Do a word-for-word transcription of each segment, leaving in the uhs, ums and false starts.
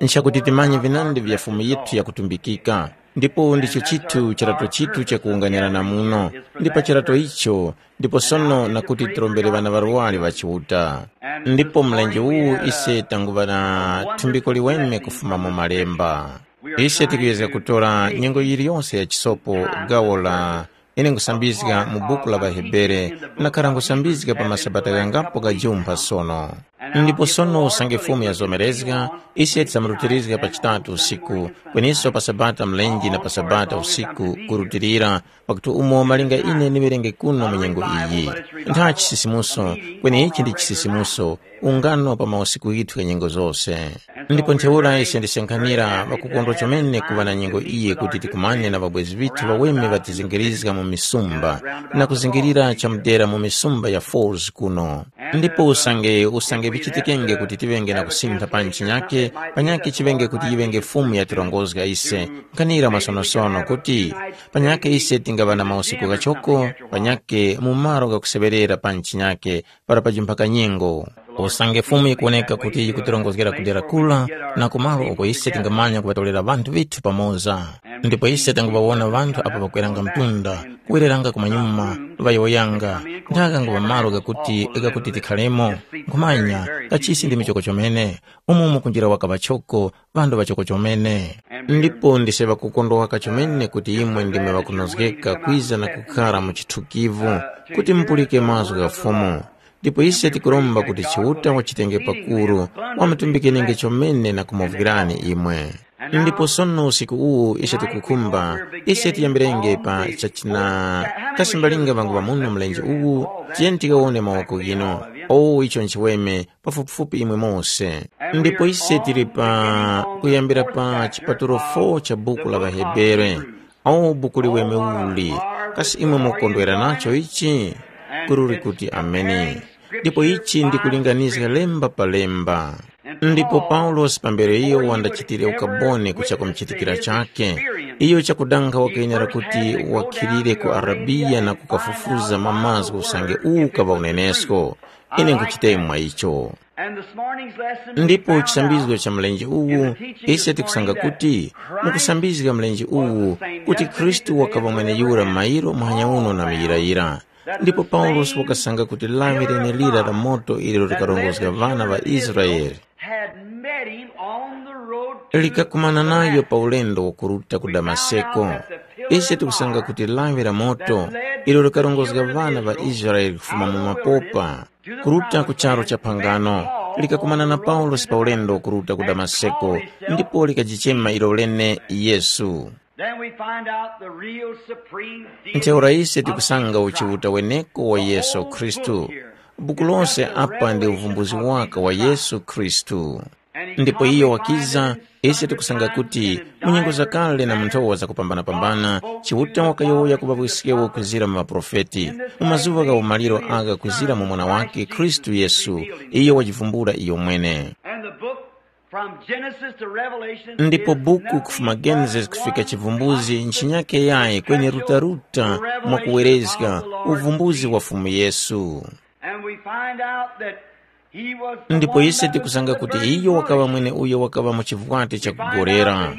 Nchakuti timanye vinandi vya Fumu yithu yakutumbikika, ndipo ndicho chithu chirato chithu chakuwunganirana muno, ndi pa chirato icho, ndipo sono nakuti tirombere ŵana ŵarwari ŵa Chiuta. Ndipo mlenje uwu ise tanguŵa na thumbiko liweme kufuma mu Malemba. Ise tikuyezga kutora nyengo yiliyonse ya chisopo gawo la ine nkhusambizga mu buku la ŵaHebere, nakhara nkhusambizga pa masabata ghangapo ghajumpha sono. Ndipo sono usange Fumu yazomerezga, ise tisamurutirizga pa chitatu usiku, kweniso pa sabata mlenje na pa sabata usiku kurutilira, pakuti umo malinga ine ndiŵerenge kuno mu nyengo iyi. Ntha chisisimuso, kweni ichi ndi chisisimuso, ungano pa mausiku ghithu gha nyengo zose. Ndipo ntheura ise ndisenkhanira ŵakukondwa chomene kuŵa na nyengo iyi kuti tikumane na ŵabwezi vithu ŵaweme ŵatizingirizga mu misumba, na kuzingirira chamudera mu misumba ya Falls kuno. Ndipo usange usange vichitikenge kuti tiŵenge na kusintha pa nchinyake, panyake chiŵenge kuti yiŵenge Fumu yatirongozga ise, nkhanira mwasonosono kuti panyake ise tingaŵa na mausiku ghachoko, panyake mu malo ghakuseŵerera pa nchinyake, para pajumpha kanyengo. Usange Fumu yikuwoneka kuti yikutirongozgera ku dera kula, na ku malo uko ise tingamanya kuŵatorera ŵanthu vithu pamoza. Ndipo ise tanguŵawona ŵanthu apo ŵakweranga mtunda, kuwereranga kumanyuma, ŵayowoyanga, nthaka nguŵa malo ghakuti ghakuti tikharemo, nkhumanya, kachisi ndi michoko chomene, umo mukunjira waka ŵachoko, ŵanthu ŵachoko chomene. Ndipo ndise ŵakukondwa waka chomene kuti imwe ndimwe ŵakunozgeka kwiza na kukhara mu chithukivu, kuti mupulike mazgu gha Fumu. Ndipo ise tikuromba kuti Chiuta wachitenge pakuru, wamutumbikenenge chomene na kumuvwirani imwe. Ndipo sono usiku uwu ise tikukhumba, ise tiyambirenge pa chachina. Kasi mbalinga ŵangu ŵamuno mlenje uwu, tiyeni tikawone mawoko ghinu. O icho nchiweme, pafupifupi imwe mose. Ndipo ise tili pa kuyambira pa chipatulo fo cha buku la ŵaHebere. O buku liweme uli, kasi imwe mukondwera nacho ichi? Kururi kuti ameni. Ndipo ichi ndikulinganizga lemba pa lemba. Ndipo Paulosi pambere iyo wandachitire ukaboni kuchako mchitikira chake, iyo chakudanga wakayenera kuti wakhilire ku Arabiya na kukafufuza mamazgu usange uwu kaŵa unenesko. Ine nkuchitemwa icho. Ndipo chisambizgo cha mlenje uwu, ise tikusanga kuti mukusambizga mlenje uwu, kuti Khristu wakaŵa mweneyura mairo muhanya uno na muyirayira. Ndipo Paulosi wakasanga kuti lawi lenelira la moto iliro likarongozga ŵana ŵa Israele had met him on the road to likakumana nayo pa ulendo wakuruta ku Damaseko. Ise tikusanga kuti lawi la moto ilo likarongozga ŵana ŵa Israele kufuma mu mapopa kuruta ku charu cha phangano likakumana na Paulosi pa ulendo wakuruta ku Damaseko, ndipo likajichema ilo lene Yesu. Then we find out the real supreme deity. Ntheura ise tikusanga uchiuta weneko wa Yesu Khristu. Buku lose apa ndi uvumbuzi waka wa Yesu Khristu. Ndipo iyo wakiza, ise tikusanga kuti mu nyengo zakale na mu nthowa zakupambana-pambana, Chiuta wakayowoya ku ŵawiskewo kuzira mu ŵaprofeti, mu mazuŵa gha umaliro agha kuzira mu Mwana wake Khristu Yesu, iyo wajivumbula iyo mwene. And the book from Genesis to Revelation ndipo is buku nothing kufuma but Genesis kufika one chivumbuzi nchinyake yayi kweni rutaruta mwa kuwerezga uvumbuzi wa Fumu Yesu. And we find out that he was the ndipo one ise that was tikusanga in the kuti burning iyo wakaŵa bush. Mwene uyo wakaŵa mu chivwati chakugorera.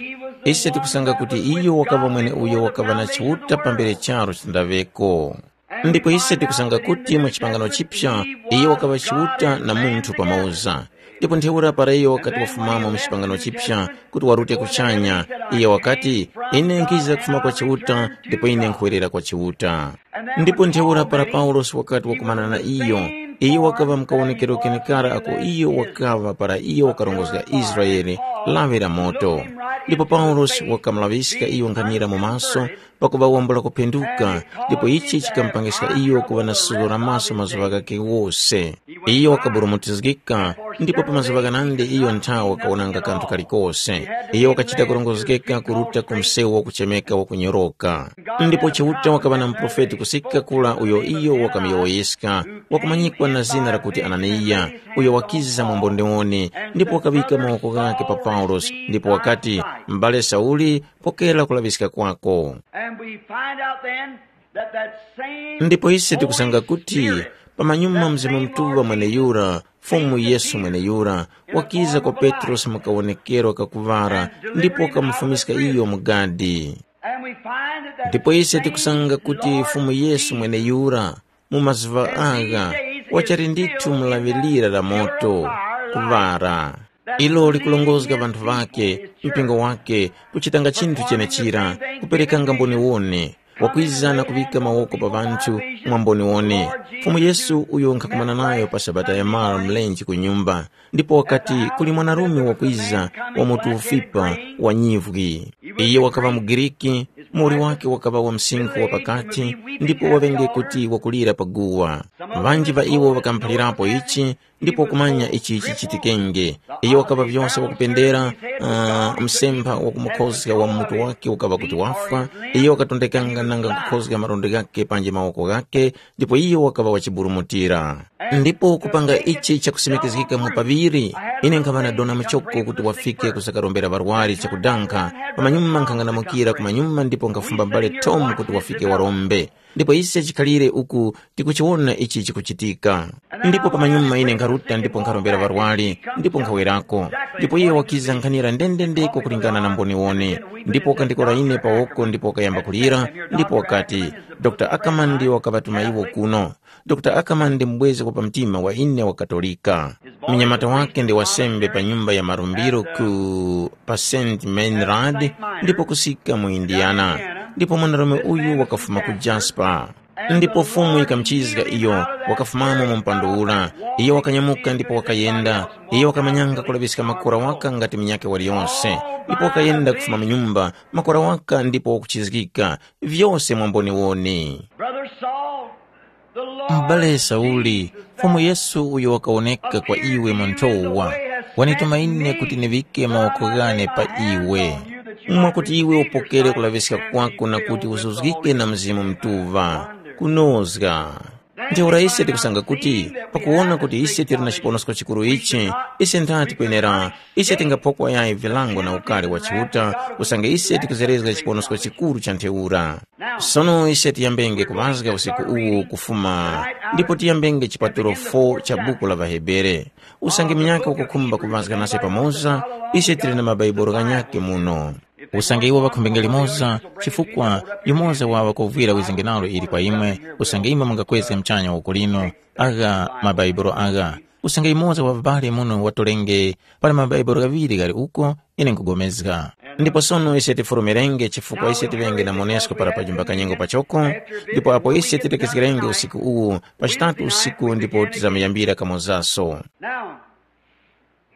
Ise tikusanga kuti iyo wakaŵa mwene uyo wakaŵa na chiuta pambere charo chindaveko. Ndipo ise tikusanga kuti mu chipangano chipya iyo wakaŵa Chiuta na munthu pamoza. Ndipo ntheura para iyo wakati wafumamo mu chipangano chipya kuti warute kuchanya, iyo wakati, ine nkhiza kufuma kwa Chiuta ndipo ine nkhuwerera kwa Chiuta. Ndipo ntheura para Paulosi wakati wakumana na iyo, iyo wakaŵa mkawonekero kenekara ako iyo wakaŵa para iyo wakarongozga Israele, lawi la moto. Ndipo Paulosi wakamulaŵiska iyo nkhanira mu maso, pakuŵa wambula kuphenduka, ndipo ichi chikamupangiska iyo kuŵa na suzgo la maso mazuŵa ghakhe ghose. Iyo wakaburumutizgika, ndipo pa mazuŵa ghanandi iyo nthawe wakawonanga kanthu kalikose. Iyo wakachita kurongozgeka kuruta ku msewu wakuchemeka wakunyoroka. Ndipo Chiuta wakaŵa na muprofeti kusika kura uyo iyo wakamuyowoyeska, wakumanyikwa na zina lakuti Ananiya, uyo wakiza mu mbondewoni, ndipo wakaŵika mawoko ghakhe pa Paulosi, ndipo wakati, m'bale Sauli, pokera kulaŵiska kwako. And we find out then that that same ndipo ise tikusanga Holy kuti Spirit pamanyuma that Mzimu same Mutuŵa Lord mwene Jesus yura Fumu Yesu mweneyura wakiza kwa Petrosi mu kawonekero kakuŵara ndipo wakamufumiska iyo mu gadi. Ndipo ise tikusanga kuti Fumu Yesu mweneyura mu mazuŵa agha wachali ndithu mu laŵe lira la moto, kuŵara. Ilo likulongozga ŵanthu ŵake, mpingo wake, kuchitanga chinthu chenechira, kuperekanga mboniwone, wakwiza na kuŵika mawoko pa ŵanthu mwa mboniwone. Fumu Yesu uyo nkhakumana nayo pa Sabata ya mara mlenje ku nyumba, ndipo wakati kuli mwanarume wakwiza wa mutu ufipa wa nyivwi. Iye wakaŵa muGiriki, muwoli wake wakaŵa wa msinkhu wa pakati, ndipo waŵenge kuti wakulira pa guwa. Ŵanji ŵa iwo ŵakamuphalirapo ichi, ndipo kumanya ichi chichitikenge. Iyo wakaŵa vyose wakupendera uh, msempha wakumukhozga wa mutu wake ukaŵa kuti wafwa. Iyo wakatondekanga nanga kukhozga marondo ghake panji mawoko ghake, ndipo iyo wakaŵa wachiburumutira. Ndipo kupanga ichi chakusimikizgika mu paŵiri, ine nkhaŵa na dona muchoko kuti wafike kusakarombera ŵarwari chakudankha. Pamanyuma nkhang'anamukira kumanyuma ndipo nkhafumba mbale tomu kuti wafike warombe. Ndipo ise chikhalire uku tikuchiwona ichi chikuchitika. Ndipo pamanyuma ine nkharuta ndipo nkharombera ŵarwari, ndipo nkhawerako. Ndipo iye wakiza nkhanira ndendendeko kulingana na mboniwone. Ndipo wakandikora ine pawoko ndipo wakayamba kulira, ndipo wakati, dr Ackerman ndiyo wakaŵatuma iwo kuno. Dr Ackerman ndi mubwezi wa pamtima wa ine wa Katolika. Mnyamata wake ndi wasembe pa nyumba ya marumbiro ku pa Saint Meinrad, ndipo kusika mu Indiana. Ndipo mwanarume uyu wakafuma ku Jasper. Ndipo Fumu yikamuchizga iyo, wakafumamo mu mpando ura. Iyo wakanyamuka ndipo wakayenda. Iyo wakamanyanga kulaŵiska makora waka ngati munyakhe waliyonse. Ndipo wakayenda kufuma mu nyumba, makora waka ndipo wakuchizgika, vyose mwamboniwoni. Brother Saul, the Lord M'bale Sauli, Fumu Yesu uyo wakawoneka kwa iwe mu nthowa, wanituma ine kuti niŵike mawoko ghane pa iwe, mwakuti iwe upokere kulaŵiska kwako na kuti uzuzgike na Mzimu Mutuŵa, kunozga. Ntheura ise tikusanga kuti, pakuwona kuti ise tili na chiponosko chikuru ichi, ise nthati kwenera, ise tingaphokwa yayi vilango na ukari wa Chiuta, usange ise tikuzerezga chiponosko chikuru cha ntheura. Sono ise tiyambenge kuŵazga usiku uwu kufuma, ndipo tiyambenge chipatulo fo cha buku la ŵaHebere. Usange munyakhe wakukhumba kuŵazga nase pamoza, ise tili na maBaibuli ghanyakhe muno. Usange iwo ŵakhumbenge limoza, chifukwa yumoza wa ŵakovwira wizinge nalo ili kwa imwe, usange imwe mungakwezge muchanya uku lino, agha maBaibuli agha. Usange yumoza wa ŵabali muno watolenge, pali maBaibuli ghaŵiri ghali uko, ine nkugomezga. Ndipo sono ise tifurumirenge chifukwa ise tiŵenge na monesko para pajumba kanyengo pachoko, ndipo apo ise titekezgerenge usiku uwu, pa chitatu usiku ndipo tizamuyambira kamozaso. Now,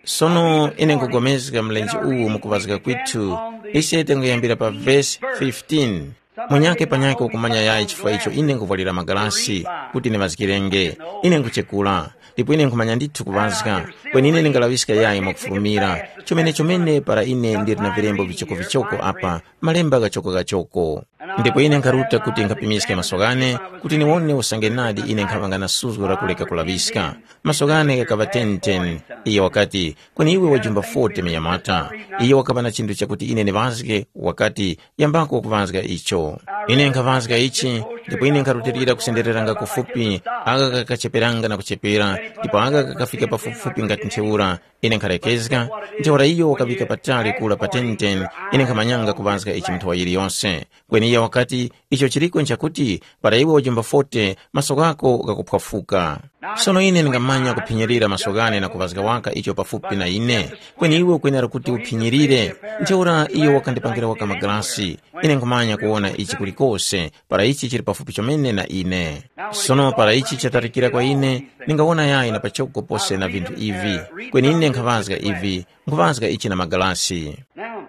sono ine nkugomezga mlenje uwu mukuŵazga kwithu, ise tinguyambira pa vesi fifteen. Munyakhe panyakhe ukumanya yayi chifukwa icho ine nkuvwalira magalasi kuti niŵazgirenge. Ine nkuchekula, ndipo ine nkhumanya ndithu kuŵazga, kweni ine ndingalaŵiska yayi mwakufulumira, chomene-chomene para ine ndili na vilembo vichoko-vichoko apa, malemba ghachoko-ghachoko. Ndipo ine nkharuta kuti nkhapimiske maso ghane, kuti niwone usange nadi ine nkhaŵanga na suzgo la kuleka kulaŵiska. Maso ghane ghakaŵa ten ten. Iye wakati, kweni iwe wajumba forty miyamata. Iye wakaŵa na chinthu chakuti ine ndiŵazge, wakati, yambako kuŵazga icho. Ine nkhaŵazga ichi, ndipo ine nkharutilira kusendereranga kufupi, aka kakacheperanga na kuchepera, ndipo aka kakafika pafupifupi ngati ntheura. Ine nkhalekezga, ntheura iyo wakaŵika patali kula pa ten ten, ine nkhamanyanga kuŵazga ichi nthowa yiliyonse. Kweni iye wakati, icho chiliko nchakuti, para iwe wajumba forty, maso ghako ghakuphwafuka. Sono ine ndingamanya kuphinyirira maso ghane na kuŵazga waka icho pafupi na ine, kweni iwe ukwenera kuti uphinyirire. Ntheura iyo wakandipangira waka magalasi, ine nkhumanya kuwona ichi kulikose, para ichi chili pafupi chomene na ine. Sono para ichi chatalikira kwa ine, ndingawona yayi na pachoko pose na vinthu ivi, kweni ine nkhaŵazga ivi, nkhuŵazga ichi na magalasi. Now,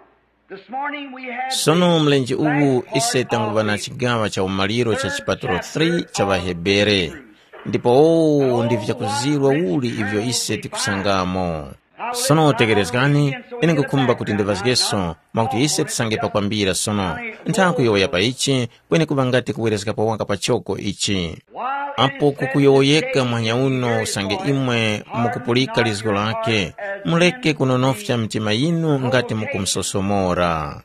this morning we have sono the mlenje uwu last ise part tanguva of na the chigawa cha umaliro cha chipatulo three cha ŵaHebere. Ndipo owu ndi vyakuzirwa uli ivyo ise tikusangamo. Sono tekerezgani, ine nkukhumba kuti ndiŵazgeso, mwakuti ise tisange pakwambira sono. Nthawi kuyowoya pa ichi, kweni kuŵa ngati kuwerezgapo waka pachoko ichi. Apo kukuyowoyeka mwanya uno usange imwe mukupulika lizgo lake, muleke kunonofya mitima yinu ngati mukumusosomora.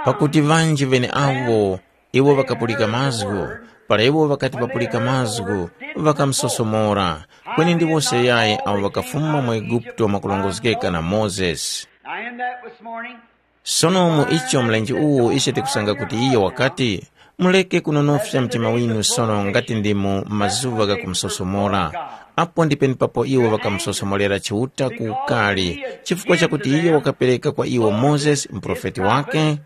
Pakuti ŵanji ŵeneawo iwo ŵakapulika mazgu, Para iwo ŵakati ŵapulika mazgu, ŵakamusosomora, kweni ndi wose yayi awo ŵakafuma mu Eguputo mwakulongozgeka na Mozesi. Now in that this morning, Sono mu icho mlenje uwu ise tikusanga kuti iyo wakati, muleke kunonofya mtima winu sono ngati ndi mu mazuŵa gha kumusosomora. Apo ndi penepapo iwo ŵakamusosomorera Chiuta ku ukali, chifukwa chakuti iyo wakapereka kwa iwo Mozesi muprofeti wake,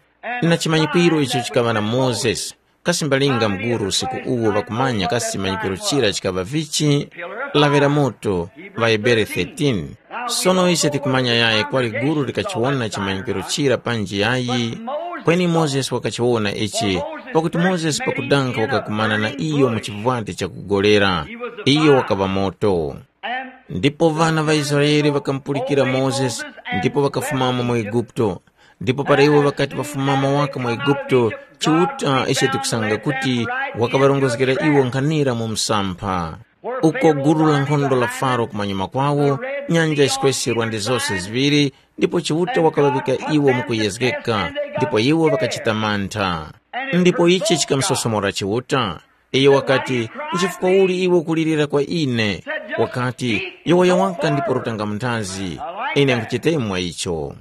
na chimanyikwiro icho chikaŵa na Mozesi. Kasi mbalinga mguru usiku uwo ŵakumanya kasi chimanyikiro chira chikaŵa vichi? Laŵira moto, ŵaHebere thirteen. Sono ise tikumanya yayi kwali guru likachiwona chimanyikiro chira panji yayi? Kweni Mozesi wakachiwona ichi, pakuti Mozesi pakudanga wakakumana na iyo mu chivwati chakugolera. Iyo wakaŵa moto. Ndipo ŵana ŵa Israele ŵakamupulikira Mozesi ndipo ŵakafumamo mu Eguputo. Ndipo para iwo ŵakati ŵafumamo waka mu Eguputo, Chiuta ise tikusanga kuti wakaŵarongozgera iwo nkhanira mu msampha. Uko gulu la nkhondo la Faro kumanyuma kwawo, nyanja yisweserwa ndi zose ziŵiri, ndipo Chiuta wakaŵaŵika iwo mu kuyezgeka, ndipo iwo ŵakachita mantha. Ndipo ichi chikamusosomora Chiuta. Iyo wakati, nchifukwa uli iwe ukulirira kwa ine? Wakati, yowoya waka ndipo rutanga munthazi. Ine nkuchitemo mwa icho.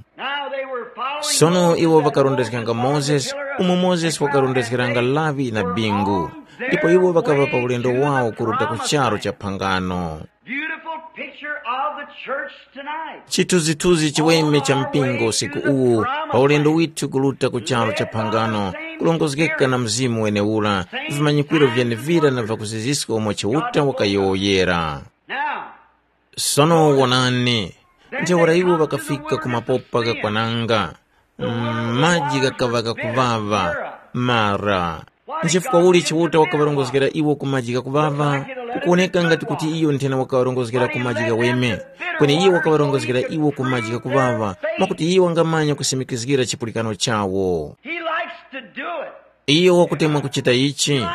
Sono iwo ŵakarondezganga Mozesi, umo Mozesi wakarondezgeranga lawi na bingu, ndipo iwo ŵakaŵa pa ulendo wawo kuruta ku charu cha phangano. Beautiful picture of the church tonight. Chithunzithunzi chiweme cha mpingo usiku uwu, pa ulendo withu kuruta ku charu cha phangano, kulongozgeka na mzimu wenewura, vimanyikwiro vyenevira na vakuziziska umo Chiuta wakayowoyera. Now, sono wonani, ntheura iwo ŵakafika ku mapopa ghakwananga, mm, maji ghakaŵa ghakuŵaŵa, mara. Nchifukwa uli Chiuta wakaŵarongozgera iwo ku maji ghakuŵaŵa? Kukuwoneka ngati kuti iyo nthena wakaŵarongozgera ku maji ghaweme, kweni iyo wakaŵarongozgera iwo ku maji ghakuŵaŵa, mwakuti iyo wangamanya kusimikizgira chipulikano chawo. He likes to do it. Iyo wakutemwa kuchita ichi.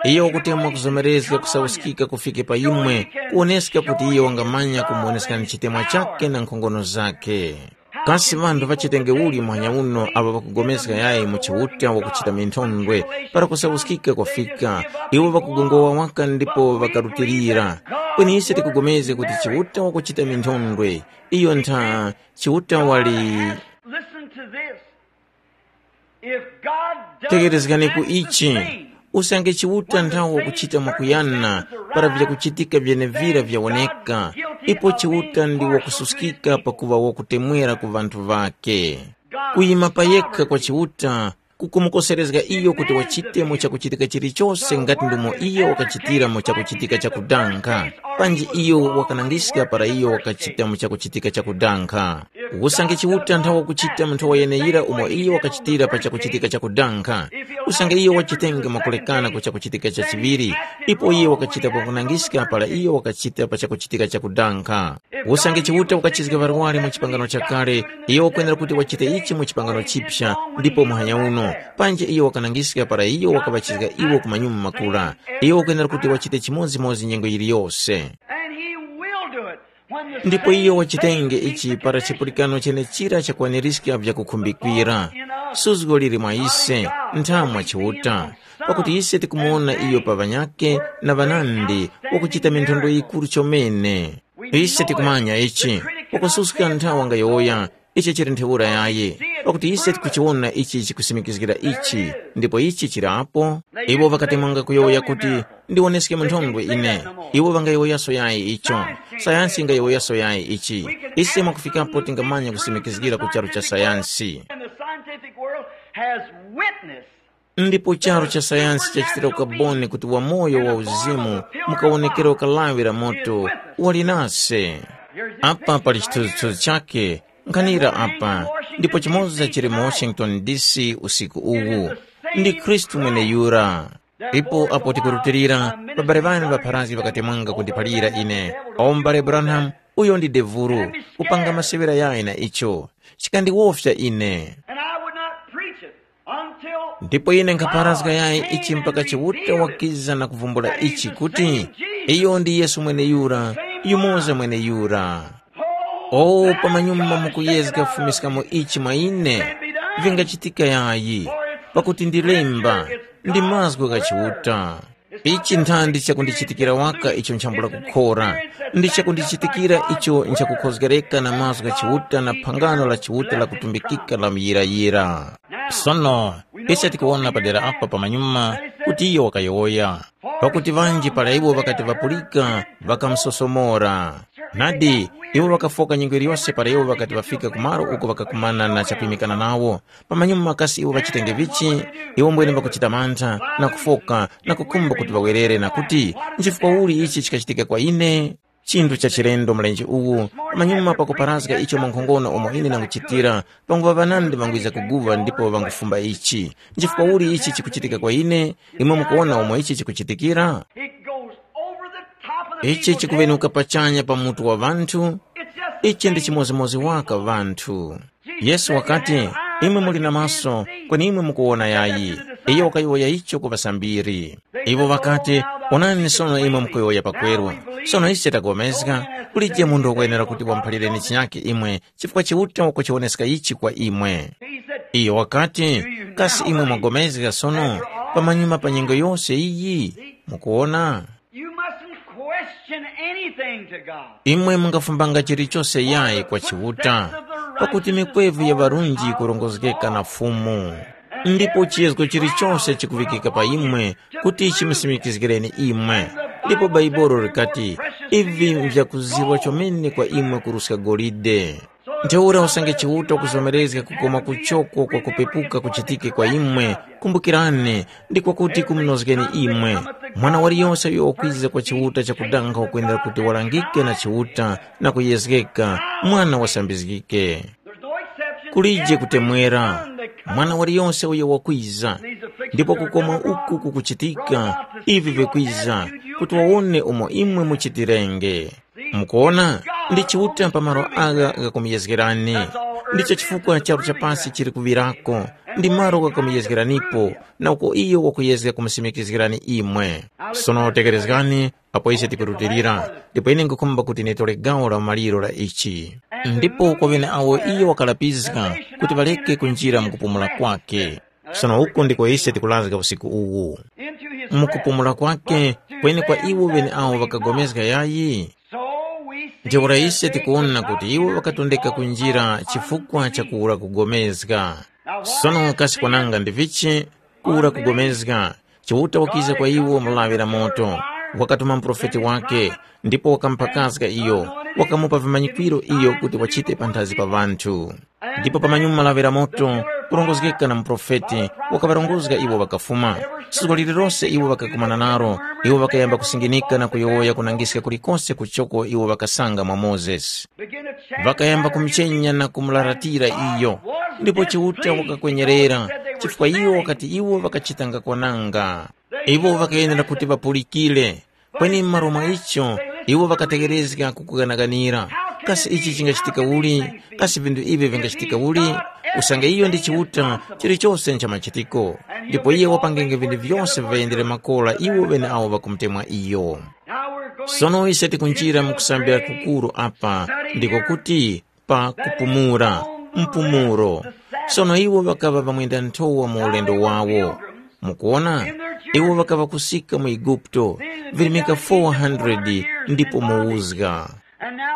Iyo wakutemwa kuzomerezga kusauskika kufike pa imwe, kuwoneska kuti iyo wangamanya kumuwoneska ni chitemwa chake na nkhongono zake. Kasi ŵanthu ŵachitenge uli muhanya uno awo ŵakupulikana yayi mu Chiuta wakuchita minthondwe, para kusauskika kwafika, iwo ŵakugongowa waka ndipo ŵakarutilira? Kweni ise tikupulikana kuti Chiuta wakuchita minthondwe, iyo ntha Chiuta wali. Listen to this. If God does Tegerezgani ku that ichi, thing, usange Chiuta nthawo wakuchita mwakuyana para vyakuchitika vyenevira vyawoneka, ipo Chiuta ndi wakususkika pakuŵa wakutemwera ku ŵanthu ŵakhe. Kuyima pa yekha kwa Chiuta kukumukoserezga iyo kuti wachite mu chakuchitika chilichose ngati ndomo iyo wakachitira mu chakuchitika chakudanga, panji iyo wakanangiska para iyo wakachita mu chakuchitika chakudanga. Usange Chiuta nthawa kuchita mu nthowa yeneyira umo iyo wakachitira pa chakuchitika chakudanga, usange iyo wachitenge mwakulekana ku chakuchitika chachiŵiri, ipo iyo wakachita pakunangiska para iyo wakachita pa chakuchitika chakudanga. Usange Chiuta wakachizga ŵarwari mu chipangano chakale, iyo wakwenera kuti wachite ichi mu chipangano chipya, ndipo muhanya uno, panji iyo wakanangiska para iyo wakaŵachizga iwo ku manyuma makula, iyo wakwenera kuti wachite chimodzimodzi nyengo yiliyose. And he will do it. When the Ndipo iyo wachitenge ichi para chipulikano chenechira chakwanirizga vyakukhumbikira. Suzgo liri mwa ise, nthamwa Chiuta, pakuti ise tikumuwona iyo pa ŵanyakhe na ŵanandi wakuchita minthondo yikuru chomene. Ise tikumanya ichi, wakususka nthawa ngayowoya, ichi chili ntheura yayi, pakuti ise tikuchiwona ichi chikusimikizgira ichi, ndipo ichi chili apo. Iwo ŵakatemwanga kuyowoya kuti, ndiwoneske mu nthondwe ine. Iwo ŵangayowoyaso yayi icho. Sayansi ingayowoyaso yayi ichi. Ise mwakufikapo tingamanya kusimikizgira ku charu cha sayansi. In the scientific world has witnessed. Ndipo charu cha sayansi chachitira ukaboni kuti wamoyo wa uzimu mukawonekera ukalawi la moto wali nase. Apa pali chithunzithunzi chake, nkhanira apa, ndipo chimoza chili mu Washington D C usiku uwu. Ndi Khristu mweneyura. Ipo apo tikurutilira, babale ŵane ŵapharazgi ŵakatemwanga kundiphalira ine, o m'bale Branham, uyo ndi devulu, kupanga maseŵera yayi na icho, chikandiwofya ine. And I would not preach it until Ndipo ine nkhapharazga yayi ichi mpaka Chiuta wakiza na kuvumbula ichi kuti iyo ndi Yesu mweneyura, yumoza mweneyura. O, pamanyuma mukuyezga kufumiskamo ichi mwa ine, vingachitika yayi, pakuti ndi lemba, ndi mazgu gha Chiuta. Ichi nthandi chakundichitikira waka icho nchambula kukhora, ndi chakundichitikira icho nchakukhozgereka na mazgu gha Chiuta na phangano la Chiuta lakutumbikika la muyirayira. Sono, ise tikuwona padera apa pamanyuma kuti iyo wakayowoya, pakuti ŵanji para iwo ŵakati ŵapulika, ŵakamusosomora. Nadi, iwo ŵakafoka nyengo yiliyose para iwo ŵakati ŵafika ku malo uko ŵakakumana na chakuyimikana nawo. Pamanyuma kasi iwo ŵachitenge vichi? Iwo mbwene ŵakuchita mantha, na kufoka, na kukhumba kuti ŵawerere na kuti, nchifukwa uli ichi chikachitika kwa ine? Chinthu cha chilendo mlenje uwu, pamanyuma pakuparazga icho mwankhongono umo ine ndanguchitira, panguŵa ŵanandi ŵangwiza kuguŵa ndipo ŵangufumba ichi. Nchifukwa uli ichi chikuchitika kwa ine? Imwe mukuwona umo ichi chikuchitikira? It goes over the top of the Ichi people. Chikuvenuka pachanya pa mutu wa ŵanthu. It's just Ichi ndi chimodzimodzi waka ŵanthu. Yesu wakati, imwe muli na maso, kweni imwe mukuwona yayi. Iyo wakayowoya icho ku ŵasambiri. Iwo ŵakati, onani sono imwe mukuyowoya pakweru. Sono ise tapulikana, kulije munthu wakwenera kuti wamuphalireni chinyakhe imwe, chifukwa Chiuta wakuchiwoneska ichi kwa imwe. Iyo wakati, kasi imwe mwapulikana sono, pamanyuma pa nyengo yose iyi? Mukuwona? You mustn't question anything to God. Imwe mungafumbanga chilichose yayi kwa Chiuta, pakuti mikwevu ya ŵarunji yikurongozgeka na Fumu. Ndipo chiyezgo chilichose chikuŵikika pa imwe kuti chimusimikizgireni imwe. Ndipo Baibolo likati, ivi nvyakuzirwa chomene kwa imwe kuruska golide. Ntheura usange Chiuta kuzomerezga kukoma kuchoko kwa kupepuka kuchitike kwa imwe, kumbukirani, ndi kwakuti kumunozgeni imwe. Mwana waliyose uyo wakwiza kwa Chiuta chakudanga wakwenera kuti walangike na Chiuta na kuyezgeka, mwana wasambizgike. Kulije kutemwera, mwana waliyose uyo wakwiza, ndipo kukoma uku kukuchitika, ivi vikwiza, kuti wawone umo imwe muchitirenge. Mukuona, ndi Chiuta pa malo agha ghakumuyezgerani. Ndicho chifukwa charu cha pasi chili kuŵirako, ndi malo ghakumuyezgeranipo, na uko iyo wakuyezga kumusimikizgirani imwe. Sono tekerezgani, apo ise tikurutilira, ndipo ine nkhukhumba kuti nitore gawo la maliro la ichi. Ndipo kwa ŵeneawo iyo wakalapiska kuti ŵareke kunjira mu kupumula kwake. Sono uku ndiko ise tikurazga usiku uwu. Mu kupumula kwake, kweni kwa iwo ŵeneawo ŵakagomezga yayi? Ntheura ise tikuwona kuti iwo ŵakatondeka kunjira chifukwa cha kuwura kugomezga. Sono kasi kwananga ndi vichi kuwura kugomezga? Chiuta wakiza kwa iwo mu lawi la moto, wakatuma muprofeti wake, ndipo wakamuphakazga iyo, wakamupa vimanyikwiro iyo kuti wachite panthazi pa ŵanthu. Ndipo pamanyuma lawi la moto, kurongozgeka na muprofeti, wakaŵarongozga iwo ŵakafuma. Suzgo lililose iwo ŵakakumana nalo, iwo ŵakayamba kusinginika na kuyowoya kunangiska kulikose kuchoko iwo ŵakasanga mwa Mozesi. Ŵakayamba kumuchenya na kumularatira iyo, ndipo Chiuta wakakwenyerera, chifukwa iwo wakati iwo ŵakachitanga kwananga. Iwo ŵakayenera kuti ŵapulikire, kweni m'malo mwa icho, iwo ŵakategherezga kukuganaganira. Kasi ichi chingachitika uli? Kasi vinthu ivi vingachitika uli? Usange iyo ndi Chiuta, chilichose nchamachitiko, ndipo iye wapangenge vinthu vyose viyendere makora iwo ŵeneawo ŵakumutemwa iyo. Sono ise tikunjira mu kusambira kukuru apa, ndiko kuti pa kupumula, mpumulo. Sono iwo ŵakaŵa ŵamwenda nthowa mu ulendo wawo. Mukuona, iwo ŵakaŵa kusika mu Eguputo, virimika four hundred ndipo muwuzga.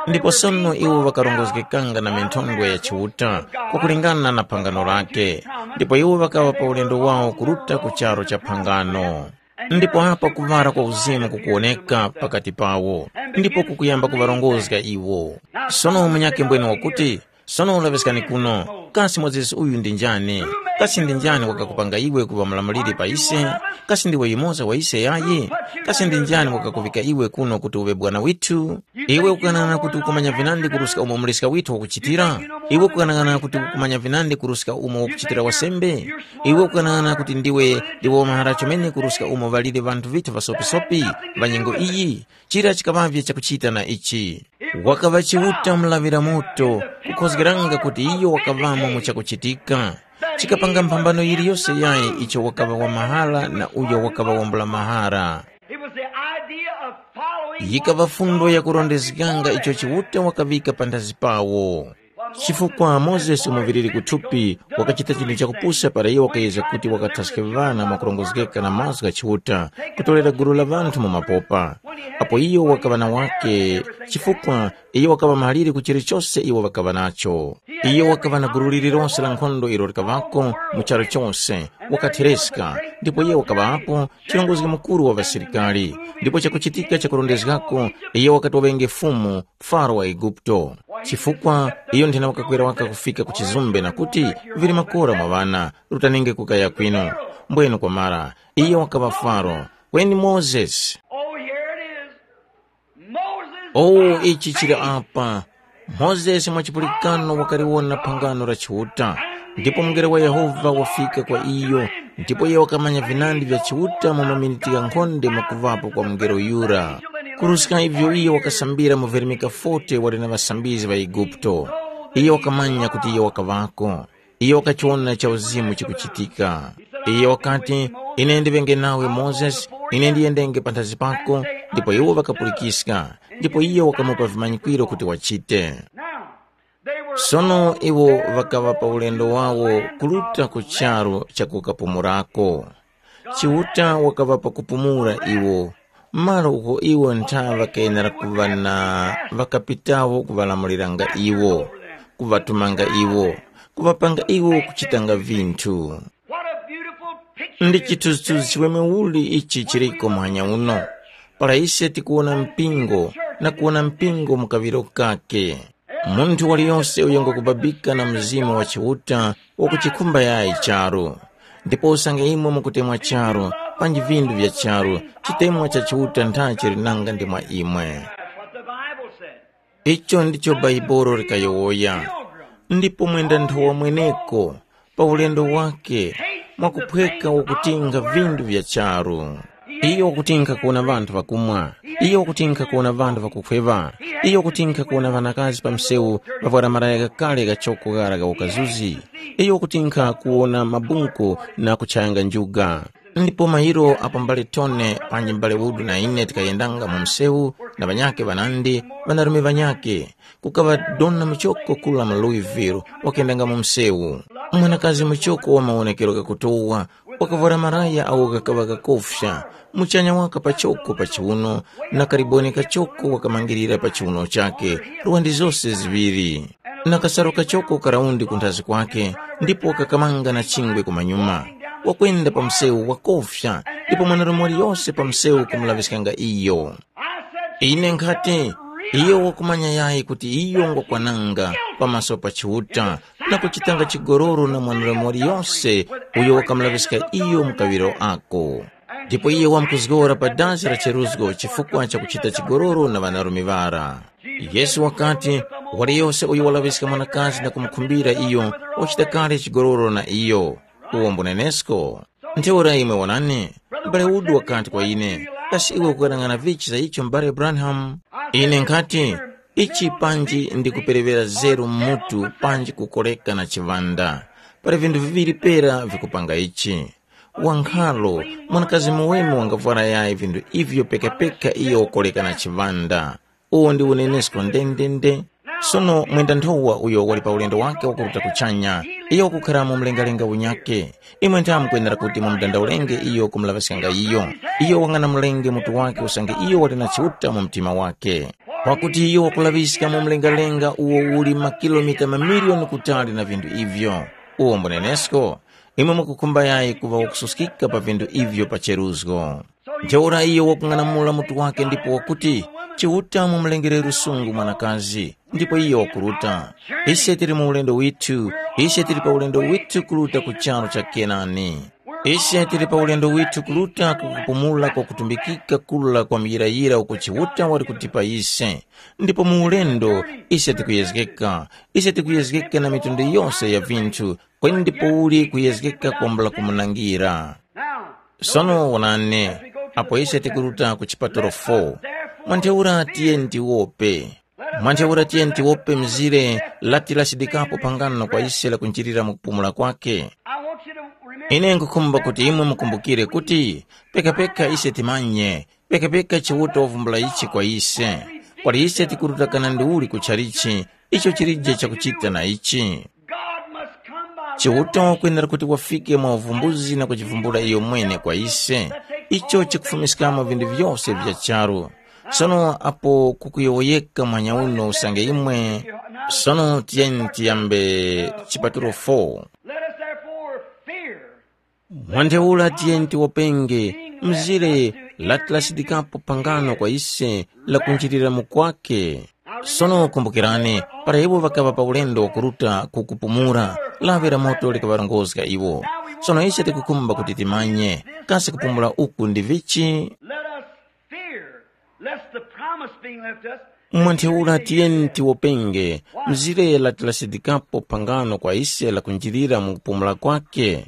Ndipo sono iwo ŵakarongozgekanga na minthondwe ya Chiuta, kwakulingana na phangano lake, ndipo iwo ŵakaŵa pa ulendo wawo kuruta ku charu cha phangano. Ndipo apa kuŵala kwa uzimu kukuwoneka pakati pawo, ndipo kukuyamba kuŵarongozga iwo. Sono munyakhe mbwene wakuti, sono ulaŵiskani kuno, kasi Mozesi uyu ndi njani? Kasi ndi njani wakakupanga iwe kuŵa mulamuliri pa ise? Kasi ndiwe yumoza wa ise yayi? Kasi ndi njani wakakuŵika iwe kuno kuti uŵe bwana withu? Iwe ukughanagana kuti ukumanya vinandi kuruska umo muliska withu wakuchitira? Iwe ukughanagana kuti ukumanya vinandi kuruska umo wakuchitira wasembe? Iwe ukughanagana kuti ndiwe ndiwe wamahara chomene kuruska umo ŵaliri ŵanthu ŵithu ŵasopisopi ŵa nyengo iyi? Chira chikaŵavye chakuchita na ichi. Wakaŵa Chiuta mulaŵira moto, kukhozgeranga kuti iyo wakaŵamo mu chakuchitika. Chikapanga mphambano yiliyose yayi icho wakaŵa wa mahara na uyo wakaŵa wambula mahara. It was the idea of following Yikaŵa fundo yakurondezganga icho Chiuta wakaŵika panthazi pawo. Chifukwa Mozesi muŵiriri kuthupi wakachita chinthu chakupusa para iyo wakayezga kuti wakathaske ŵana mwakurongozgeka na mazgu gha Chiuta, kutorera gulu la ŵanthu mu mapopa. Apo iyo wakaŵa na wake, chifukwa iyo wakaŵa mahalire ku chilichose iwo ŵakaŵa nacho. Iyo wakaŵa na gulu lililonse la nkhondo ilo likaŵako mu charu chose, wakathereska, ndipo iyo wakaŵapo chirongozgi mukuru wa ŵasilikari. Ndipo chakuchitika chakurondezgako, iyo wakati waŵenge fumu, Faro wa Eguputo. Chifukwa iyo nthena wakakwera waka kufika ku chizumbe na kuti, vili makora mwa ŵana, rutaninge kukaya kwinu. Mbwenu kwamara, iyo wakaŵa Faro, kweni Mozesi. Oh, here it is. Moses. Oh, ichi chili apa. Mozesi mwa chipulikano wakaliwona phangano la Chiuta, ndipo mungelo wa Yehova wafika kwa iyo, ndipo iye wakamanya vinandi vya Chiuta mu maminiti ghankhonde mwakuvapo kwa mungelo yura. Kuruska ivyo iye wakasambira mu Verimika forty wali na ŵasambizgi ŵa Eguputo. Iye wakamanya kuti iye wakaŵako. Iyo wakachiwona cha uzimu chikuchitika. Iyo wakati, “Ine ndiŵenge nawe Mozesi, ine ndiyendenge panthazi pako.” Ndipo iwo ŵakapulikiska, ndipo iyo wakamupa vimanyikwiro kuti wachite. Sono iwo ŵakaŵa pa ulendo wawo kuruta ku charu cha kukapumurako. Chiuta wakaŵapa kupumula iwo, malo uko iwo ntha ŵakenera kuŵa na ŵakapitawo kuŵalamuliranga iwo, kuŵatumanga iwo, kuŵapanga iwo kuchitanga vinthu. What a beautiful picture. Ndi chithunzithunzi chiweme uli ichi chiriko muhanya uno, para ise tikuwona mpingo na kuwona mpingo mu kaŵiro kake. Munthu waliyose uyo ngwakubabika na Mzimu wa Chiuta wakuchikhumba yayi charu. Ndipo usange imwe mukutemwa charu, panji vindu vya charu, chitemwa cha Chiuta ntha chili nanga ndi mwa imwe. That's what the Bible said. Icho ndicho Bhaibuli likayowoya. Ndipo mwenda nthowa mweneko, pa ulendo wake, mwakuphweka wakutinga vindu vya charu. Iyo wakutinkha kuwona ŵanthu ŵakumwa. Iyo wakutinkha kuwona ŵanthu ŵakukhweŵa. Iyo wakutinkha kuwona ŵanakazi pa msewu ŵavwara malaya ghakale ghachoko ghara gha ukazuzi. Iyo wakutinkha kuwona mabunku na kuchayanga njuga. Ndipo mairo apo mbale Tone panji mbale Udu na ine tikayendanga mu msewu na ŵanyakhe ŵanandi, ŵanarume ŵanyakhe, kukaŵa dona muchoko kula mu Louisville wakuyendanga mu msewu. Mwanakazi muchoko wa mawonekero ghakutowa, wakavwara malaya agho ghakaŵa ghakofya, muchanya waka pachoko pa chiuno, na kaliboni kachoko wakamangirira pa chiuno chakhe, lwandi zose ziŵiri. Na kasalu kachoko karaundi kunthazi kwakhe, ndipo kakamanga na chingwe kumanyuma. Wakwenda pa msewu wakofya, ndipo mwanarume waliyose pa msewu kumulaŵiskanga iyo. Ine nkhati, iyo wakumanya yayi kuti iyo ngwakwananga pamaso pa Chiuta, na kuchitanga chigololo na mwanarume waliyose uyo wakamulaŵiska iyo mu kaŵiro ako. Ndipo iye wamkuzgora pa dazi la cheruzgo chifukwa cha kuchita chigololo na ŵanarume ŵara. Yesu wakati, waliyose uyo walaŵiska mwanakazi na kumukhumbira iyo, wachita kale chigololo na iyo. Uwo mbunenesko. Ntheura imwe wonani, m'bale Udu wakati kwa ine, kasi iwe ukuyang'ana vichi za icho m'bale Branham? Ine nkhati, ichi panji ndikuperewera zeru mutu panji kukoreka na chiŵanda. Pali vinthu viŵiri pera vikupanga ichi. Wankhalo, mwanakazi muweme wangavwara yayi vinthu ivyo pekapeka iyo wakoreka na chiŵanda. Uwo ndi unenesko ndendende. Sono mwenda nthowa uyo wali pa ulendo wake wakuruta kuchanya, iyo wakukhara mu mlengalenga unyakhe. Imwe nthamu mukwenera kuti mumudandaulenge iyo kumulaŵiskanga iyo. Iyo wang'anamulenge mutu wake usange iyo wali na Chiuta mu mtima wake. Pakuti iyo wakulaŵiska mu mlengalenga uwo uli makilomita mamiliyoni kutali na vinthu ivyo. Uwo mbunenesko? Imwe mukukhumba yayi kuŵa wakususkika pa vinthu ivyo pa cheruzgo. Ntheura iyo wakung'anamula mutu wake ndipo wakuti, “Chiuta mumulengere lusungu mwanakazi.” Ndipo iyo wakuruta. Ise tili mu ulendo withu, ise tili pa ulendo withu kuruta ku charu cha Kenani. Ise tili pa ulendo withu kuruta ku kupumula kwa kutumbikika kula kwa muyirayira uko Chiuta wali kutipa ise. Ndipo mu ulendo, ise tikuyezgeka. Ise tikuyezgeka na mitundu yose ya vinthu, kweni ndipouli kuyezgeka kwambula kumunangira. Sono wonani, apo ise tikuruta ku chipatalo four, mwa ntheura tiyeni tiwope. Mwa ntheura tiyeni tiwope mzire lati lasidikapo phangano kwa ise lakunjirira mu kupumula kwake. Ine nkhukhumba kuti imwe mukumbukire kuti pekapeka ise timanye, pekapeka Chiuta wavumbula ichi kwa ise. Kwali ise tikuruta kana ndiuli ku chalichi, Icho chilije chakuchita na ichi. God must come by Chiuta wakwenera kuti wafike mwa uvumbuzi na kuchivumbula iyo mwene kwa ise. Icho chikufumiskamo vinthu vyose vya charu. Sono apo kukuyowoyeka mwanya uno usange imwe, sono tiyeni tiyambe chipatulo four. Let us therefore fear. Mwantheura tiyeni tiwopenge mzire latilasidikapo pangano kwa ise la kunjirira mukwake. Sono kumbukirani, para iwo ŵakaŵa pa ulendo wakuruta ku kupumula, lawi la moto likaŵarongozga iwo. Sono ise tikukhumba kuti timanye, kasi kupumula uku ndi vichi? Let us fear lest the promise being left us. Mwantheura tiyeni tiwopenge mzire latilasidikapo pangano kwa ise la kunjirira mu kupumula kwake.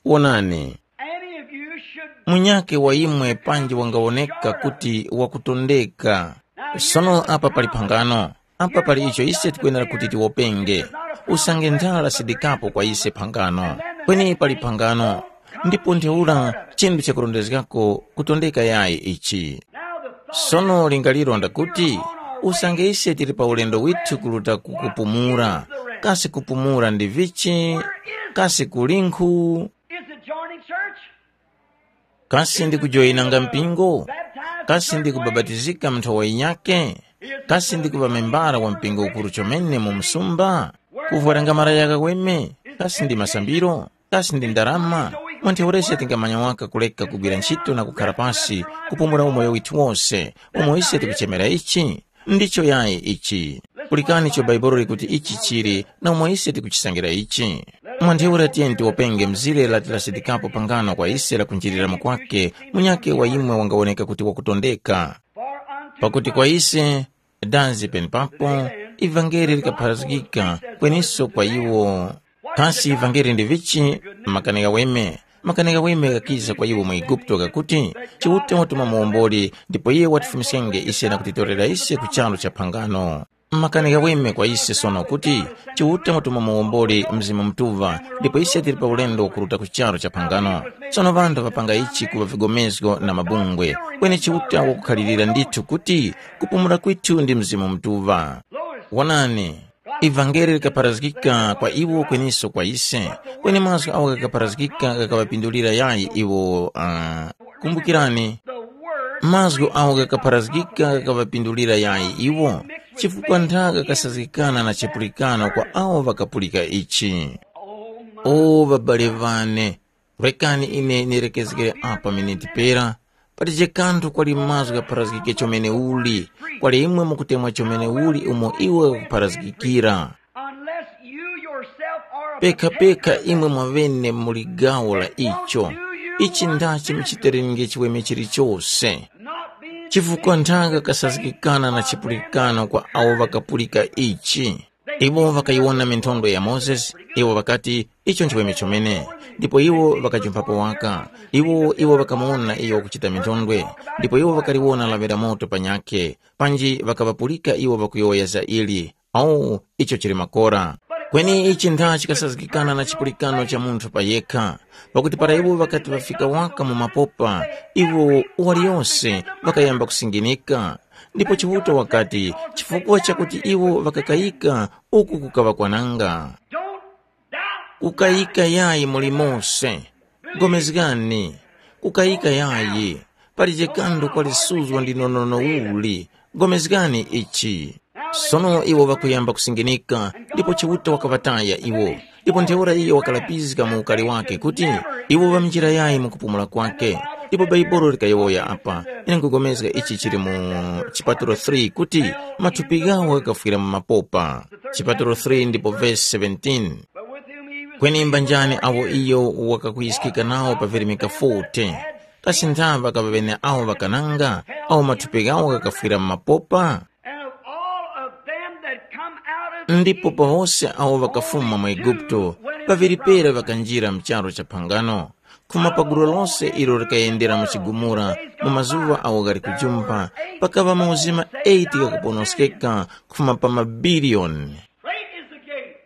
Wonani, Any of you should munyake wa imwe panji wangawoneka kuti wakutondeka. Sono apa pali phangano, apa pali icho ise tikwenera kuti tiwopenge. Usange nthala sidikapo kwa ise phangano, kweni pali phangano. Ndipo ntheura chinthu chakurondezgako kutondeka yayi ichi. Sono lingaliro ndakuti, usange ise tili pa ulendo withu kuruta ku kupumula, kasi kupumula ndi vichi? Kasi kulinkhu? Is it joining church? Kasi ndi kujoyinanga mpingo? Kasi ndi kubabatizika mu nthowa yinyakhe? Kasi ndi kuŵa membara wa mpingo ukuru chomene mu msumba? Kuvwaranga malaya ghaweme? Kasi ndi masambiro? Kasi ndi ndarama? Mwantheurese tingamanya waka kuleka kugwira ntchito na kukhara pasi, kupumula umoyo withu wose, umo ise tikuchemera ichi? Ndicho yayi ichi. Pulikani icho Bhaibuli likuti ichi chili, na umo ise tikuchisangira ichi. Mwantheura tiyeni tiwopenge mzire lati lasidikapo pangano kwa ise la kunjirira mukwake, munyakhe wa imwe wangawoneka kuti wakutondeka. Pakuti kwa ise, dazi penepapo, ivangeli likapharazgika, kweniso kwa iwo. Kasi ivangeli ndi vichi? Makani ghaweme. Makani ghaweme ghakiza kwa iwo mu Eguputo ghakuti, Chiuta watuma muwomboli, ndipo iye watifumiskenge ise na kutitorera ise ku charu cha phangano. Makani ghaweme kwa ise sono kuti, Chiuta watuma muwomboli Mzimu Mutuŵa, ndipo ise tili pa ulendo wakuruta ku charu cha phangano. Sono ŵanthu ŵapanga ichi kuŵa vigomezgo na mabungwe, kweni Chiuta wakukhalirira ndithu kuti kupumula kwithu ndi Mzimu Mutuŵa. Wonani, ivangeli likapharazgika kwa iwo kweniso kwa ise, kweni mazgu awo ghakapharazgika ghakaŵapindulira yayi iwo. Uh, kumbukirani, mazgu awo ghakapharazgika ghakaŵapindulira yayi iwo, chifukwa ntha ghakasazgikana na chipulikano kwa awo ŵakapulika ichi. O ŵabale ŵane, rekani ine nirekezgere apa miniti pera, patije kanthu kwali mazgu ghapharazgike chomeneuli, kwali imwe mukutemwa chomeneuli umo iwo ghakupharazgikira. Unless you yourself are a pekha-peka imwe mwaŵene muli gawo la icho. Ichi ndachi muchitereninge chiweme chilichose, not being chifukwa nthaka kasazgikana na chipulikano kwa awo ŵakapulika ichi. Iwo ŵakayiwona minthondwe ya Mozesi, iwo ŵakati, icho nchiweme chomene. Ndipo iwo ŵakajumphapo waka. Iwo iwo ŵakamuwona iyo wakuchita minthondwe, ndipo iwo ŵakaliwona lawi la moto panyakhe, panji ŵakaŵapulika iwo ŵakuyowoya za ili. Awu, icho chili makora. Kweni ichi ntha chikasazgikana na chipulikano cha munthu pa yekha, pakuti para iwo ŵakati ŵafika waka mu mapopa, iwo waliyose ŵakayamba kusinginika. Ndipo Chiuta wakati, chifukwa chakuti iwo ŵakakayika, uku kukaŵa kwananga. Kukayika yayi mulimonse. Gomezgani. Kukayika yayi. Palije kanthu kwalisuzgo ndi nonono uli. Gomezgani ichi. Sono iwo ŵakuyamba kusinginika, ndipo Chiuta wakaŵataya iwo. Ndipo ntheura iyo wakalapizga mu ukari wake kuti, iwo ŵamjira yayi mu kupumula kwake. Ndipo Bhaibuli likayowoya apa, ine nkugomezga ichi chili mu chipatulo three kuti, mathupi ghawo ghakafwira mu mapopa. Chipatulo three ndipo vesi seventeen. Kweni mbanjani awo iyo wakakuyiskika nawo pa virimika forty? Kasi nthaŵa kaŵaŵene awo ŵakananga, awo mathupi ghawo ghakafwira mu mapopa? And of all of them that come out of Ndipo Egypt, pawose awo ŵakafuma mu Eguputo, ŵaŵiri pera ŵakanjira mu charu cha phangano, khuma pa gulu lose ilo likayendera mu chigumula mu mazuŵa awo ghali kujumpha, pakaŵa mauzima eight ghakuponoskeka khuma pa mabiliyoni. Great is the gate.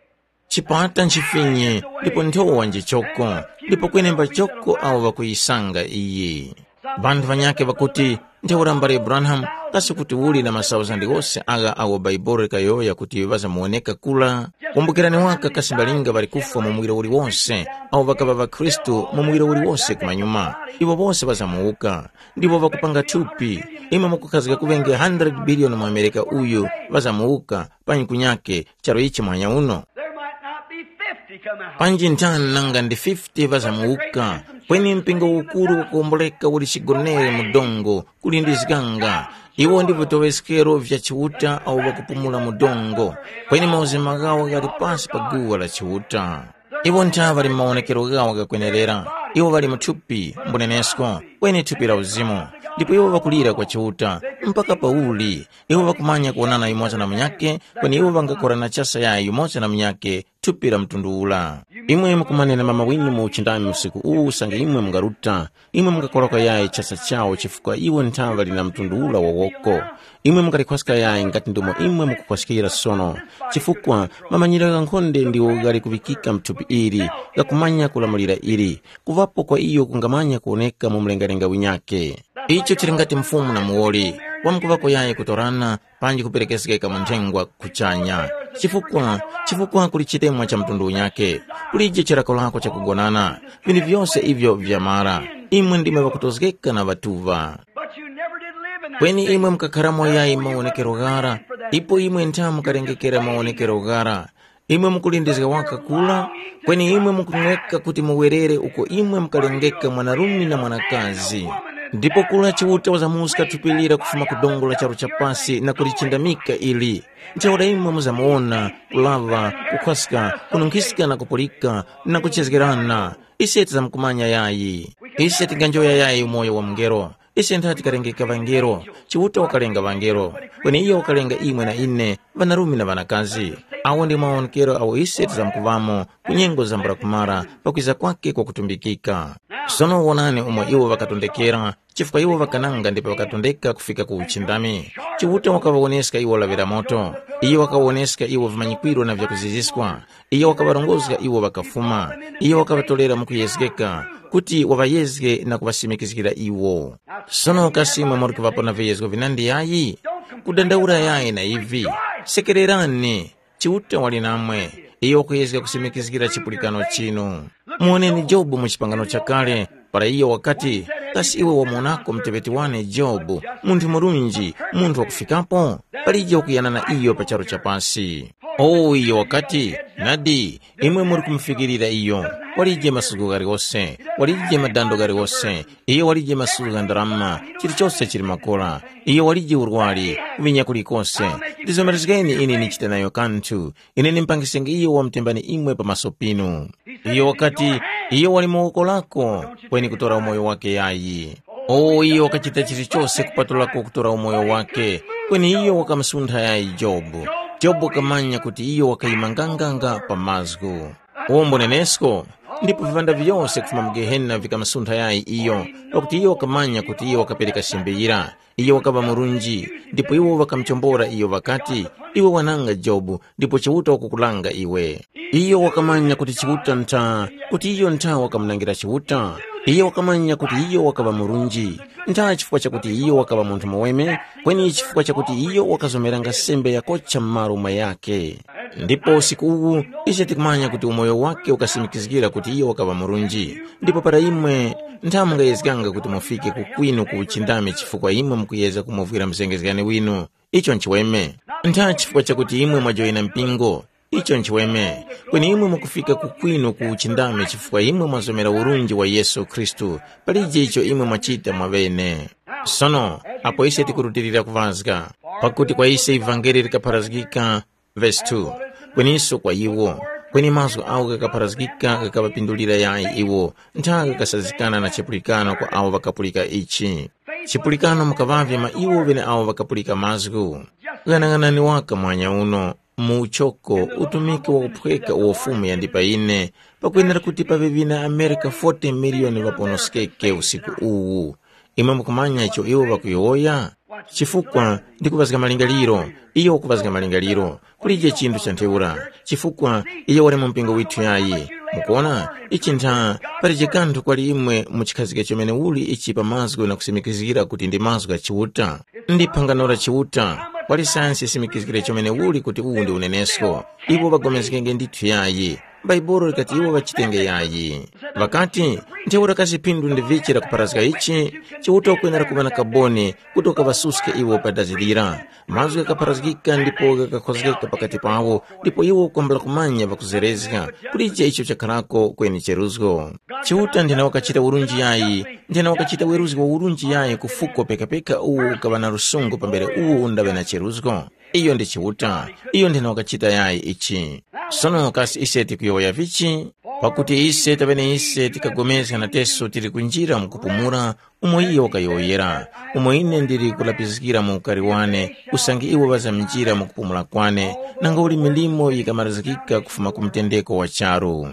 Chipata nchifinye, ndipo nthowa njichoko, ndipo kwenemba choko awo ŵakuyisanga iyi. Ŵanthu ŵanyakhe ŵakuti, ntheura mbale Branham, Kasi kuti uli na masauzandi ghose agha awo Baibuli likayowoya kuti ŵazamuwoneka kula? Kumbukirani waka kasi mbalinga ŵali kufwa mu muwiro uliwonse, awo ŵakaŵa ŵakhristu mu muwiro uliwonse kumanyuma. Iwo wose ŵazamuwuka, ndipo ŵakupanga thupi. Imwe mukukhazika kuŵenge hundred billion mu Amerika uyu ŵazamuwuka, panyi kunyake, charo ichi muhanya uno. There might not be fifty come out. Panji nthani nanga ndi fifty ŵazamuwuka, kweni mpingo ukuru wakuwomboleka uli chigonere mu dongo, kuli ndi zikanga. Iwo ndi vitoŵeskero vya Chiuta awo ŵakupumula mu dongo, kweni mauzima ghawo ghali pasi pa guwa la Chiuta. Iwo ntha ŵali mawonekero ghawo ghakwenerera, iwo ŵali mu thupi, mbunenesko, kweni thupi la uzimu. Ndipo iwo ŵakulira kwa Chiuta, mpaka pauli? Iwo ŵakumanya kuwonana yumoza na munyakhe, kweni iwo ŵangakorana chasa yayi yumoza na munyakhe, thupi la mtundu ula. Imwe mukumanena mama winu mu uchindami usiku uwu usange imwe mungaruta, imwe mungakoloka yayi chasa chawo chifukwa iwo nthaŵa lina mtundu ula wa woko. Imwe mungalikhwaska yayi ngati ndomo imwe mukukhwaskira sono, chifukwa mamanyiro gha nkhonde ndiwo ghali kuŵikika mthupi ili, ghakumanya kulamulira ili, kuŵapo kwa iyo kungamanya kuwoneka mu mlengalenga winyakhe. Icho chili ngati mfumu na muwoli, wamkuŵako yayi kutorana, panji kuperekezgeka mu nthengwa kuchanya. Chifukwa, chifukwa kuli chitemwa cha mtundu unyakhe, kulije chilakolako chakugonana, vinthu vyose ivyo vyamara, imwe ndimwe ŵakutozgeka na ŵatuŵa. But you never did live in that Kweni state. Imwe mukakharamo yayi mawonekero ghara, ipo imwe ntha mukalengekera mawonekero ghara. Imwe mukulindizga waka kula, kweni imwe mukumweka kuti muwerere uko imwe mukalengeka mwanarume na mwanakazi. Ndipo kula Chiuta wazamuska thupi lira kufuma ku dongo la charu cha pasi na kulichindamika ili. Ntheura imwe muzamuwona, kulaŵa, kukhwaska, kununkhiska na kupulika, na kuchezgerana. Ise tizamukumanya yayi. Ise tinganjoya yayi umoyo wa mungelo. Ise ntha tikalengeka ŵangelo. Chiuta wakalenga ŵangelo, kweni iyo wakalenga imwe na ine, ŵanarume na ŵanakazi. Awo ndi mawonekero awo ise tizamkuŵamo ku nyengo zambula kumara pakwiza kwake kwa kutumbikika. Sono wonani umo iwo ŵakatondekera, chifukwa iwo ŵakananga ndipo ŵakatondeka kufika ku uchindami. Chiuta wakaŵawoneska iwo lawi la moto. Iyo wakawoneska iwo vimanyikwiro na vyakuziziswa. Iyo wakaŵarongozga iwo ŵakafuma. Iyo wakaŵatolera mukuyezgeka, kuti waŵayezge na kuŵasimikizgira iwo. Sono kasi imwe muri kuŵapo na viyezgo vinandi yayi? Kudandaula yayi na ivi. Sekererani, Chiuta wali namwe. Iyo wakuyezga kusimikizgira chipulikano chinu. Muwoneni Jobu mu chipangano chakale, para iyo wakati, kasi iwe wamuwonako muteŵeti wane Jobu, munthu murunji, munthu wakufikapo? Palije wakuyana na iyo pa charu cha pasi. O iyo wakati, nadi, imwe muri kumufikirira iyo, walije masuku ghaliwose, walije madando ghaliwose, iyo walije masuku gha ndarama, chilichose chili makora, iyo walije urwari, kuvinya kulikose. Ndizomerezgeni ine nichite nayo kanthu, ine nimpangisenge iyo wamutembani imwe pamaso pinu. Iyo wakati, iyo wali mu woko lako, kweni kutora umoyo wake yayi. O iyo wakachita chilichose kupatulako kutora umoyo wake, kweni iyo wakamusuntha yayi Jobu. Jobu wakamanya kuti iyo wakayima nganganga pa mazgu. Umboni nenesko, ndipo vivanda vyose kufuma mu Gehena vikamusuntha yayi iyo, pakuti iyo wakamanya kuti iyo wakapereka sembe yira. Iyo wakaŵa murunji, ndipo iwo ŵakamuchombora iyo ŵakati, iwe wananga Jobu, ndipo Chiuta wakukulanga iwe. Iyo wakamanya kuti Chiuta ntha, kuti iyo ntha wakamunangira Chiuta. Iyo wakamanya kuti iyo wakaŵa murunji, ntha chifukwa chakuti iyo wakaŵa munthu muweme, kweni chifukwa chakuti iyo wakazomeranga sembe yakocha m'malo mwayakhe. Ndipo usiku uwu, ise tikumanya kuti umoyo wake ukasimikizgira kuti iyo wakaŵa murunji. Ndipo para imwe ntha mungayezganga kuti mufike kukwinu ku uchindami chifukwa imwe mukuyezga kumuvwira muzengezgani winu, icho nchiweme. Ntha chifukwa chakuti imwe mwajoyina mpingo, icho nchiweme. Kweni imwe mukufika kukwinu ku uchindami chifukwa imwe mwazomera urunji wa Yesu Khristu, palije icho imwe mwachita mwaŵene. Sono, apo ise tikurutilira kuŵazga, pakuti kwa ise ivangeli likapharazgika, Vesi two. Kweninso kwa iwo, kweni mazgu agho ghakapharazgika ghakaŵapindulira yayi iwo, ntha ghakasazikana na chipulikano kwa awo ŵakapulika ichi. Chipulikano mukaŵavye mwa iwo ŵeneawo ŵakapulika mazgu. Ghanaghanani waka mwanya uno, mu uchoko, utumiki wakuphweka uwo Fumu yandipa ine, pakwenera kuti paŵe ŵina Amerika forty miliyoni ŵaponoskeke usiku uwu. Imwe mukumanya icho iwo ŵakuyowoya? Chifukwa ndikuŵazga malingaliro, iyo wakuŵazga malingaliro. Kulije chinthu cha ntheura, chifukwa iyo wali mu mpingo withu yayi. Mukuona, ichi ntha palije kanthu kwali imwe muchikhazike chomene uli ichi pa mazgu na kusimikizgira kuti ndi mazgu gha Chiuta. Ndi phangano la Chiuta, kwali sayansi yisimikizgire chomene uli kuti uwu ndi unenesko. Iwo ŵagomezgenge ndithu yayi. Bhaibuli likati iwo ŵachitenge yayi. Ŵakati, ntheura kasi phindu ndi vichi lakupharazga ichi? Chiuta ukwenera kuŵa na kaboni kuti ukaŵasuske iwo pa dazi lira. Mazgu ghakapharazgika ndipo ghakakhozgeka pakati pawo, ndipo iwo kwambula kumanya ŵakuzerezga kulije icho chakharako kweni cheruzgo. Chiuta nthena wakachita urunji yayi, nthena wakachita weruzgi wa urunji yayi ku fuko pekapeka uwo ukaŵa na lusungu pambere uwo undaŵe na cheruzgo. Iyo ndi Chiuta, iyo nthena wakachita yayi ichi. Sono kasi ise tikuyowoya vichi? Pakuti ise taŵene ise tikagomezga nateso tili kunjira mu kupumula umo iyo wakayowoyera, umo ine ndili kulapizikira mu ukari wane, usange iwo ŵazamjira mu kupumula kwane, nanga uli milimo yikamarizikika kufuma ku mutendeko wa charu.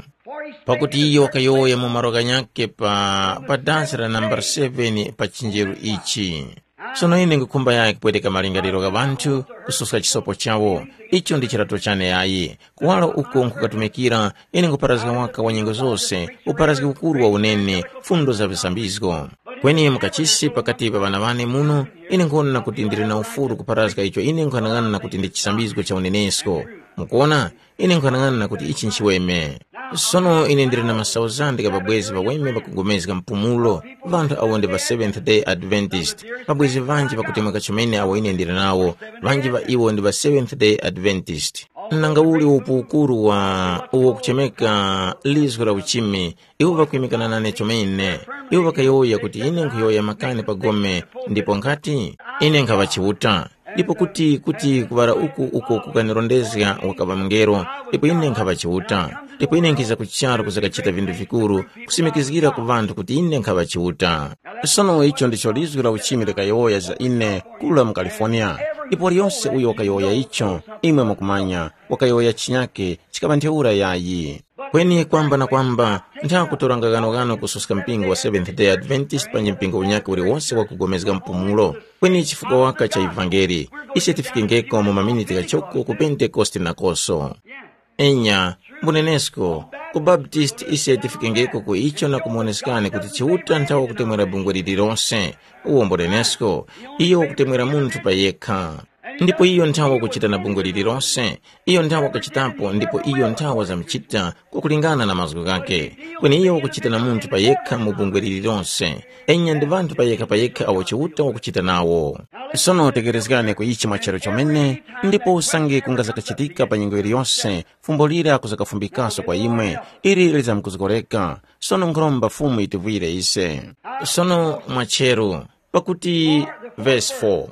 Pakuti iyo wakayowoya mu malo ghanyakhe pa, pa dansi la nambala seven pa chinjeru ichi. Sono ine nkhukhumba yaya kupweteka malingaliro gha ŵanthu, kususka chisopo chawo. Icho ndi chirato chane yayi. Kuwala uko nkhukatumikira, ine nkupharazga waka wa nyengo zose, upharazgi ukuru wa unene, fundo za visambizgo. Kweni mukachisi pakati pa ŵana ŵane muno, ine nkhuwona kuti ndili na ufuru kupharazga icho ine nkhanang'ana kuti ndi chisambizgo cha unenesko. Mukuona, ine nkhanang'ana kuti ichi nchiweme. Sono ine ndili na masauzande gha ŵabwezi ŵaweme ŵakugomezga mpumulo, ŵanthu awo ndi ŵa Seventh Day Adventist. Ŵabwezi ŵanji ŵakutemweka chomene awo ine ndili nawo, ŵanji ŵa iwo ndi ŵa Seventh Day Adventist. Nanga uli upu ukuru wa uwo kuchemeka lizgu la uchimi, iwo ŵakuyimikana nane chomene. Iwo ŵakayowoya kuti ine nkhuyowoya makani pa gome, ndipo nkhati, ine nkhaŵa Chiuta. Ndipo kuti kuti kuŵala uku uko kukanirondezga wakaŵa mungelo, ndipo ine nkhaŵa Chiuta. Ndipo ine nkhiza ku charu kuzakachita vinthu vikuru, kusimikizgira ku ŵanthu kuti ine nkhaŵa Chiuta. Sono icho ndicho lizgu la uchimi likayowoya za ine kula mu California. Ndipo waliyose uyo wakayowoya icho, imwe mukumanya, wakayowoya chinyake chikaŵa ntheura yayi. Kweni kwamba na kwamba, nthakutoranga ghanoghano kususka mpingo wa Seventh Day Adventist panji mpingo unyakhe uliwose wakugomezga mpumulo. Kweni chifukwa waka cha ivangeli, ise tifikengeko mu maminiti ghachoko ku Pentekoste nakoso. Enya, mbunenesko, ku Baptist ise tifikengeko ku icho na kumuoneskani kuti Chiuta nthawa kutemwera bungwe lililonse. Uwo mbunenesko, iyo wakutemwera munthu pa yekha. Ndipo iyo nthawa wakuchita na bungwe lililonse, iyo nthawa wakachitapo ndipo iyo nthawa zamuchita kwakulingana na mazgu ghakhe. Kweni iyo wakuchita na munthu pa yekha mu bungwe lililonse. Enya ndi ŵanthu pa yekha pa yekha awo Chiuta wakuchita nawo. Sono tekerezgani ku ichi mwachero chomene, ndipo usange kungazakachitika pa nyengo yiliyonse, fumbo lira kuzakafumbikaso kwa imwe, ili lizamkuzgoreka. Sono nkhuromba Fumu yitivwire ise. Sono mwachero, pakuti, verse four,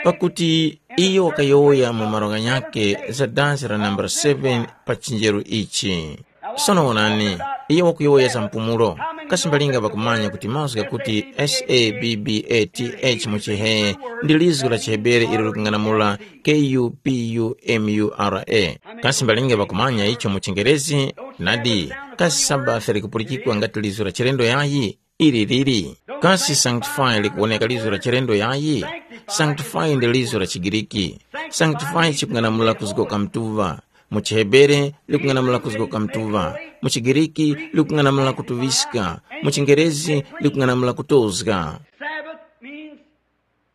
pakuti iyo wakayowoya mu malo ghanyakhe za dansi la nambala seven pa chinjeru ichi. Sono wonani, iyo wakuyowoya za mpumulo. Kasi mbalinga ŵakumanya kuti mazgu ghakuti S A B B A T H mu Chihee ndi lizgu la Chihebere ilo likung'anamula K U P U M U R A. Kasi mbalinga ŵakumanya icho mu Chingerezi? Nadi, kasi Sabbath likupulikikwa ngati lizgu la chilendo yayi? Ili lili. Kasi sanctify likuwoneka lizo la chilendo yayi? Sanctify ndi lizo la Chigiriki. Sanctify chikung'anamula kuzgoka mtuva. Mu Chihebere likung'anamula kuzgoka mtuva. Mu Chigiriki likung'anamula kutuviska. Mu Chingerezi likung'anamula kutozga. Sabbath means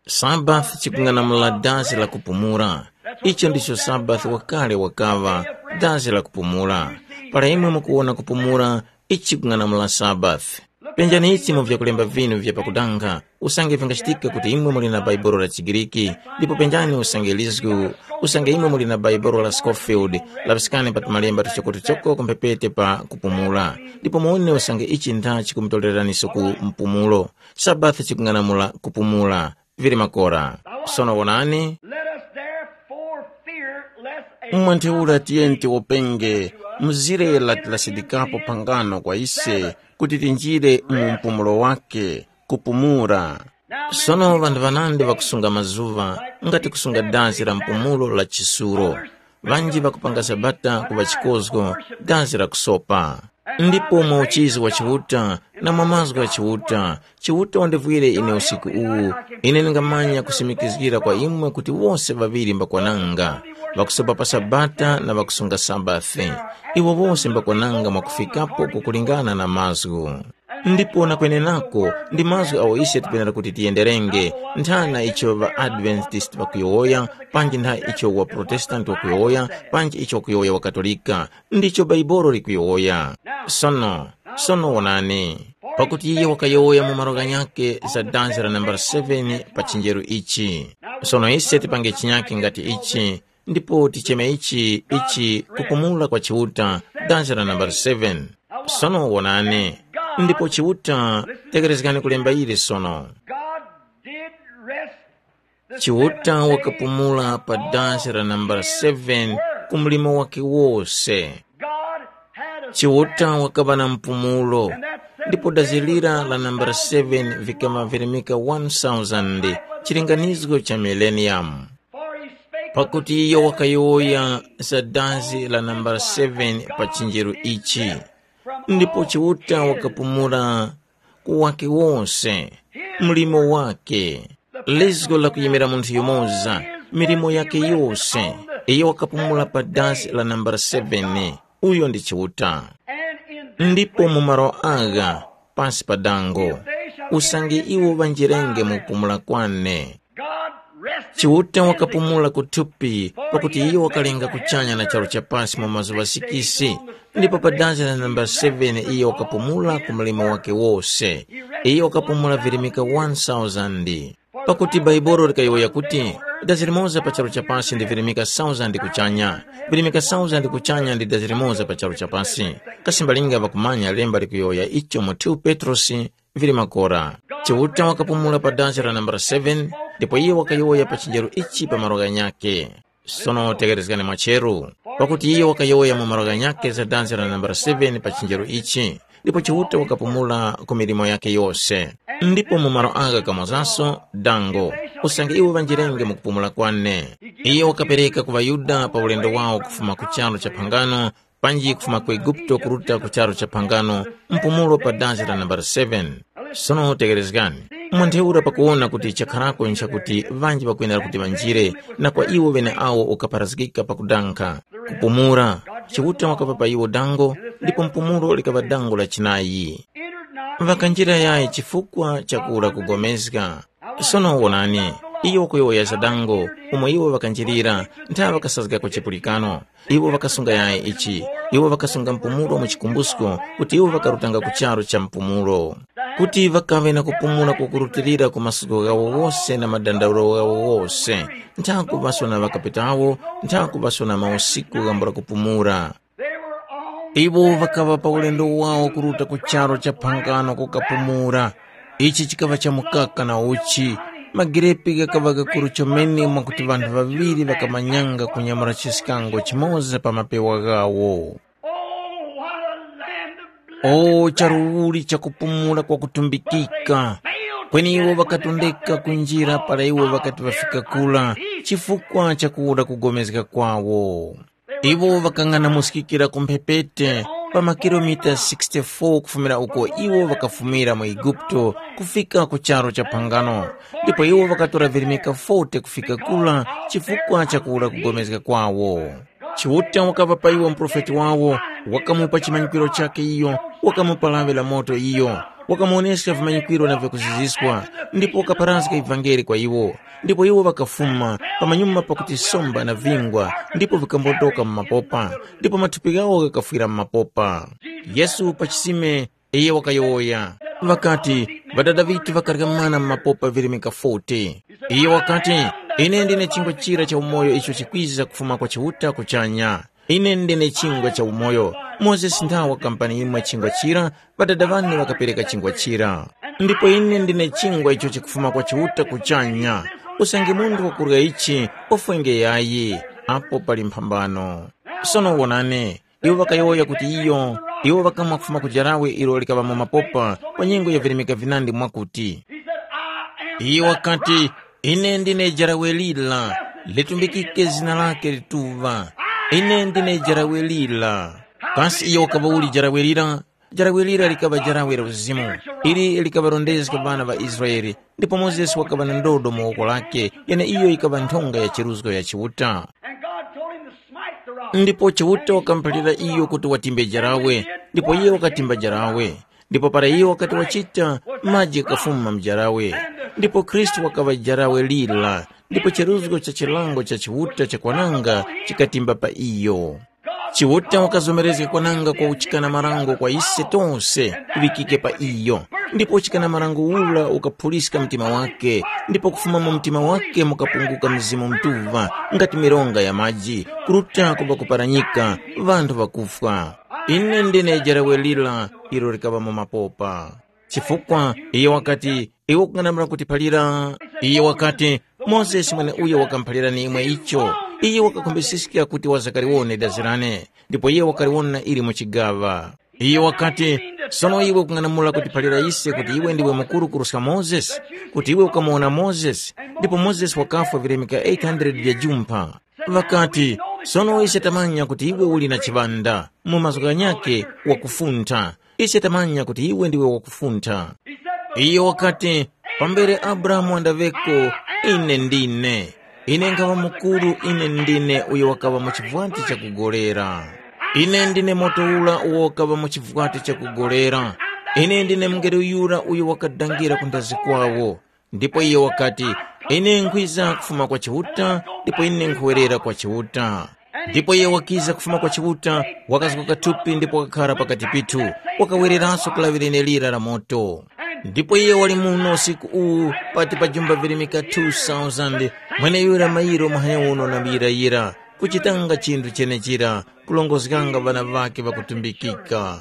Sabbath chikung'anamula dazi la kupumula. Icho ndicho Sabbath wakale wakaŵa, dazi la kupumula. Para imwe mukuwona kupumula, ichi chikung'anamula Sabbath. Penjani ichi mu vyakulemba vinu vya pakudanga, usange vingachitika kuti imwe muli na Bhaibuli la Chigiriki, ndipo penjani usange lizgu, usange imwe muli na Bhaibuli la Scofield, laŵiskani pa tumalemba tuchokotuchoko ku mphepete pa kupumula, ndipo muwone usange ichi ntha chikumutoreraniso ku mpumulo. Sabbath chikung'anamula kupumula. Vili makora. Sono wonani, Let us therefore fear lest a mwa ntheura tiyeni tiwopenge mzire lati lasidikapo phangano kwa ise kuti tinjire mu mpumulo wake, kupumula. Sono ŵanthu ŵanandi ŵakusunga mazuŵa ngati kusunga dazi la mpumulo la chisuro. Ŵanji ŵakupanga Sabata kuŵa chikozgo, dazi la kusopa. Ndipo mwa uchizi wa Chiuta na mwa mazgu gha Chiuta, Chiuta wandivwire ine usiku uwu, ine ndingamanya kusimikizgira kwa imwe kuti wose ŵaŵiri mbakwananga. ŵakusopa pa Sabata na ŵakusunga Sabathi. Iwo wose mbakwananga mwakufikapo kukulingana na mazgu. Ndipo na kwenenako ndi mazgu agho ise tikwenera kuti tiyenderenge, nthana icho ŵa-Adventist ŵakuyowoya, panji ntha icho wa-Protestant wakuyowoya, panji icho wakuyowoya wa-Katolika, ndicho Baibolo likuyowoya. Sono, sono wonani, pakuti iye wakayowoya mu malo ghanyakhe za danzi la nambala seven pa chinjeru ichi. Sono ise tipange chinyakhe ngati ichi, ndipo ticheme ichi, ichi kupumula kwa Chiuta, danzi la nambala seven. Sono wonani, ndipo Chiuta, tekerezgani kulemba ili sono. God did rest the Chiuta seventh day wakapumula pa on dansi la nambala his seven work. Ku mlimo wake wose. God had a Chiuta Sabbath, wakaba na mpumulo, and that seventh ndipo day dazilira was la nambala one thousand seven years vikama long. Virimika one thousand, chilinganizo cha millennium. For he spake of the Pakuti iyo wakayowoya za dansi la nambala seven pa chinjero ichi. Ndipo Chiuta wakapumula ku wake wose, mlimo wake, lizgo la kuyimira munthu yumoza, milimo yake yose, iyo wakapumula pa dansi la nambala seven. Uyo ndi Chiuta. Ndipo mu malo agha, pasi pa dango, usange iwo ŵanjirenge mu kupumula kwane. Chiuta wakapumula ku thupi, pakuti iyo wakalenga kuchanya na charu cha pasi mu mazuŵa sikisi, ndipo pa danzi la nambala seven iyo wakapumula ku mlimo wake wose. Iyo wakapumula virimika one thousand. Pakuti Baibolo likayowoya kuti, dazi limoza pa charu cha pasi ndi virimika thousand kuchanya, virimika thousand kuchanya ndi dazi limoza pa charu cha pasi. Kasi mbalinga ŵakumanya lemba likuyowoya icho mu two Petrosi? Vili makora. Chiuta wakapumula pa dansi la nambala seven, ndipo iye wakayowoya pa chinjero ichi pa malo ghanyakhe. Sono tegherezgani mwacheru, pakuti iye wakayowoya mu malo ghanyakhe za dansi la nambala seven pa chinjero ichi, ndipo Chiuta wakapumula ku milimo yakhe yose. Ndipo mu malo agha kamozaso dango, usange iwo ŵanjirenge mu kupumula kwane. Iye wakapereka ku ŵaYuda pa ulendo wawo kufuma ku charu cha phangano, panji kufuma ku Eguputo kuruta ku charu cha phangano, mpumulo pa danzi la nambala seven. Sono tegherezgani, mwa ntheura pakuwona kuti chakharako nchakuti ŵanji ŵakwenera kuti ŵanjire, na kwa iwo ŵeneawo ukapharazgika pakudankha, kupumula, Chiuta wakapa pa iwo dango, ndipo mpumulo likaŵa dango la chinayi. Ŵakanjira yayi chifukwa cha kura kugomezga. Sono wonani, iyo wakuyowoya za dango, umo iwo ŵakanjirira, ntha ŵakasazgako chipulikano. Iwo ŵakasunga yayi ichi, iwo ŵakasunga mpumulo mu chikumbusko, kuti iwo ŵakarutanga ku charu cha mpumulo. Kuti ŵakaŵe na kupumula kukurutilira ku masuko ghawo wose na madandaulo ghawo wose, ntha kuŵaso na ŵakapetawo, ntha kuŵaso na mausiku ghambula kupumula. Iwo ŵakaŵa pa ulendo wawo kuruta ku charu cha phangano kukapumula. Ichi chikaŵa cha mukaka na uchi. Magirepi ghakaŵa ghakuru chomene mwakuti ŵanthu ŵaŵiri ŵakamanyanga kunyamula chiskango chimoza pa mapewa ghawo. Oh, what a land of blessed O charuwuli cha kupumula kwa kutumbikika! Kweni iwo ŵakatondeka kunjira para iwo ŵakati ŵafika kura chifukwa cha kuwura kugomezga kwawo. Iwo ŵakang'anamuskikira ku mphepete pa makilomita sixty-four kufumira uko iwo ŵakafumira mu Eguputo kufika ku charu cha phangano, ndipo iwo ŵakatora virimika forty kufika kura chifukwa cha kuwura kugomezga kwawo. Chiuta wakaŵa pa iwo muprofeti wawo, wakamupa chimanyikwiro chakhe iyo, wakamupa lawi la moto iyo, wakamuwoneska vimanyikwiro na vyakuziziswa, ndipo wakapharazga ivangeli kwa iwo. Ndipo iwo ŵakafuma, pamanyuma pakuti somba na vingwa, ndipo vikambondoka mu mapopa, ndipo mathupi ghawo ghakafwira mu mapopa. Yesu pa chisime, iyo wakayowoya, ŵakati, Ŵadada ŵithu ŵakarya mana mu mapopa virimika forty. Iyo wakati, Ine ndine chingwa chira cha umoyo icho chikwiza kufuma kwa Chiuta kuchanya. Ine ndine chingwa cha umoyo. Mozesi nthawa wakampani imwe chingwa chira, ŵadada ŵane ŵakapereka chingwa chira. Ndipo ine ndine chingwa icho chikufuma kwa Chiuta kuchanya. Usange munthu wakurya ichi, wafwenge yayi, apo pali mphambano. Sono wonani, iwo ŵakayowoya kuti iyo, iwo ŵakamwa kufuma ku jarawe ilo likaŵa mu mapopa pa nyengo ya virimika vinandi mwakuti, iyo wakati, “Ine ndine jarawe lira, litumbikike zina lake lituŵa. Ine ndine jarawe lira.” Kasi iyo wakaŵa uli jarawe lira? Jarawe lira likaŵa jarawe la uzimu, ili likaŵarondezga ŵana ŵa Israele, ndipo Mozesi wakaŵa na ndodo mu woko lake, yeneiyo yikaŵa nthonga ya chiruzgo ya Chiuta. Ndipo Chiuta wakamuphalira iyo kuti watimbe jarawe, ndipo iye wakatimba jarawe. Ndipo para iyo wakati wachita, maji ghakafuma mu jarawe. Ndipo Khristu wakaŵa jarawe lira, ndipo cheruzgo cha chilango cha Chiuta cha kwananga chikatimba pa iyo. Chiuta wakazomerezga kwananga kwa uchikana marango kwa ise tose kuŵikike pa iyo. Ndipo uchikana marango ura ukaphuliska mtima wake, ndipo kufuma mu mtima wake mukapunguka Mzimu Mutuŵa, ngati mironga ya maji, kuruta kuŵa kuparanyika, ŵanthu ŵakufwa. Ine ndine jarawe lira ilo likaŵa mu mapopa. Chifukwa iye wakati, iwe ukung'anamula kuti palira. Iye wakati, Mozesi mweneuyo wakamuphalirani imwe icho. Iye wakakhombesiska kuti wazakaliwone dazi lane, ndipo iye wakaliwona ili mu chigaŵa. Iye wakati, sono iwe ukung'anamula kuti palira ise kuti iwe ndiwe mukuru kuruska Mozesi, kuti iwe ukamuwona Mozesi, ndipo Mozesi wakafwa vilemeka eight hundred vya jumpha. Ŵakati, sono ise tamanya kuti iwe uli na chiŵanda, mu mazgu ghanyakhe wakufuntha. Ise tamanya kuti iwe ndiwe wakufuntha. Iyo wakati, pambere Abrahamu wandaŵeko, ine ndine. Ine nkhaŵa mukuru, ine ndine uyo wakaŵa mu chivwati chakugolera. Ine ndine moto ura uwo ukaŵa mu chivwati chakugolera. Ine ndine mungelo yura uyo wakadangira ku ndazi kwawo. Ndipo iye wakati, ine nkhwiza kufuma kwa Chiuta, ndipo ine nkhuwerera kwa Chiuta. Ndipo iye wakiza kufuma kwa Chiuta, wakazguka thupi ndipo wakakhara pakati pithu, wakawereranso ku lawi lenelira la moto. Ndipo iye wali muno usiku uwu pati pa jumba virimika two thousand, mweneyura mayiro mahanya uno na muyirayira, kuchitanga chinthu chenechira, kulongozganga ŵana ŵakhe ŵakutumbikika.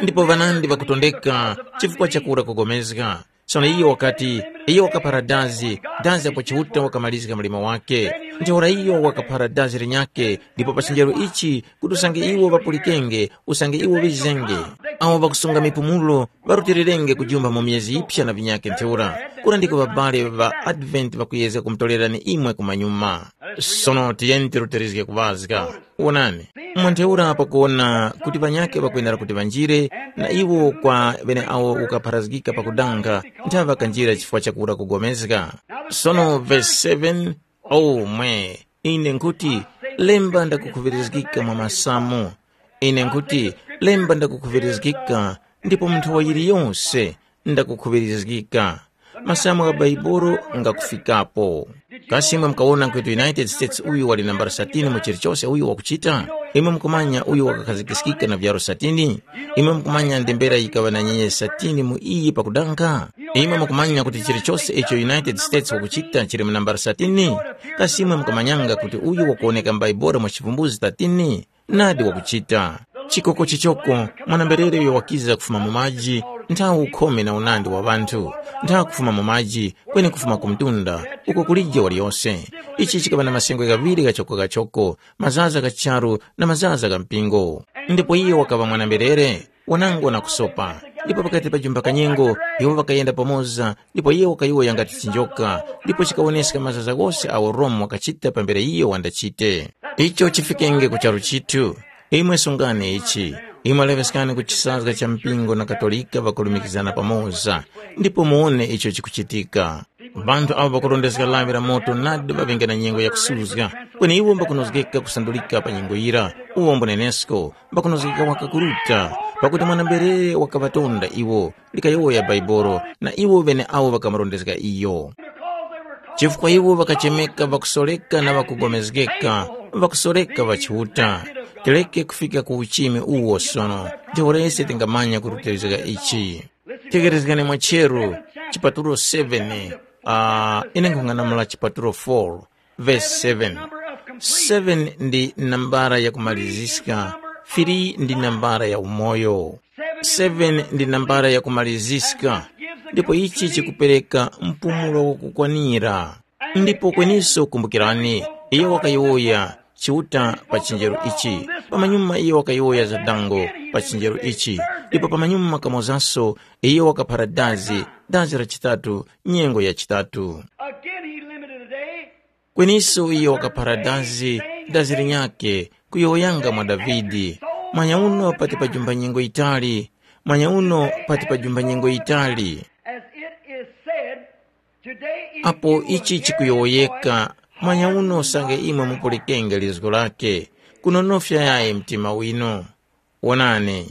Ndipo ŵanandi ŵakutondeka chifukwa chakura kugomezga. Sono iyo wakati, iyo wakaphara dazi, dazi apo Chiuta wakamalizika mlimo wake. Ntheura iyo wakaphara dazi linyakhe, ndipo pa chinjero ichi kuti usange iwo ŵapulikenge, usange iwo ŵizenge. Awo ŵakusunga mipumulo ŵarutilirenge kujumba mu myezi yiphya na vinyakhe ntheura. Kura ndiko ŵabale ŵa Advent ŵakuyezga kumutorerani imwe kumanyuma. Sono tiyeni tirutilizge kuŵazga. Wonani, mwa ntheura pakuwona kuti ŵanyakhe ŵakwenera kuti ŵanjire, na iwo kwa ŵeneawo ukapharazgika pakudanga, nthawe ŵakanjira chifukwa chakura kugomezga. Sono verse seven, omwe, ine nkhuti, lemba ndakukhuŵirizgika mwa masamu. Ine nkhuti, lemba ndakukhuŵirizgika, ndipo mu nthowa yiliyose ndakukhuŵirizgika. Masamu gha Baibolo ngakufikapo. Kasi imwe mukawona kuti United States uyu wali nambala satini mu chilichose uyu wakuchita? Imwe mukumanya uyu wakakhazikiskika na vyaro satini? Imwe mukumanya ndembera yikaŵa na nyenye satini mu iyi pakudanga? Imwe mukumanya kuti chilichose icho United States wakuchita chili mu nambala satini? Kasi imwe mukamanyanga kuti uyu wakuwoneka m'Baibolo mwa chivumbuzi thirteen? Nadi wakuchita. Chikoko chichoko, mwana-mberere uyo wakiza kufuma mu maji, nthawe ukhome na unandi wa ŵanthu, nthawe kufuma mu maji, kweni kufuma ku mtunda, uko kulije waliyose. Ichi chikaŵa na masengwe ghaŵiri ghachoko-ghachoko, mazaza gha charu na mazaza gha mpingo. Ndipo iye wakaŵa mwana-mberere, wanangwa na kusopa. Ndipo pakati pa jumba kanyengo, iwo ŵakayenda pamoza, ndipo iye wakayowoya ngati chinjoka, ndipo chikawoneska mazaza ghose agho Rome wakachita pambere iyo wandachite. Icho chifikenge ku charu chithu. Imwe sungani ichi. Imwe leŵeskani ku chisazga cha mpingo na Katolika ŵakulumikizana pamoza, ndipo muwone icho chikuchitika. Ŵanthu avo ŵakurondezga lawi la moto nadi ŵaŵenge na nyengo yakusuzga, kweni iwo mbakunozgeka kusandulika pa nyengo yira, uwo mbunenesko, mbakunozgeka waka kuruta, pakuti mwana-mberere wakaŵatonda iwo, likayowoya Baibolo, na iwo ŵeneawo ŵakamurondezga iyo. Chifukwa iwo ŵakachemeka ŵakusoreka na ŵakugomezgeka, ŵakusoreka ŵa Chiuta. Tireke kufika ku uchimi uwo sono, ntheura ise tingamanya kurutilizga ichi. Tegherezgani mwacheru, chipatulo seven, uh, ine nkhung'anamula chipatulo four, verse seven. Seven ndi nambara ya kumaliziska, three ndi nambara ya umoyo. Seven ndi nambara ya kumaliziska, ndipo ichi chikupereka mpumulo wakukwanira. Ndipo kweniso kumbukirani, iyo wakayowoya Chiuta pa chinjero ichi, pamanyuma iyo wakayowoya za dango pa chinjero ichi, ndipo pamanyuma kamozaso iyo wakaphara dazi, dazi la chitatu, nyengo ya chitatu. Again, he limited a day. Kweniso iyo wakaphara dazi, dazi linyakhe, kuyowoyanga mwa Davide, mwanya uno pati pajumba nyengo yitali, mwanya uno pati pajumba nyengo yitali. As it is said, today, if apo you will ichi hear chikuyowoyeka, his voice, mwanya uno usange imwe mupulikenge lizgo lake, kunonofya yayi mtima winu. Wonani,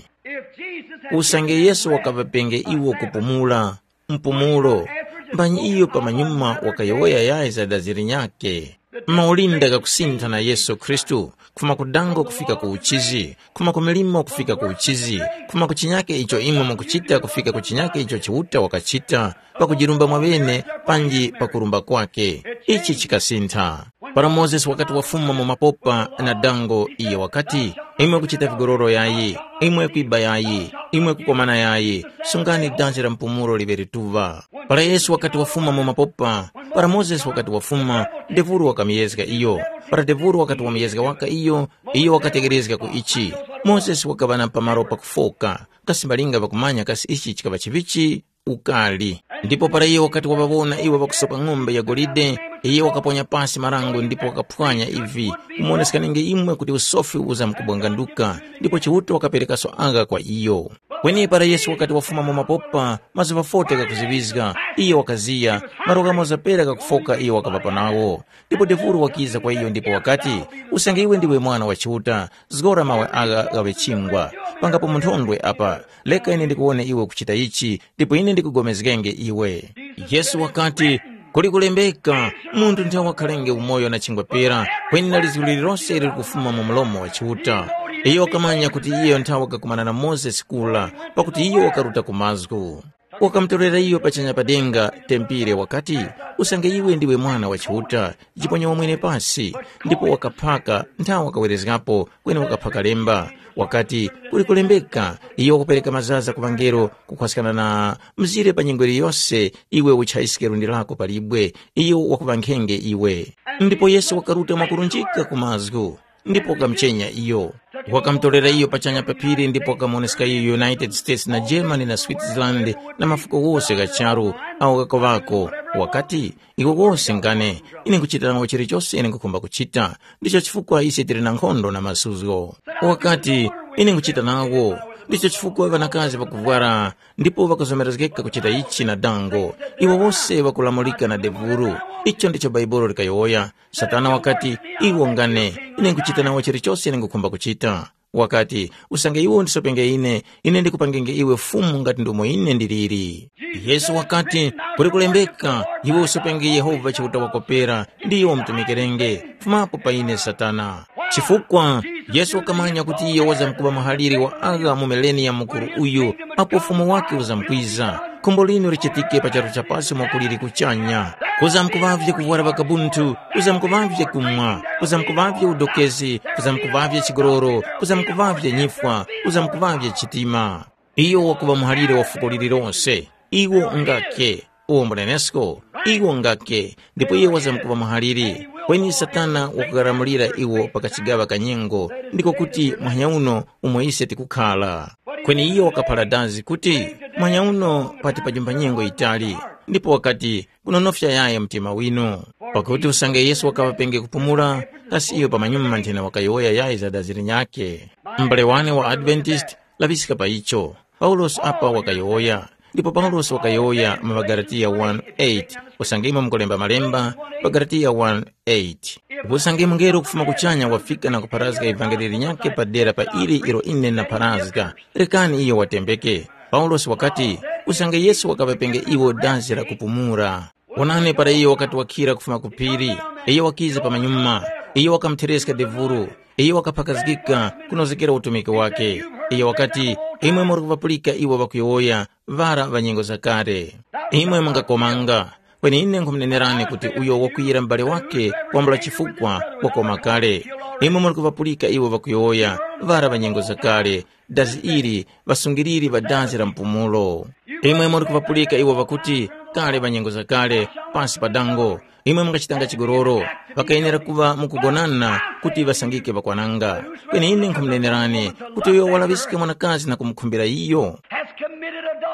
usange Yesu wakaŵapenge iwo kupumula, mpumulo, mbanyi iyo pamanyuma wakayowoya yayi za dazi linyakhe? Maulinda ghakusintha na Yesu Khristu, kufuma ku dango kufika ku uchizi, kufuma ku milimo kufika ku uchizi, kufuma ku chinyake icho imwe mukuchita kufika ku chinyake icho Chiuta wakachita, pakujirumba mwaŵene panji pakurumba kwake. Ichi chikasintha. Para Mozesi wakati wafuma mu mapopa na dango, iyo wakati, imwe kuchita vigororo yayi, imwe kwiba yayi, imwe kukomana yayi, sungani danzi la mpumulo liŵe lituŵa. Para Yesu wakati wafuma mu mapopa, para Mozesi wakati wafuma, Devuru wakamuyezga iyo. Para Devuru wakati wamuyezga waka iyo, iyo wakatekerezga ku ichi. Mozesi wakaŵa na pamaro pakufoka, kasi malinga ŵakumanya kasi ichi chikaŵa chivichi? Ukali. Ndipo para iyo wakati waŵawona iwo ŵakusopa ng'ombe ya golide, iyo wakaponya pasi marango ndipo wakaphwanya ivi, kumoneska nenge imwe kuti usofi uzamkubwanganduka, ndipo Chiuta wakaperekaso agha kwa iyo. Kweni para Yesu wakati wafuma mu mapopa, mazuŵa forty ghakuziŵizga, iyo wakaziya, malo ghamoza pera ghakufoka iyo wakaŵapa nawo. Ndipo Devuru wakiza kwa iyo ndipo wakati, usange iwe ndiwe Mwana wa Chiuta, zgora mawe agha ghaŵe chingwa. Pangapo munthondwe apa, reka ine ndikuwone iwe ukuchita ichi, ndipo ine ndikugomezgenge iwe. Yesu wakati, kuli kulembeka, munthu nthawe wakhalenge umoyo na chingwa pera, kweni na lizgu lililose ili likufuma mu mlomo wa Chiuta. Iyo wakamanya kuti iyo nthawe wakakumana na Mozesi kura, pakuti iyo wakaruta ku mazgu. Wakamutorera iyo pachanya pa denga tempire wakati, usange iwe ndiwe Mwana wa Chiuta, jiponya wamwene pasi. Ndipo wakaphaka, nthawe wakawerezgapo, kweni wakaphaka lemba. Wakati, kuli kulembeka, iyo wakupereka mazaza ku ŵangelo, kukhwaskana na mzire pa nyengo yiliyose, iwe uchaiske lundi lako pa libwe, iyo wakuŵankhenge iwe. Ndipo Yesu wakaruta mwakurunjika ku mazgu, ndipo wakamuchenya iyo. Wakamutorera iyo pachanya pa phiri ndipo wakamuwoneska iyo United States na Germany na Switzerland na mafuko wose gha charu, awo ghakuŵako. Wakati, iwo wose ngane, ine nkuchita nawo chilichose ine nkukhumba kuchita. Ndicho chifukwa ise tili na nkhondo na masuzgo. Wakati, ine nkuchita nawo. Ndicho chifukwa ŵanakazi ŵakuvwara ndipo ŵakazomerezgeka kuchita ichi na dango. Iwo wose ŵakulamulika na devuru. Icho ndicho Bhaibuli likayowoya. Satana wakati, iwo ngane, ine nkuchita nawo chilichose ine ngukhumba kuchita. Wakati, usange iwe undisopenge ine, ine ndikupangenge iwe fumu ngati ndomo ine ndiliri. Yesu wakati, kuli kulembeka, iwe usopenge Yehova Chiuta wako pera, ndiyo umtumikirenge. Fumapo pa ine Satana. Chifukwa Yesu wakamanya kuti iyo wazamkuŵa muhaliri wa agha mu mileniya mukuru uyu, apo ufumu wake uzamkwiza. Khumbo linu lichitike pa charu cha pasi mwakuliri kuchanya. Kuzamkuŵavye kuvwara vakabunthu, kuzamkuŵavye kumwa, kuzamkuŵavye udokezi, kuzamkuŵavye chigololo, kuzamkuŵavye nyifwa, kuzamkuŵavye chitima. Iyo wakuŵa muhalire wa fuko lililose. Iwo ngake. Uwo mbunenesko. Iwo ngake. Ndipo iye wazamkuŵa muhalire. Kweni Satana wakukaramulira iwo pa kachigaŵa ka nyengo, ndiko kuti muhanya uno umo ise tikukhala. Kweni iyo wakaphara dazi kuti, muhanya uno pati pajumba nyengo yitali, ndipo wakati, kunonofya yayi mtima winu. Pakuti usange Yesu wakaŵapenge kupumula, kasi iyo pamanyuma nthena wakayowoya yayi za dazi linyakhe? M'bale wane wa Adventist, laŵiska pa icho. Paulosi apa wakayowoya, ndipo Paulosi wakayowoya mu ŵaGalatiya one eight, usange imwe mukulemba malemba, ŵaGalatiya one eight. Usange mungelo kufuma kuchanya wafika na kupharazga ivangeli linyakhe padera pa ili ilo ine ndapharazga, rekani iyo watembeke. Paulosi wakati, usange Yesu wakaŵapenge iwo dazi la kupumula. Wonani para iyo wakati wakhira kufuma ku phiri, iyo wakiza pamanyuma, iyo wakamuthereska devuru, iyo wakaphakazgika kunozgekera utumiki wake. Iyo wakati, imwe muri kuvapulika iwo ŵakuyowoya, ŵara ŵa nyengo zakale. Imwe mungakomanga, kweni ine nkhumunenerani kuti uyo wakwiyira m'bale wake wambula chifukwa wakoma kale. Imwe muri kuvapulika iwo ŵakuyowoya, ŵara ŵa nyengo zakale, dazi ili, ŵasungiliri ŵa dazi la mpumulo. Imwe muri kuvapulika iwo ŵakuti, kale ŵa nyengo zakale, pasi pa dango, imwe mungachitanga chigololo, ŵakayenera kuŵa mukugonana kuti ŵasangike ŵakwananga. Kweni ine nkhumunenerani kuti uyo walaŵiska mwanakazi na kumukhumbira iyo,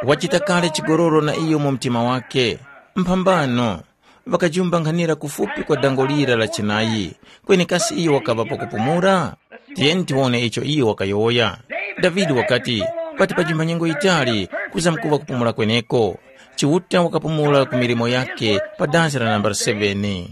wachita kale chigololo na iyo mu mtima wake. Mphambano, ŵakajumbanghanira kufupi kwa dango lira la chinayi, kweni kasi iyo wakaŵa pakupumula? Tiyeni tiwone icho iyo wakayowoya. Davide wakati, pati pajimba nyengo yitali kuzamkuŵa kupumula kweneko. Chiuta wakapumula ku milimo yakhe pa dansi la nambala seven.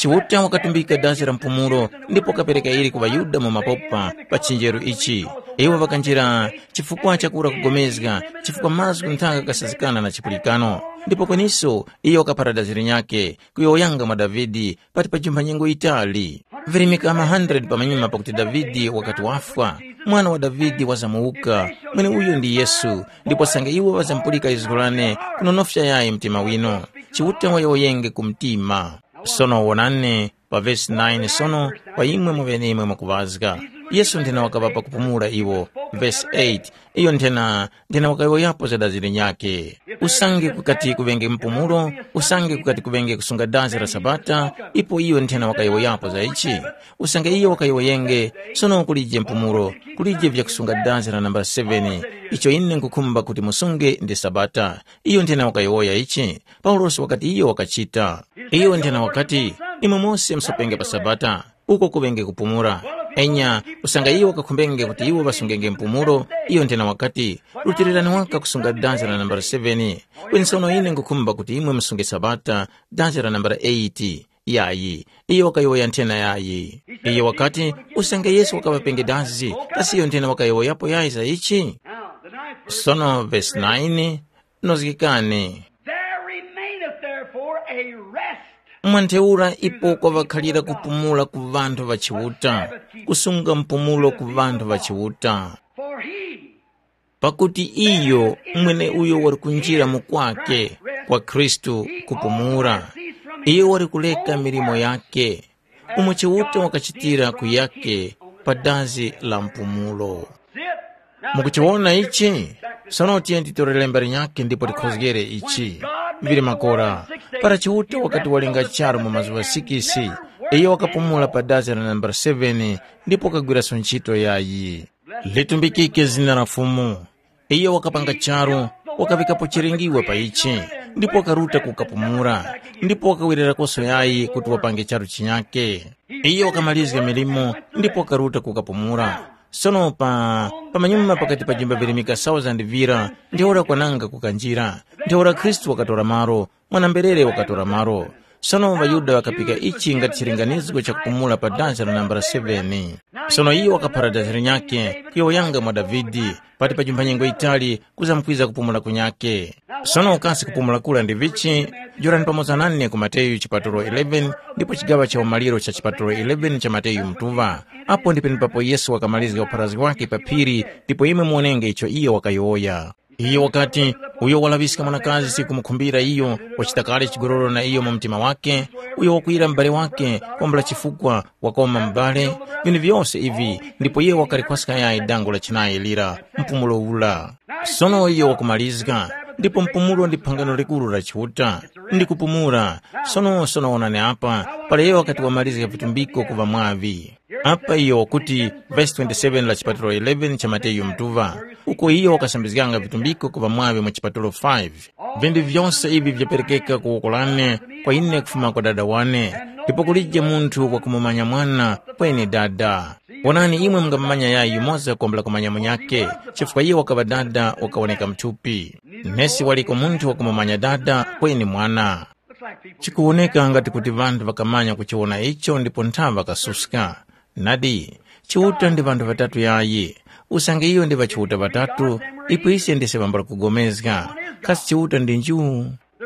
Chiuta wakatumbika dazi la mpumulo ndipo wakapereka ili ku ŵaYuda mu mapopa pa chinjeru ichi. Iwo ŵakanjira chifukwa chakura kugomezga, chifukwa mazgu nthaka kasazikana na chipulikano. Ndipo kweniso iyo wakaphara dazi linyakhe, kuyowoyanga mwa Davide pati pa jumba nyengo yitali. Virimika ma hundred pamanyuma pakuti Davide wakati wafwa, mwana wa Davide wazamuwuka, mweneuyo ndi Yesu, ndipo sange iwo ŵazamupulika lizgu lane, kunonofya yayi mtima winu. Chiuta wayowoyenge ku mtima. Sono wonani pa vesi nine sono, kwa imwe mweneimwe mwakuŵazga. Yesu nthena wakaŵapa kupumula iwo. Vesi eight, iyo nthena, nthena wakayowoyapo za dazi linyakhe. Usange kukati kuŵenge mpumulo, usange kukati kuŵenge kusunga dazi la Sabata, ipo iyo nthena wakayowoyapo za ichi. Usange iyo wakayowoyenge, sono kulije mpumulo, kulije vyakusunga dazi la nambala seven, icho ine nkhukhumba kuti musunge ndi Sabata. Iyo nthena wakayowoya ichi. Paulosi wakati iyo wakachita. Iyo nthena wakati, imwe mose musapenge pa Sabata, uko kuŵenge kupumula. Enya, usange iwo wakakhumbenge kuti iwo ŵasungenge mpumulo, iyo nthena wakati, rutilirani waka kusunga danzi la nambala seven. Kweni sono ine nkhukhumba kuti imwe musunge Sabata, danzi la nambala eight. Yayi, iyo wakayowoya nthena yayi. Iyo wakati, usange Yesu wakaŵapenge danzi, kasi iyo nthena wakayowoyapo yayi za ichi? Sono vesi nine, nozgekani. There remaineth therefore a rest. Mwantheura ipo kwavakhalira kupumula ku ŵanthu ŵa Chiuta, kusunga mpumulo ku ŵanthu ŵa Chiuta. For he, pakuti iyo mwene uyo wali kunjira mukwake kwa Khristu kupumula, iyo wali kuleka milimo yake, umo Chiuta wakachitira kuyake pa dazi la mpumulo. Mukuchiwona ichi? Sono tiye titorere mbali nyakhe ndipo tikhozgere ichi. Vili makora, para Chiuta wakati walenga charu mu mazuŵa sikisi, iyo wakapumula pa dazi la nambala seven ndipo wakagwiraso ntchito yayi. Litumbikike zina la Fumu. Iyo wakapanga charu, wakavikapo chilingiwe pa ichi, ndipo wakaruta kukapumula, ndipo wakawererakoso yayi kuti wapange charu chinyake. Iyo wakamalizga milimo ndipo wakaruta kukapumula. Sono pa pamanyuma pakati pa jimba virimika thousand vira, ntheura kwananga kukanjira, ntheura Khristu wakatora malo, mwana-mberere wakatora malo. Sono ŵaYuda ŵakapika ichi ngati chilinganizgo cha kupumula pa dansi la nambala seven. Sono iyo wakaphara dansi linyakhe kuyowoyanga mwa Davide, pati pa jumpha nyengo yitali kuzamkwiza kupumula kunyakhe. Sono kasi kupumula kura ndi vichi? Jorani pamoza nane ku Mateyu chipatulo eleven ndipo chigaŵa cha umaliro cha chipatulo eleven cha Mateyu mutuŵa. Apo ndi penepapo Yesu wakamalizga upharazgi wakhe pa phiri ndipo imwe muwonenge icho iyo wakayowoya. Iyo wakati, uyo walaŵiska mwanakazi kumukhumbira iyo, wachita kale chigololo na iyo mu mtima wakhe, uyo wakwiyira m'bale wakhe kwambula chifukwa wakoma m'bale, vinthu vyose ivi, ndipo iye wakalikhwaska yayi dango la chinayi lira, mpumulo ula. Sono iyo wakumalizga, ndipo mpumulo ndi phangano likuru la Chiuta, ndi kupumula. Sono sono wonani apa, para iyo wakati wamalizga vitumbiko ku ŵamwaŵi. Apa iyo wakuti, vesi twenty-seven la chipatulo eleven cha Mateyu mutuŵa, uko iyo wakasambizganga vitumbiko ku ŵamwaŵi mu chipatulo five. Vinthu vyose ivi vyaperekeka ku woko lane, kwa ine kufuma kwa Dada wane, ndipo kulije munthu wakumumanya Mwana, kweni Dada. Wonani imwe mungamumanya yayi yumoza kwambula kumanya munyakhe, chifukwa iye wakaŵa Dada wakawoneka muthupi. Nesi waliko munthu wakumumanya Dada, kweni Mwana. Chikuwoneka ngati kuti ŵanthu ŵakamanya kuchiwona icho ndipo nthawe ŵakasuska. Nadi, Chiuta ndi ŵanthu ŵatatu yayi. Usange iyo ndi ŵachiuta ŵatatu, ipo ise ndise ŵambula kugomezga. Kasi Chiuta ndi nju?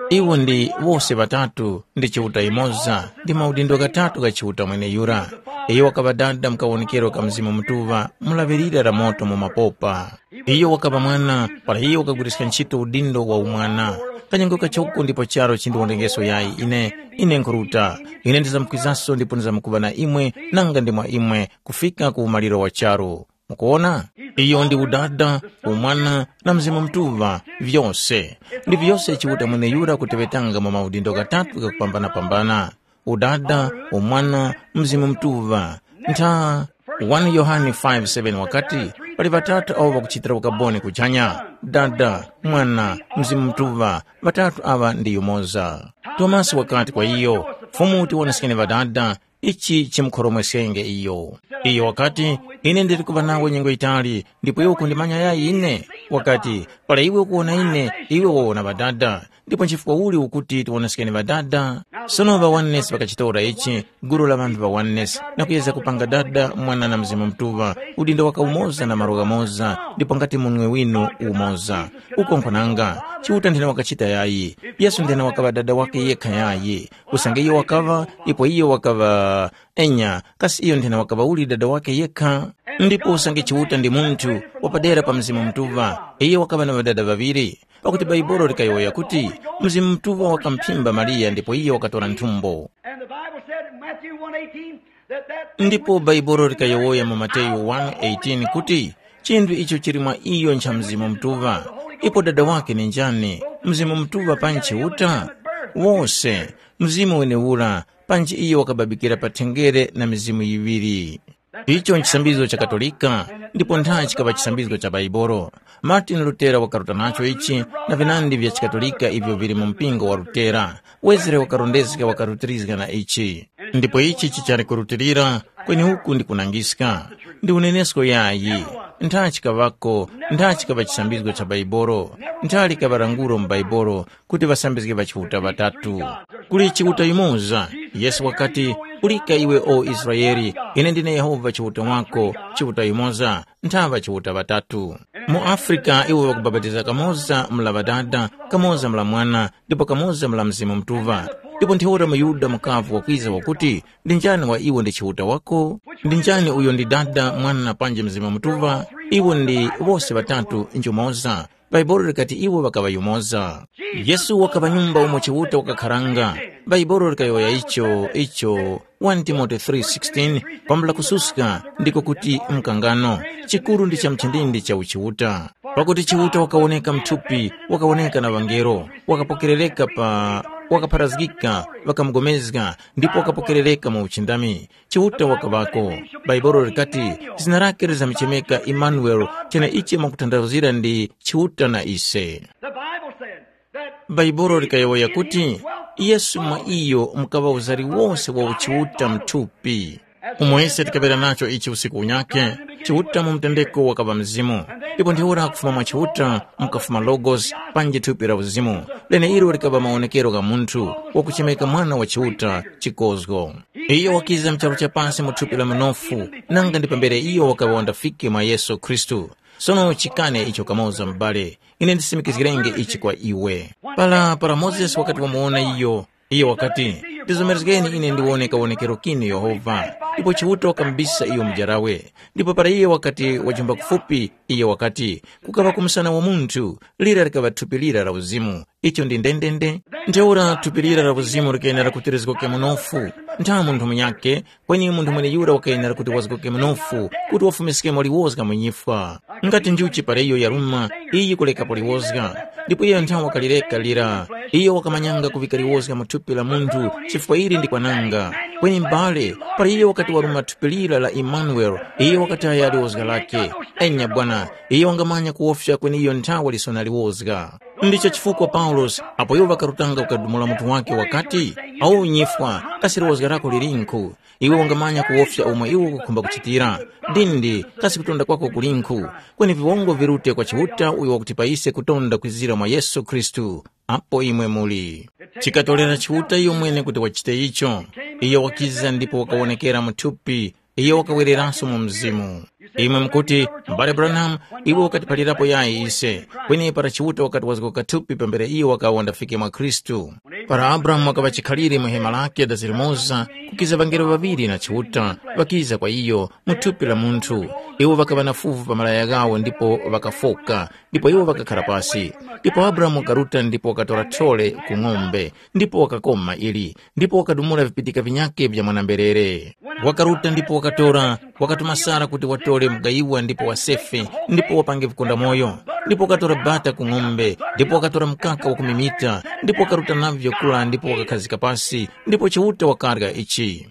Iwo ndi wose ŵatatu, ndi Chiuta yumoza, ndi maudindo ghatatu gha Chiuta mweneyura. Iyo wakaŵa Dada mu kawonekero ka Mzimu Mutuŵa, mu laŵirira la moto mu mapopa. Iyo wakaŵa Mwana, para iyo wakagwiriska ntchito udindo wa umwana. Kanyengo kachoko ndipo charu chindiwondengeso yayi ine, ine nkhuruta. Ine ndizamkwizanso ndipo ndizamkuŵa na imwe, nanga ndi mwa imwe, kufika ku umaliro wa charu. Mukuwona? Iyo ndi Udada, Umwana, na Mzimu Mutuŵa, vyose. Ndi vyose Chiuta mweneyura kuteŵetanga mu maudindo ghatatu ghakupambana-pambana. Udada, Umwana, Mzimu Mutuŵa. Ntha one Yohane five seven wakati, pali ŵatatu awo ŵakuchitira ukaboni kuchanya, Dada, Mwana, Mzimu Mutuŵa, ŵatatu aŵa ndi yumoza. Tomasi wakati kwa iyo, Fumu, tiwoneskeni Ŵadada, ichi chimukhoromweskenge iyo. Iyo wakati, ine ndili kuŵa nawe nyengo yitali, ndipo iwe ukundimanya yayi ine? Wakati, para iwe ukuwona ine, iwe wawona Ŵadada. Ndipo nchifukwa uli ukuti tiwonoskeni ŵadada? Sono ŵa oneness ŵakachitora ichi, gulu la ŵanthu ŵa oneness, na kuyeza kupanga Dada, Mwana na Mzimu Mutuŵa, udindo waka umoza na malo ghamoza, ndipo ngati munwe winu umoza. Uko nkho nanga, Chiuta nthena wakachita yayi, Yesu nthena wakaŵa Dada wakhe yekha yayi, usange iyo wakaŵa, ipo iyo wakaŵa, enya, kasi iyo nthena wakaŵa uli Dada wakhe yekha? Ndipo usange Chiuta ndi munthu wapadera pa Mzimu Mutuŵa, iyo wakaŵa na ŵadada ŵaŵiri. Pakuti Baibolo likayowoya kuti, Mzimu Mutuŵa wakamphimba Mariya ndipo iyo wakatora nthumbo. And the Bible said in Matthew one eighteen that that thing Ndipo which Baibolo likayowoya mu Mateyu one eighteen kuti, chinthu icho chili mwa iyo ncha Mzimu Mutuŵa. Ipo Dada wake ni njani? Mzimu Mutuŵa panji Chiuta? Wose, Mzimu wenewura, panji iyo wakababikira pa thengere na mizimu yiŵiri. Icho nchisambizgo cha Katolika, ndipo ntha chikaŵa chisambizgo cha Baibolo. Martin Lutera wakaruta nacho ichi, na vinandi vya chikatolika ivyo vili mu mpingo wa Lutera. Wezere wakarondezga wakarutirizga na ichi. Ndipo ichi chichali kurutilira, kweni uku ndi kunangiska. Ndi unenesko yayi. Ntha chikaŵako, ntha chikaŵa chisambizgo cha Baibolo, ntha likaŵa languro mu Baibolo, kuti ŵasambizge ŵa Chiuta ŵatatu. Kuli Chiuta yumoza. Yesu wakati, ulika iwe o Israele, ine ndine Yehova Chiuta wako, Chiuta yumoza, nthaŵa Chiuta ŵatatu. Mu Afrika iwo ŵakubapatiza kamoza mla Ŵadada, kamoza mla Mwana, ndipo kamoza mla Mzimu Mutuŵa. Ndipo ntheura muYuda mukavu wakwiza wakuti, ndi njani wa iwo ndi Chiuta wako? Ndi njani uyo ndi Dada, Mwana panji Mzimu Mutuŵa? Iwo ndi wose ŵatatu njumoza. Baibolo likati iwo ŵakaŵa yumoza. Yesu wakaŵa nyumba umo Chiuta wakakharanga. Baibolo likayowoya icho, icho one Timote three sixteen, kwambula kususka, ndiko kuti mkangano. Chikuru ndi cha mchindindi cha uchiuta. Pakuti Chiuta wakawoneka mthupi, wakawoneka na ŵangelo, wakapokerereka pa, wakapharazgika, ŵakamugomezga, ndipo wakapokerereka mu uchindami. Chiuta wakaŵako. Baibolo likati, zina lake lizamuchemeka Imanueli, cheneichi mwakutanthauzira ndi Chiuta na ise. The Bible said that Baibolo likayowoya kuti, Yesu mwa iyo mukaŵa uzari wose wa uchiuta mthupi. Umo ise tikaŵera nacho ichi usiku unyakhe, Chiuta mu mtendeko wakaŵa Mzimu. Ndipo ntheura kufuma mwa Chiuta mukafuma Logos, panji thupi la uzimu, leneilo likaŵa mawonekero gha munthu wakuchemeka Mwana wa Chiuta, chikozgo. Iyo wakiza mu charu cha pasi mu thupi la mnofu, nanga ndi pambere iyo wakaŵa wandafike mwa Yesu Khristu. Sono chikane icho kamoza m'bale, ine ndisimikizgirenge ichi kwa iwe. Para, para Mozesi wakati wamuwona iyo, iyo wakati, ndizomerezgeni ine ndiwone kawonekero kinu Yehova. Ndipo Chiuta wakamubisa iyo mujarawe. Ndipo para iye wakati wajumba kufupi, iyo wakati, kukaŵa ku msana wa munthu, lira likaŵa thupi lira la uzimu. Icho ndi ndendende. Ntheura thupi lira la uzimu likayenera kuti lizgoke munofu. Ntha munthu munyakhe, kweni munthu mweneyura wakayenera kuti wazgoke munofu, kuti wafumiskemo liwozga mu nyifwa. Ngati njuchi para iyo yaruma, iyi kulekapo liwozga. Ndipo iyo nthawi wakalireka lira, iyo wakamanyanga kuvika liwozga mu thupi la munthu, chifukwa ili ndi kwananga. Kweni m'bale, para iyo wakati waruma thupi lira la Imanueli, iyo wakataya liwozga lake. Enya bwana, iyo wangamanya kuwofya kweni iyo nthawi lisona liwozga. Ndicho chifukwa Paulosi, apo iwo ŵakarutanga kukadumula mutu wake wakati, awu nyifwa, kasi liwozga lako lilinkhu? Iwe wangamanya kuwofya umo iwe ukukhumba kuchitira. Dindi, kasi kutonda kwako kulinkhu? Kweni viwongo virute kwa Chiuta uyo wakuti pa ise kutonda kwizira mwa Yesu Khristu. Apo imwe muli. Chikatolera Chiuta iyo mwene kuti wachite icho. Iyo wakiza ndipo wakawonekera mu thupi. Iyo wakawereranso mu mzimu. Imwe mukuti, m'bale Branham, iwe wakatiphalirapo yayi ise, kweni para Chiuta wakati wazgoka thupi pambere iyo wakawa wandafike mwa Khristu. Para Abrahamu wakaŵa chikhalire mu hema lake dazirimoza, kukiza ŵangelo ŵaŵiri na Chiuta, ŵakiza kwa iyo mu thupi la munthu. Iwo ŵakaŵa na fuvu pa malaya ghawo ndipo ŵakafoka, ndipo iwo ŵakakhara pasi. Ndipo Abrahamu wakaruta ndipo wakatora thole ku ng'ombe, ndipo wakakoma ili, ndipo wakadumula vipitika vinyakhe vya mwana-mberere. Wakaruta ndipo wakatora, wakatuma Sara kuti watore mugayiwa ndipo wasefe, ndipo wapange vikondamoyo. Ndipo wakatora bata ku ng'ombe, ndipo wakatora mkaka wa kumimita, ndipo wakaruta navyo kula ndipo wakakhazika pasi, ndipo Chiuta wakarya ichi.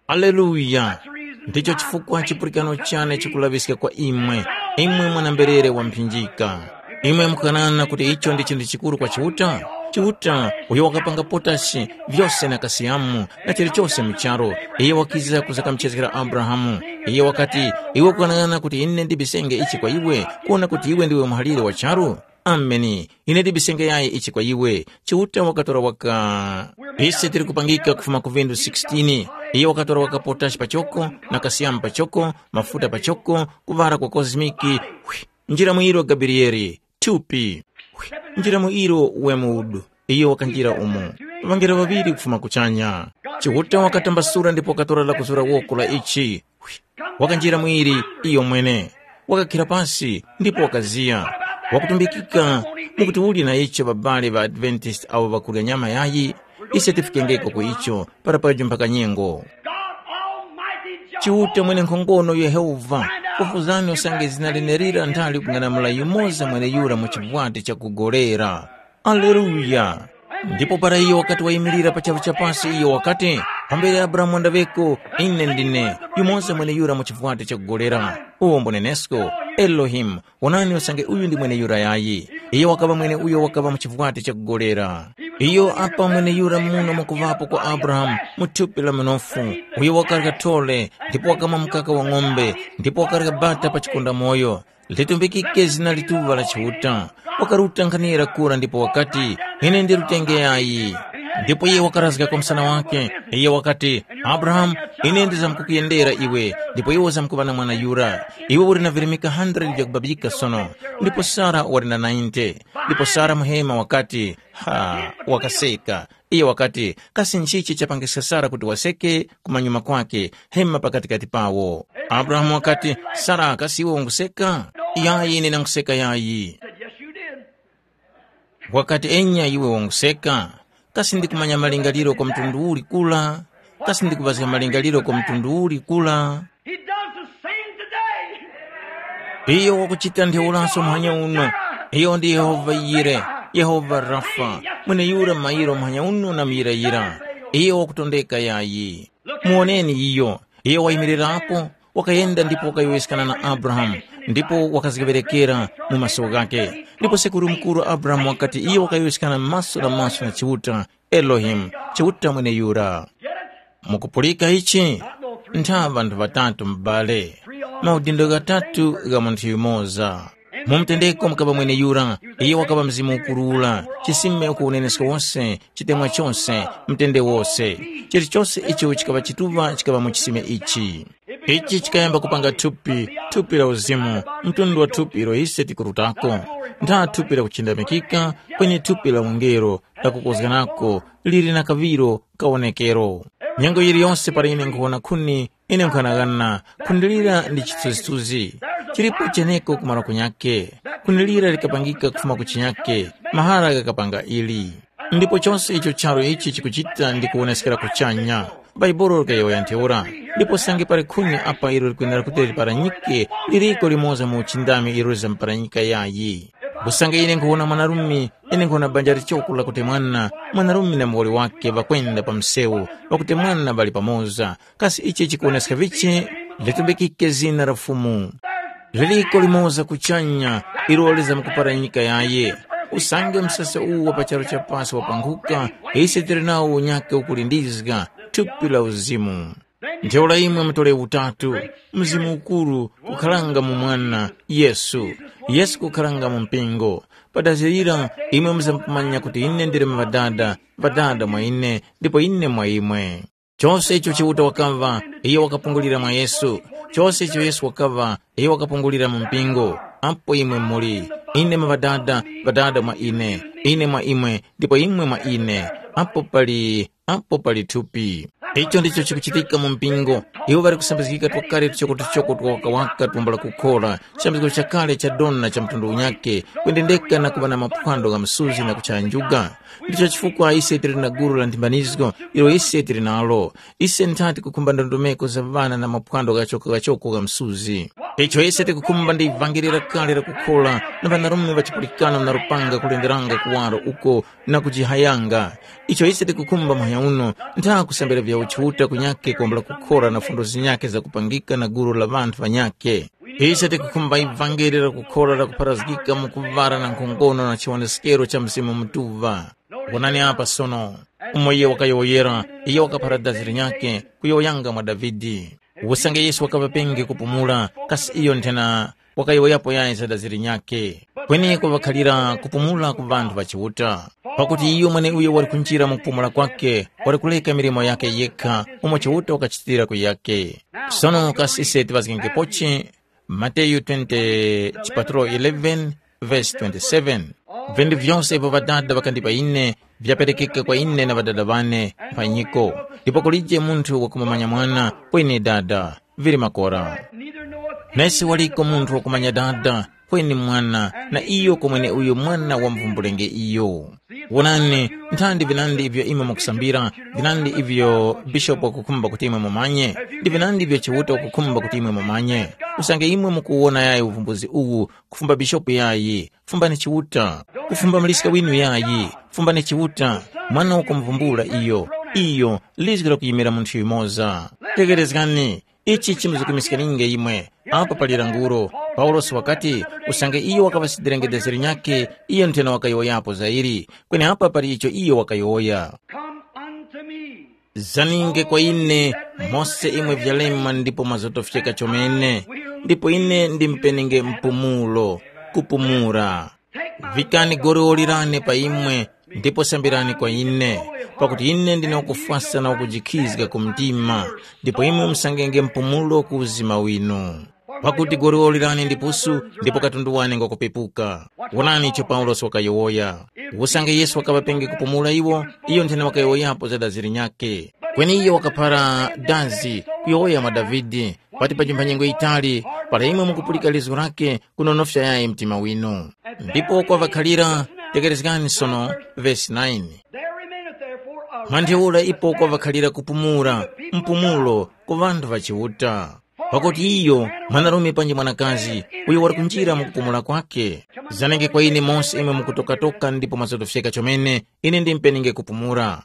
Haleluya! Ndicho chifukwa chipulikano chane chikulaŵiska kwa imwe, imwe mwana-mberere wa mphinjika. Imwe mukukanana kuti icho ndi chinthu chikuru kwa Chiuta? Chiuta, uyo wakapanga potashi, vyose na kasiyamu, na chilichose mu charu, iye wakiza kuzakamuchezgera Abrahamu. Iye wakati, iwe ukukanana kuti ine ndibisenge ichi kwa iwe, kuona kuti iwe ndiwe muhalire wa charu? Ameni. Ine ndibisenge yayi ichi kwa iwe. Chiuta wakatora waka. Ise tili kupangika kufuma ku vindu sixteen. Iye wakatora waka potashi pachoko, na kasiyamu pachoko, mafuta pachoko, kuŵala kwa kozimiki. Hwi, njira mu ilo Gabrieli, thupi. Hwi, njira mu ilo Wemudu. Iyo wakanjira umo. Ŵangelo ŵaŵiri kufuma kuchanya. Chiuta wakatambasula ndipo wakatora lakuzura woko la ichi. Wakanjira mwiri iyo mwene. Wakakhira pasi ndipo wakaziya. Wakutumbikika mukuti uli na icho babale ŵa Adventist awo ŵakurya nyama yayi, ise tifikengeko ku icho para pajo mpaka nyengo. God Almighty Chiuta Jehovah, mwene nkhongono Yehova, kufuzani usange zina lenerira nthali kung'anamula yumoza mweneyura mu chivwati chakugolera. Aleluya! Ndipo para iyo wakati wayimirira pa charu cha pasi, iyo wakati, pambere Abrahamu wandaŵeko, ine ndine, yumoza mweneyura mu chivwati chakugolera. Uwo mbunenesko, Elohimu, wonani usange uyu ndi mweneyura yayi. Iyo wakaŵa mwene uyo wakaŵa mu chivwati chakugolera. Iyo apa mweneyura muno mwakuŵapo kwa Abrahamu mu thupi la mnofu, uyo wakarya thole, ndipo wakamwa mkaka wa ng'ombe, ndipo wakarya bata pa chikondamoyo. Litumbikike zina lituŵa la Chiuta. Wakaruta nkhanira kura ndipo wakati, ine ndi rutenge yayi. Ndipo iye wakarazga kwa msana wake, iye wakati, Abrahamu, ine ndizamkukuyendera iwe, ndipo iwe uzamkuŵa na mwana yura. Iwe uli na virimika hundred vyakubabika sono, ndipo Sara wali na ninety. Ndipo Sara muhema wakati, ha, wakaseka. Iye wakati, kasi nchichi chapangiska Sara kuti waseke kumanyuma kwake, hema pakatikati pawo? Abrahamu wakati, Sara, kasi iwe unguseka? Yayi, ine nanguseka yayi. Said, yes, you did. Wakati, enya iwe wanguseka. Kasi ndikumanya malingaliro kwa mtundu uli kula? Kasi ndikupazga malingaliro kwa mtundu uli kula? He does the same today. Iyo wakuchita ntheuraso muhanya uno. Iyo ndi Yehova Yire, Yehova Rafa, mweneyura mayiro muhanya uno na muyirayira. Iyo wakutondeka yayi. Muwoneni iyo. Iyo wayimirirapo, wakayenda ndipo wakayowoyeskana na Abrahamu, ndipo wakazgeŵerekera mu maso ghakhe. Ndipo sekuru mukuru Abrahamu wakati iyo wakayowoyeskana maso na maso na Chiuta, Elohimu, Chiuta mweneyura. Mukupulika ichi? Ntha ŵanthu ŵatatu m'bale, maudindo ghatatu gha munthu yumoza. Mu mtendeko mukaŵa mweneyura, iye wakaŵa Mzimu Ukuru ura, chisime uko unenesko wose, chitemwa chose, mtende wose. Chilichose icho chikaŵa chituŵa chikaŵa mu chisime ichi. Ichi chikayamba kupanga thupi, thupi la uzimu, mtundu wa thupi ilo ise tikurutako. Ntha thupi la kuchindamikika, kweni thupi la ungelo, lakukozganako, lili na kaŵiro kawonekero. Nyengo yiliyonse para ine nkhuwona khuni, ine nkhanaghana, khuni lira ndi chithunzithunzi. Chilipo cheneko kumaro kunyakhe. Khuni lira likapangika kufuma ku chinyakhe, mahara ghakapanga ili. Ndipo chose icho charu ichi chikuchita ndi kuwoneskera kuchanya. Bhaibuli likayowoya ntheura. Ndipo sange pali khuni apa ilo likwenera kuti liparanyike, liriko limoza mu uchindami ilo lizamparanyika yayi. Usange ine nkhuwona mwanarume, ine nkhuwona banja lichoko lakutemwana, mwanarume na muwoli wake ŵakwenda pa msewu, ŵakutemwana ŵali pamoza. Kasi ichi chikuwoneska vichi? Litumbikike zina la Fumu. Liliko limoza kuchanya, ilo lizamkuparanyika yaye. Usange msasa uwu wa pa charu cha pasi wapanghuka, ise tili nawo unyakhe ukulindizga, thupi la uzimu. Ntheura imwe mutole utatu, Mzimu Ukuru kukharanga mu Mwana, Yesu, Yesu kukharanga mu mpingo. Pa dazi lira imwe muzamkumanya kuti ine ndili mu Ŵadada, Ŵadada mwa ine, ndipo ine mwa imwe. Chose icho Chiuta wakaŵa, iyo wakapungulira mwa Yesu. Chose icho Yesu wakaŵa, iyo wakapungulira mu mpingo. Apo imwe muli, ine mu Ŵadada, Ŵadada mwa ine, ine mwa imwe, ndipo imwe mwa ine. Apo pali apo pali thupi. Icho ndicho chikuchitika mu mpingo. Iwo ŵali kusambizgika twakale tuchoko-tuchoko twawakawaka twambula kukhora, chisambizgo chakale cha dona cha mtundu unyakhe, kwendendeka na kuŵa na maphwando gha msuzi na kuchaya njuga. Ndicho chifukwa ise tili na gulu la nthimbanizgo ilo ise tili nalo. Ise nthati kukhumba ndondomeko za ŵana na maphwando ghachoko-ghachoko gha msuzi. Icho ise tikukhumba ndi ivangeli lakale la kukhora na ŵanarume ŵa chipulikano na lupanga kulenderanga kuwaro uko na kujihayanga. Icho ise tikukhumba muhanya uno, ntha kusambira vya uchiuta kunyakhe kwambula kukhora na fundo zinyakhe zakupangika na gulu la ŵanthu ŵanyakhe. Ise tikukhumba ivangeli la kukhora lakupharazgika mu kuŵala na nkhongono na chiwoneskero cha Mzimu Mutuŵa. Wonani apa sono, umo iye wakayowoyera, iye wakaphara dazi linyakhe, kuyowoyanga mwa Davide. Usange Yesu wakaŵa penge kupumula, kasi iyo nthena wakayowoyapo yayi za dazi linyakhe. Kweneko ŵakhalira kupumula ku ŵanthu ŵa Chiuta, pakuti iyo mweneuyo wali kunjira mu kupumula kwake, wali kuleka milimo yake yekha umo Chiuta wakachitira kuyake. Sono kasi ise tiŵazgengepochi? Mateyu twenty, chipatulo eleven, verse twenty-seven. Vinthu vyose ivyo Ŵadada ŵakandipa ine vyaperekeka kwa ine na Ŵadada ŵane mphanyiko, ndipo kulije munthu wakumumanya Mwana kweni Dada, vili makora. Nesi waliko munthu wakumanya Dada kweni Mwana, na iyo komwene uyo Mwana wamvumbulenge iyo. Wonani, nthandi vinandi ivyo imwe mukusambira, vinandi ivyo bishopu wakukhumba kuti imwe mumanye, ndi vinandi ivyo Chiuta wakukhumba kuti imwe mumanye. Usange imwe mukuwona yayi uvumbuzi uwu, kufumba bishopu yayi, fumbani Chiuta. Kufumba muliska winu yayi, fumbani Chiuta. Mwana wakumvumbula iyo, iyo, lizgi lakuyimira munthu yumoza. Tekerezgani, ichi chimuzukimiskaninge imwe. Apa pali languro, Paulosi wakati, usange iyo wakaŵasidirenge dezeri nyakhe, iyo nthena wakayowoyapo za ili. Kweni apa pali icho iyo wakayowoya. Come unto me. Zaninge kwa ine, mose imwe vyalema ndipo mazotofyeka chomene, ndipo ine ndimpenenge mpumulo, kupumura. Vikani goriwoli lane pa imwe, ndipo sambirani kwa ine, pakuti ine ndine wakufwasa na wakujikhizga ku mtima, ndipo imwe musangenge mpumulo ku uzima winu. Pakuti goriwoli lane ndi pusu, ndipo katundu wane ngwakupepuka. Wonani icho Paulosi wakayowoya. Usange Yesu wakaŵapenge kupumula iwo, iyo nthene wakayowoyapo za dazi linyakhe. Kweni iyo wakaphara dazi, kuyowoya mwa Davide, pati pa nyengo yitali, para imwe mukupulika lizgu lakhe, kunonofya yayi mtima winu. Ndipo kwa ŵakhalira, tekerezgani sono, vesi nine. There remaineth therefore a Mwa ntheura ipo kwavakhalira kupumula, mpumulo ku ŵanthu ŵa Chiuta. Pakuti iyo, mwanarume panji mwanakazi, uyo wali kunjira mu kupumula kwake. Zanenge kwa ine mose imwe mukutokatoka ndipo mwazotofyeka chomene, ine ndimpenenge kupumula.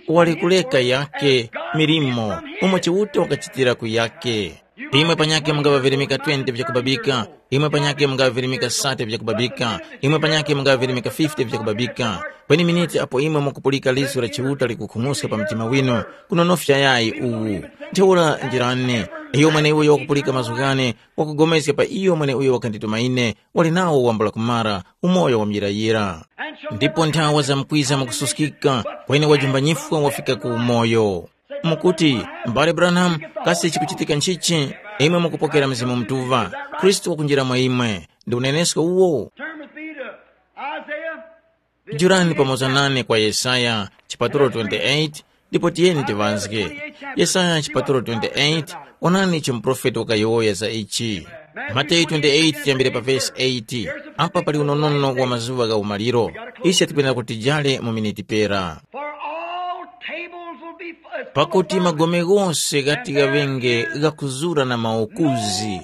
Wali kuleka yake milimo umo Chiuta wakachitira ku yake. Imwe panyakhe mungaŵavirimika twenty vyakubabika, imwe panyakhe mungaŵavirimika thirty vyakubabika, imwe panyakhe mungaŵavirimika fifty vyakubabika. Kweni miniti apo imwe mukupulika liso la Chiuta likukhung'uska pa mtima winu, kunonofya yayi uwu. Ntheura njirani, iyo mweneuyo wakupulika mazgu ghane, wakupulikana pa iyo mweneuyo wakandituma ine, wali nawo wambula kumara, umoyo wa muyirayira. Ndipo nthawa zamkwiza mukususkika, kweni wajumbanyifwa wafika ku umoyo. Mukuti, M'bale Branham, kasi chikuchitika nchichi? Imwe mukupokera Mzimu Mutuŵa, Khristu wakunjira mwa imwe. Ndi unenesko uwo? Turn with me to Isaiah. Jurani pamoza nane kwa Yesaya, chipatulo twenty-eight, ndipo tiyeni tiŵazge. Yesaya chipatulo twenty-eight, onani icho muprofeti wakayowoya za ichi. Mateyu twenty-eight tiyambire pa vesi eight. Apa pali unonono wa mazuŵa gha umaliro. Ise tikwenera kuti tijale mu miniti pera. For all tables will be full of Pakuti magome ghose ghati ghaŵenge ghakuzura na maukuzi,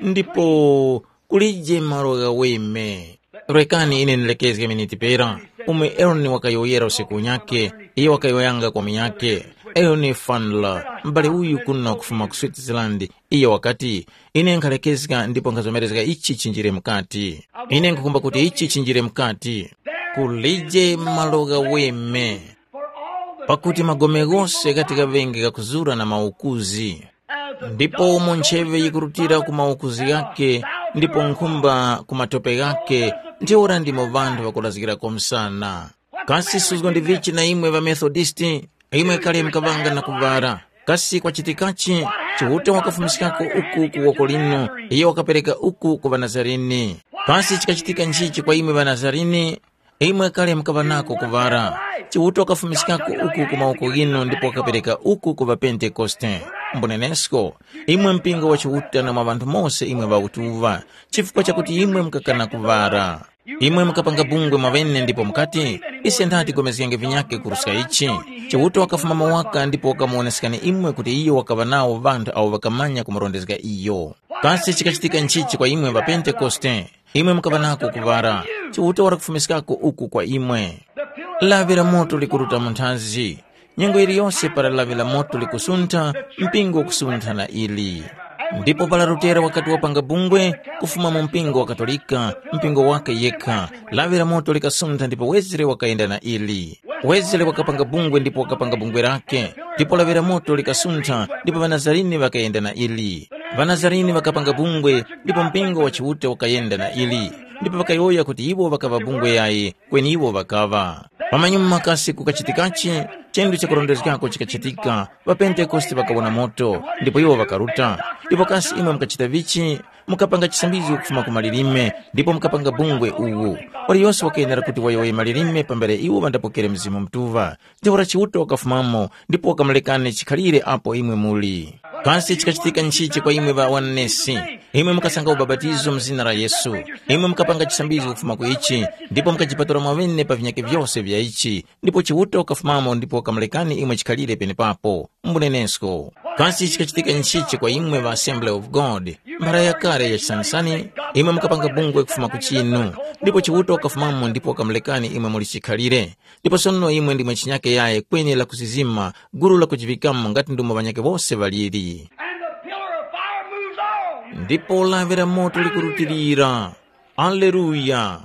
ndipo kulije malo ghaweme. Rekani ine ndilekezge miniti pera, umwe Eloni wakayowoyera usiku unyakhe, iyo wakayowoyanga kwa munyakhe, Eloni Fanla, m'bale uyu kuno kufuma ku Switzerland, iyo wakati, ine nkhalekezga ndipo nkhazomerezga ichi chinjire mukati. Ine nkhukumba kuti ichi chinjire mukati. Kulije malo ghaweme, pakuti magome ghose ghati ghaŵenge ghakuzura na maukuzi. Ndipo umo ntcheŵe yikurutira ku maukuzi ghakhe, ndipo nkhumba ku matope ghakhe, ntheura ndimo ŵanthu ŵakulazgirako msana. Kasi suzgo ndi vichi na imwe ŵaMethodisti, imwe kale mukaŵanga na kuŵara? Kasi kwachitikachi? Chiuta wakafumiskako uku ku woko linu, iyo wakapereka uku ku ŵaNazarini. Kasi chikachitika nchichi kwa imwe ŵaNazarini? Imwe kale mukaŵa nako kuŵara. Chiuta wakafumiskako uku ku mawoko ghinu ndipo wakapereka uku ku ŵaPentekoste. Mbunenesko, imwe mpingo wa Chiuta na mwa ŵanthu mose imwe ŵautuŵa, chifukwa chakuti imwe mukakana kuŵara. Imwe mukapanga bungwe mwaŵene ndipo mukati, ise ndati tigomezgenge vinyakhe kuruska ichi. Chiuta wakafuma mawaka ndipo wakamuwoneskani imwe kuti iyo wakaŵa nawo ŵanthu awo ŵakamanya kumurondezga iyo. Kasi chikachitika nchichi kwa imwe ŵaPentekoste? Imwe mukaŵa nako kuŵara, Chiuta wali kufumiskako uku kwa imwe. Lawi la moto likuruta mu nthazi. Nyengo yiliyose para lawi la moto likusuntha, mpingo ukusuntha na ili. Ndipo para Lutera wakati wapanga bungwe, kufuma mu mpingo wa Katolika, mpingo wake yekha, lawi la moto likasuntha ndipo Wesley wakayenda na ili. Wesley wakapanga bungwe ndipo wakapanga bungwe lake, ndipo lawi la moto likasuntha ndipo ŵaNazarini ŵakayenda na ili. Ŵanazarini ŵakapanga bungwe, ndipo mpingo wa Chiuta ukayenda na ili. ndipo ŵakayowoya kuti iwo ŵakaŵa bungwe yayi, kweni iwo ŵakaŵa. Pamanyuma kasi kukachitikachi? Chinthu chakurondezgako chikachitika, ŵapentekoste ŵakawona moto, ndipo iwo ŵakaruta. Ndipo kasi imwe mukachita vichi? Mukapanga chisambizgo kufuma ku malilime, ndipo mukapanga bungwe uwu. Waliyose wakayenera kuti wayowoye malilime pambere iwo ŵandapokere Mzimu Mutuŵa. Ntheura Chiuta wakafumamo, ndipo wakamulekani chikhalire apo imwe muli. Kasi chikachitika nchichi kwa imwe ŵa wanesi? Imwe mukasanga ubapatizo mu zina la Yesu. Imwe mukapanga chisambizgo kufuma ku ichi, ndipo mukajipatula mwaŵene pa vinyakhe vyose vya ichi, ndipo Chiuta wakafumamo ndipo wakamulekani imwe chikhalire penepapo. Mbunenesko. Kasi chikachitika nchichi kwa imwe ŵa Assembly of God? Mphara yakale ya chisanisani, imwe mukapanga bungwe kufuma ku chinu, ndipo Chiuta wakafumamo ndipo wakamulekani imwe muli chikhalire. Ndipo sono imwe ndimwe chinyake yaye kweni lakuzizima, gulu lakujiŵikamo ngati ndumo ŵanyakhe wose ŵaliri. And the pillar of fire moves on. Ndipo lawi la moto likurutilira. Aleluya!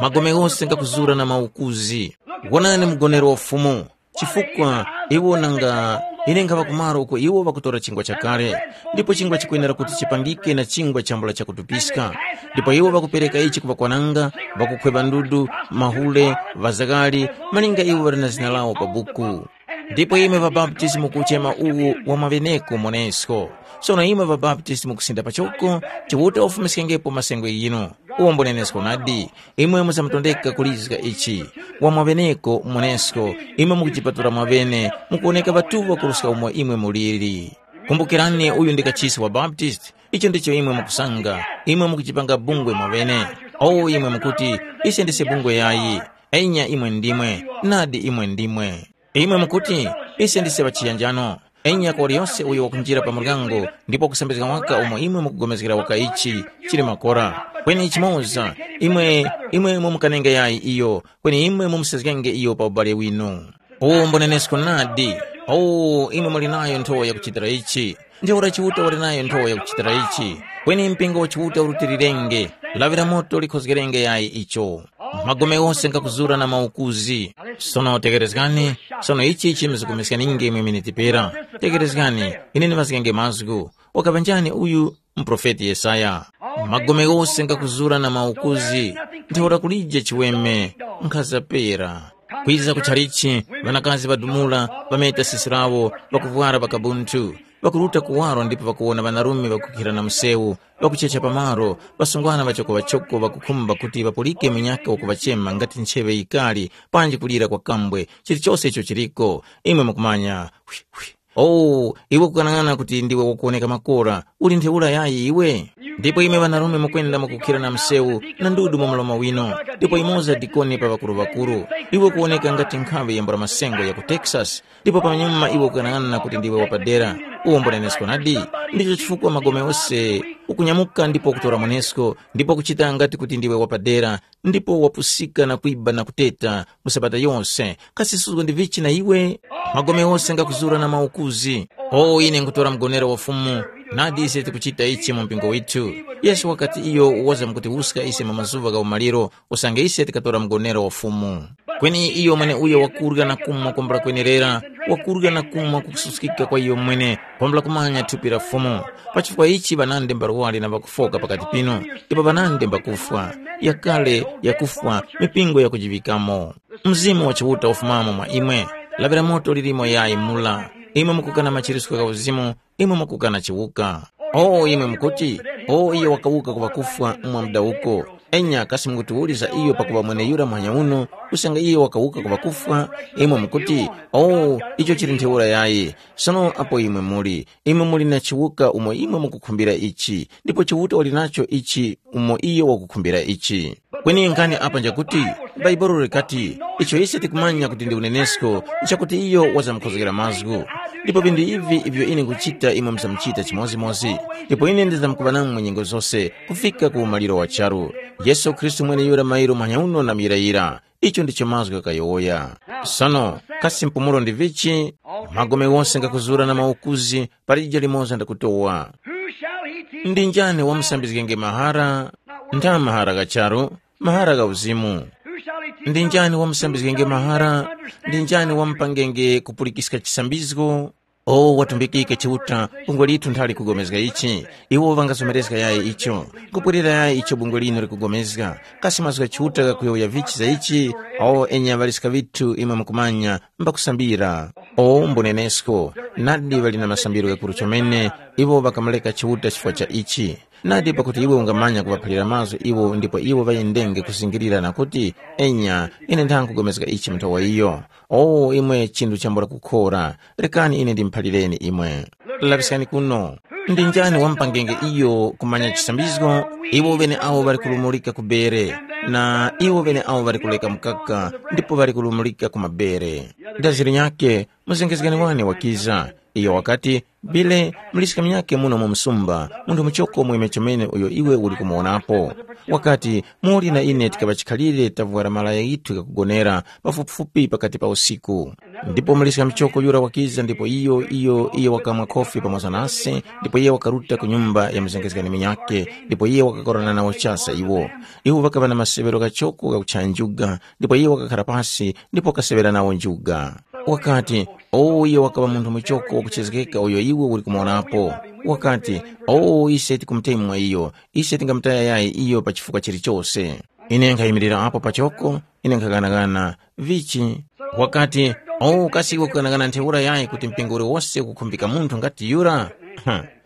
Magome ghose ngakuzura na maukuzi. Wonani mgonero wa Fumu, chifukwa iwo nanga ine nkhaŵa kumaro uko iwo ŵakutora chingwa chakale, ndipo chingwa chikwenera kuti chipangike na chingwa chambula chakutupiska. Ndipo iwo ŵakupereka ichi ku ŵakwananga, ŵakukhweba ndudu, mahule, ŵazakali, malinga iwo ŵali na zina lawo pa buku. Ndipo imwe ŵabaptisti mukuchema uwu wa maŵeneko monesko. Sono imwe ŵabaptisti mukusinda pachoko, Chiuta wafumiskengepo masengwe ghinu. Uwo mbunenesko nadi, imwe muzamutondeka kulizga ichi. Wa mwaŵeneko monesko, imwe mukujipatula mwaŵene, mukuwoneka ŵatuŵa kuruska umo imwe muliri. Kumbukirani uyu ndi kachisi wa Baptist, icho ndicho imwe mukusanga, imwe mukujipanga bungwe mwaŵene. O imwe mukuti, ise ndise bungwe yayi, enya imwe ndimwe, nadi imwe ndimwe. Imwe mukuti, ise ndise ŵachiyanjano. Enya kwa waliyose uyo wakunjira pa muryango ndipo wakusambizga waka umo imwe mukugomezgera waka ichi chili makora. Kweni chimoza, imwe, imwe mumukanenge yayi iyo, kweni imwe mumusezgenge iyo pa ubale winu. Uwo mbunenesko nadi. O, imwe muli nayo nthowa yakuchitira ichi. Ntheura Chiuta wali nayo nthowa yakuchitira ichi. Kweni mpingo wa Chiuta urutilirenge, lawi la moto likhozgerenge yayi icho. Magome ghose ngakuzura na maukuzi. Sono tekerezgani, sono ichi chimzikumiskaninge imwe miniti pera. Tekerezgani, ine ndimazgenge mazgu. Wakaŵa njani uyu? Muprofeti Yesaya. Magome ghose ngakuzura na maukuzi, ntheura kulije chiweme, nkhaza pera. Kwiza ku chalichi, ŵanakazi ŵadumula, ŵameta sisi lawo, ŵakuvwara ŵakabunthu, ŵakuruta kuwaro ndipo ŵakuwona ŵanarume ŵakukhira na msewu, ŵakuchecha pamaro, ŵasungwana ŵachokoŵachoko ŵakukhumba kuti ŵapulike munyakhe wakuŵachema ngati ncheŵe yikali, panji kulira kwa kambwe, chilichose icho chiliko. Imwe mukumanya, hwi, hwi. Oh, iwe kukanang'ana kuti ndiwe wakuwoneka makora, uli ntheura yayi iwe? Ndipo imwe ŵanarume mukwenda mukukhira na msewu na ndudu mu mlomo wino, ndipo imoza dikoni pa ŵakuru-ŵakuru. Iwe kuwoneka ngati nkhaŵe ya mbwaramasengo ya ku Texas, ndipo pamanyuma iwe kukanang'ana kuti ndiwe wapadera. Uwo mbunenesko nadi. Ndicho chifukwa magome ose ukunyamuka ndipo ukutora mwanesko, ndipo kuchita ngati kuti ndiwe wapadera, ndipo wapusika na kwiba na kuteta mu sabata yose. Kasi suzgo ndi vichi na iwe? Magome ghose ngakuzura na maukuzi. O ine nkutora mgonero wa Fumu, nadi ise tikuchita ichi mu mpingo withu. Yesu wakati iyo wazamkutiwuska ise mu mazuŵa gha umaliro, usange ise tikatora mgonero wa Fumu. Kweni iyo mweneuyo wakurya na kumwa kwambula kwenerera, wakurya na kumwa kukususkika kwa iyo mwene, kwambula kumanya thupi la Fumu. Pa chifukwa ichi ŵanandi mbarwari na ŵakufoka pakati pinu, ndipo ŵanandi mbakufwa, yakale, yakufwa, mipingo yakujiŵikamo. Mzimu wa Chiuta ufumamo mwa imwe, laŵira moto lilimo yayi mula. Imwe mukukana machiritso gha uzimu, imwe mukukana chiwuka. O imwe mukuti, o iye wakawuka ku ŵakufwa mwa mdawuko. Enya kasi mukutiwuliza iyo pakuŵa mweneyura muhanya uno, usange iye wakawuka ku ŵakufwa? Imwe mukuti, o icho chili ntheura yayi. Sono apo imwe muli, imwe muli na chiwuka umo imwe mukukhumbira ichi, ndipo Chiuta wali nacho ichi umo iyo wakukhumbira ichi. Kweni nkhani apa njakuti, Bhaibuli likati, icho ise tikumanya kuti ndi unenesko, nchakuti iyo wazamkhozgera mazgu. Ndipo vinthu ivi ivyo ine nkuchita imwe muzamuchita chimodzimodzi, ndipo ine ndizamkuŵa namwe nyengo zose kufika ku umaliro wa charu. Yesu Khristu mweneyura mairo muhanya uno na muyirayira. Icho ndicho mazgu ghakayowoya. Sono, kasi mpumulo ndi vichi? Magome wose ngakuzura na maukuzi, palije limoza ndakutowa. Who shall he teach? Ndi njani wamusambizgenge mahara? Ntha mahara gha charu, mahara gha uzimu. Who shall he teach? Ndi njani wamusambizgenge mahara? Ndi njani wamupangenge kupulikiska chisambizgo? O watumbikike Chiuta, bungwe lithu nthali likugomezga ichi. Iwo ŵangazomerezga yayi icho. Kupwerera yayi icho bungwe linu likugomezga. Kasi mazgu gha Chiuta ghakuyowoya vichi za ichi? O enya ŵaliska ŵithu imwe mukumanya, mbakusambira. O mbunenesko, nadi ŵali na masambiro ghakuru chomene, iwo ŵakamureka Chiuta chifukwa cha ichi. Nadi pakuti iwe ungamanya kuŵaphalira mazgu iwo ndipo iwo ŵayendenge kuzingirira na kuti, enya, ine ndangugomezga ichi mu nthowa iyo. O imwe chinthu chambula kukhora, rekani ine ndimuphalireni imwe. Laŵiskani kuno. Ndi njani wamupangenge iyo kumanya chisambizgo? Iwo ŵeneawo ŵali kulumulika ku bere, na iwo ŵeneawo ŵali kuleka mukaka, ndipo ŵali kulumulika ku mabere. Daziri nyakhe, muzengezgani wane wakiza. Iyo wakati, Bile, muliska munyakhe muno mu msumba, munthu muchoko mweme chomene uyo iwe uli kumuwonapo. Wakati, muli na ine tikaŵa chikhalire tavwara malaya ghithu ghakugonera pafupifupi pakati pa usiku. Ndipo muliska muchoko yura wakiza ndipo iyo iyo iyo wakamwa khofi pamoza nase, ndipo iye wakaruta ku nyumba ya muzengezgani munyakhe, ndipo iye wakakorana nawo chasa iwo. Iwo ŵakaŵa na maseŵero ghachoko ghakuchaya njuga, ndipo iye wakakhara pasi ndipo wakaseŵera nawo njuga. Wakati, “O iyo wakaŵa munthu muchoko wakuchezgeka uyo iwe uli kumuwonapo.” Wakati, “O ise tikumutemwa iyo, ise tingamutaya yayi iyo pa chifukwa chilichose.” Ine nkhayimirira apo pachoko, ine nkhaghanaghana, vichi? Wakati, “O kasi iwe ukughanagana ntheura yayi kuti mpingo uliwose ukukhumbika munthu ngati yura?”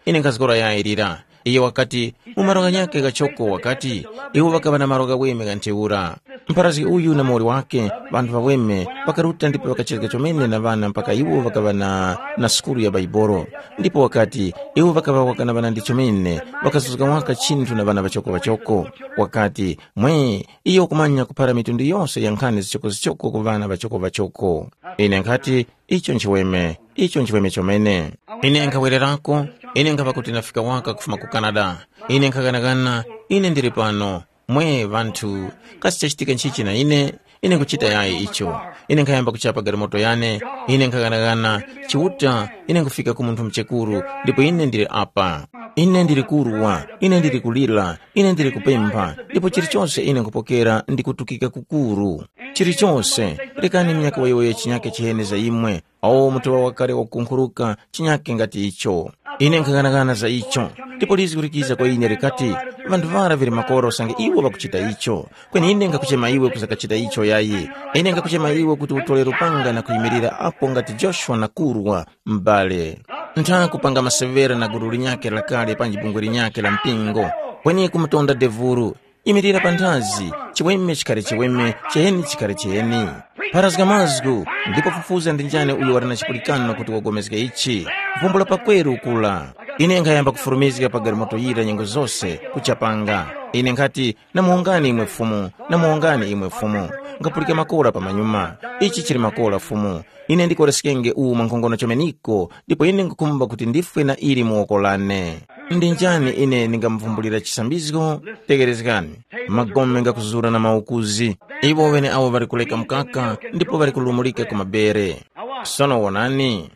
Ine nkhazgora yayi lira. Iye wakati, mu malo ghanyakhe ghachoko wakati, iwo ŵakaŵa na malo ghaweme gha ntheura. Mpharazgi uyu na muwoli wakhe, ŵanthu ŵaweme, ŵakaruta ndipo ŵakachezga chomene na ŵana mpaka iwo ŵakaŵa na, na sukulu ya Baibolo. Ndipo wakati, iwo ŵakaŵa ŵakana ŵanandi chomene, ŵakazuzga waka chinthu na ŵana ŵachoko-ŵachoko. Wakati, mwe, iyo wakumanya kuphara mitundu yose ya nkhani zichoko-zichoko ku ŵana ŵachoko-ŵachoko. Ine nkhati, icho nchiweme, icho nchiweme chomene. Ine nkhawererako, ine nkhapa kuti ndafika waka kufuma ku Canada. Ine nkhaghanaghana, ine ndili pano. Mwe ŵanthu, kasi chachitika nchichi na ine? Ine nkuchita yayi icho. Ine nkhayamba kuchapa galimoto yane, ine nkhaghanaghana, Chiuta, ine nkufika ku munthu muchekuru, ndipo ine ndili apa. Ine ndili kurwa, ine ndili kulira, ine ndili kupempha, ndipo chilichonse ine nkupokera ndi kutukika kukuru. Chilichonse, rekani minyaka wayowoya chinyake chiheni za imwe, awo mutuŵa wakale wakunkhuruka chinyake ngati icho. Ine nkhaghanaghana za icho, ndipo lizgu likiza kwa ine likati, ŵanthu ŵara vili makora usange iwo ŵakuchita icho. Kweni ine nkhakuchema iwe kuzakachita icho yayi. Ine nkhakuchema iwe kuti utole lupanga na kuyimirira apo ngati Joshua na kurwa, m'bale. Ntha kupanga masewera na gulu linyakhe lakale panji bungwe linyakhe la mpingo, kweni kumutonda devuru. Imirira panthazi, chiweme chikhale chiweme, chiheni chikhale chiheni. Pharazga mazgu, ndipo fufuza ndi njani uyo wali na chipulikano kuti wagomezge ichi. Vumbula pakweru ukula. Ine nkhayamba kufurumizga pa galimoto yira nyengo zose, kuchapanga. Ine nkhati, namuwongani imwe Fumu, namuwongani imwe Fumu. Nkhapulika makora pamanyuma. Ichi chili makora Fumu. Ine ndikoreskenge uwu mwankhongono chomeniko, ndipo ine nkhukhumba kuti ndifwe na ili mu woko lane. Ndi njani ine ndingamuvumbulira chisambizgo? Tegherezgani. Magome ngakuzura na maukuzi. Iwo ŵeneawo ŵali kuleka mkaka, ndipo ŵali kulumulika ku mabere. Sono wonani,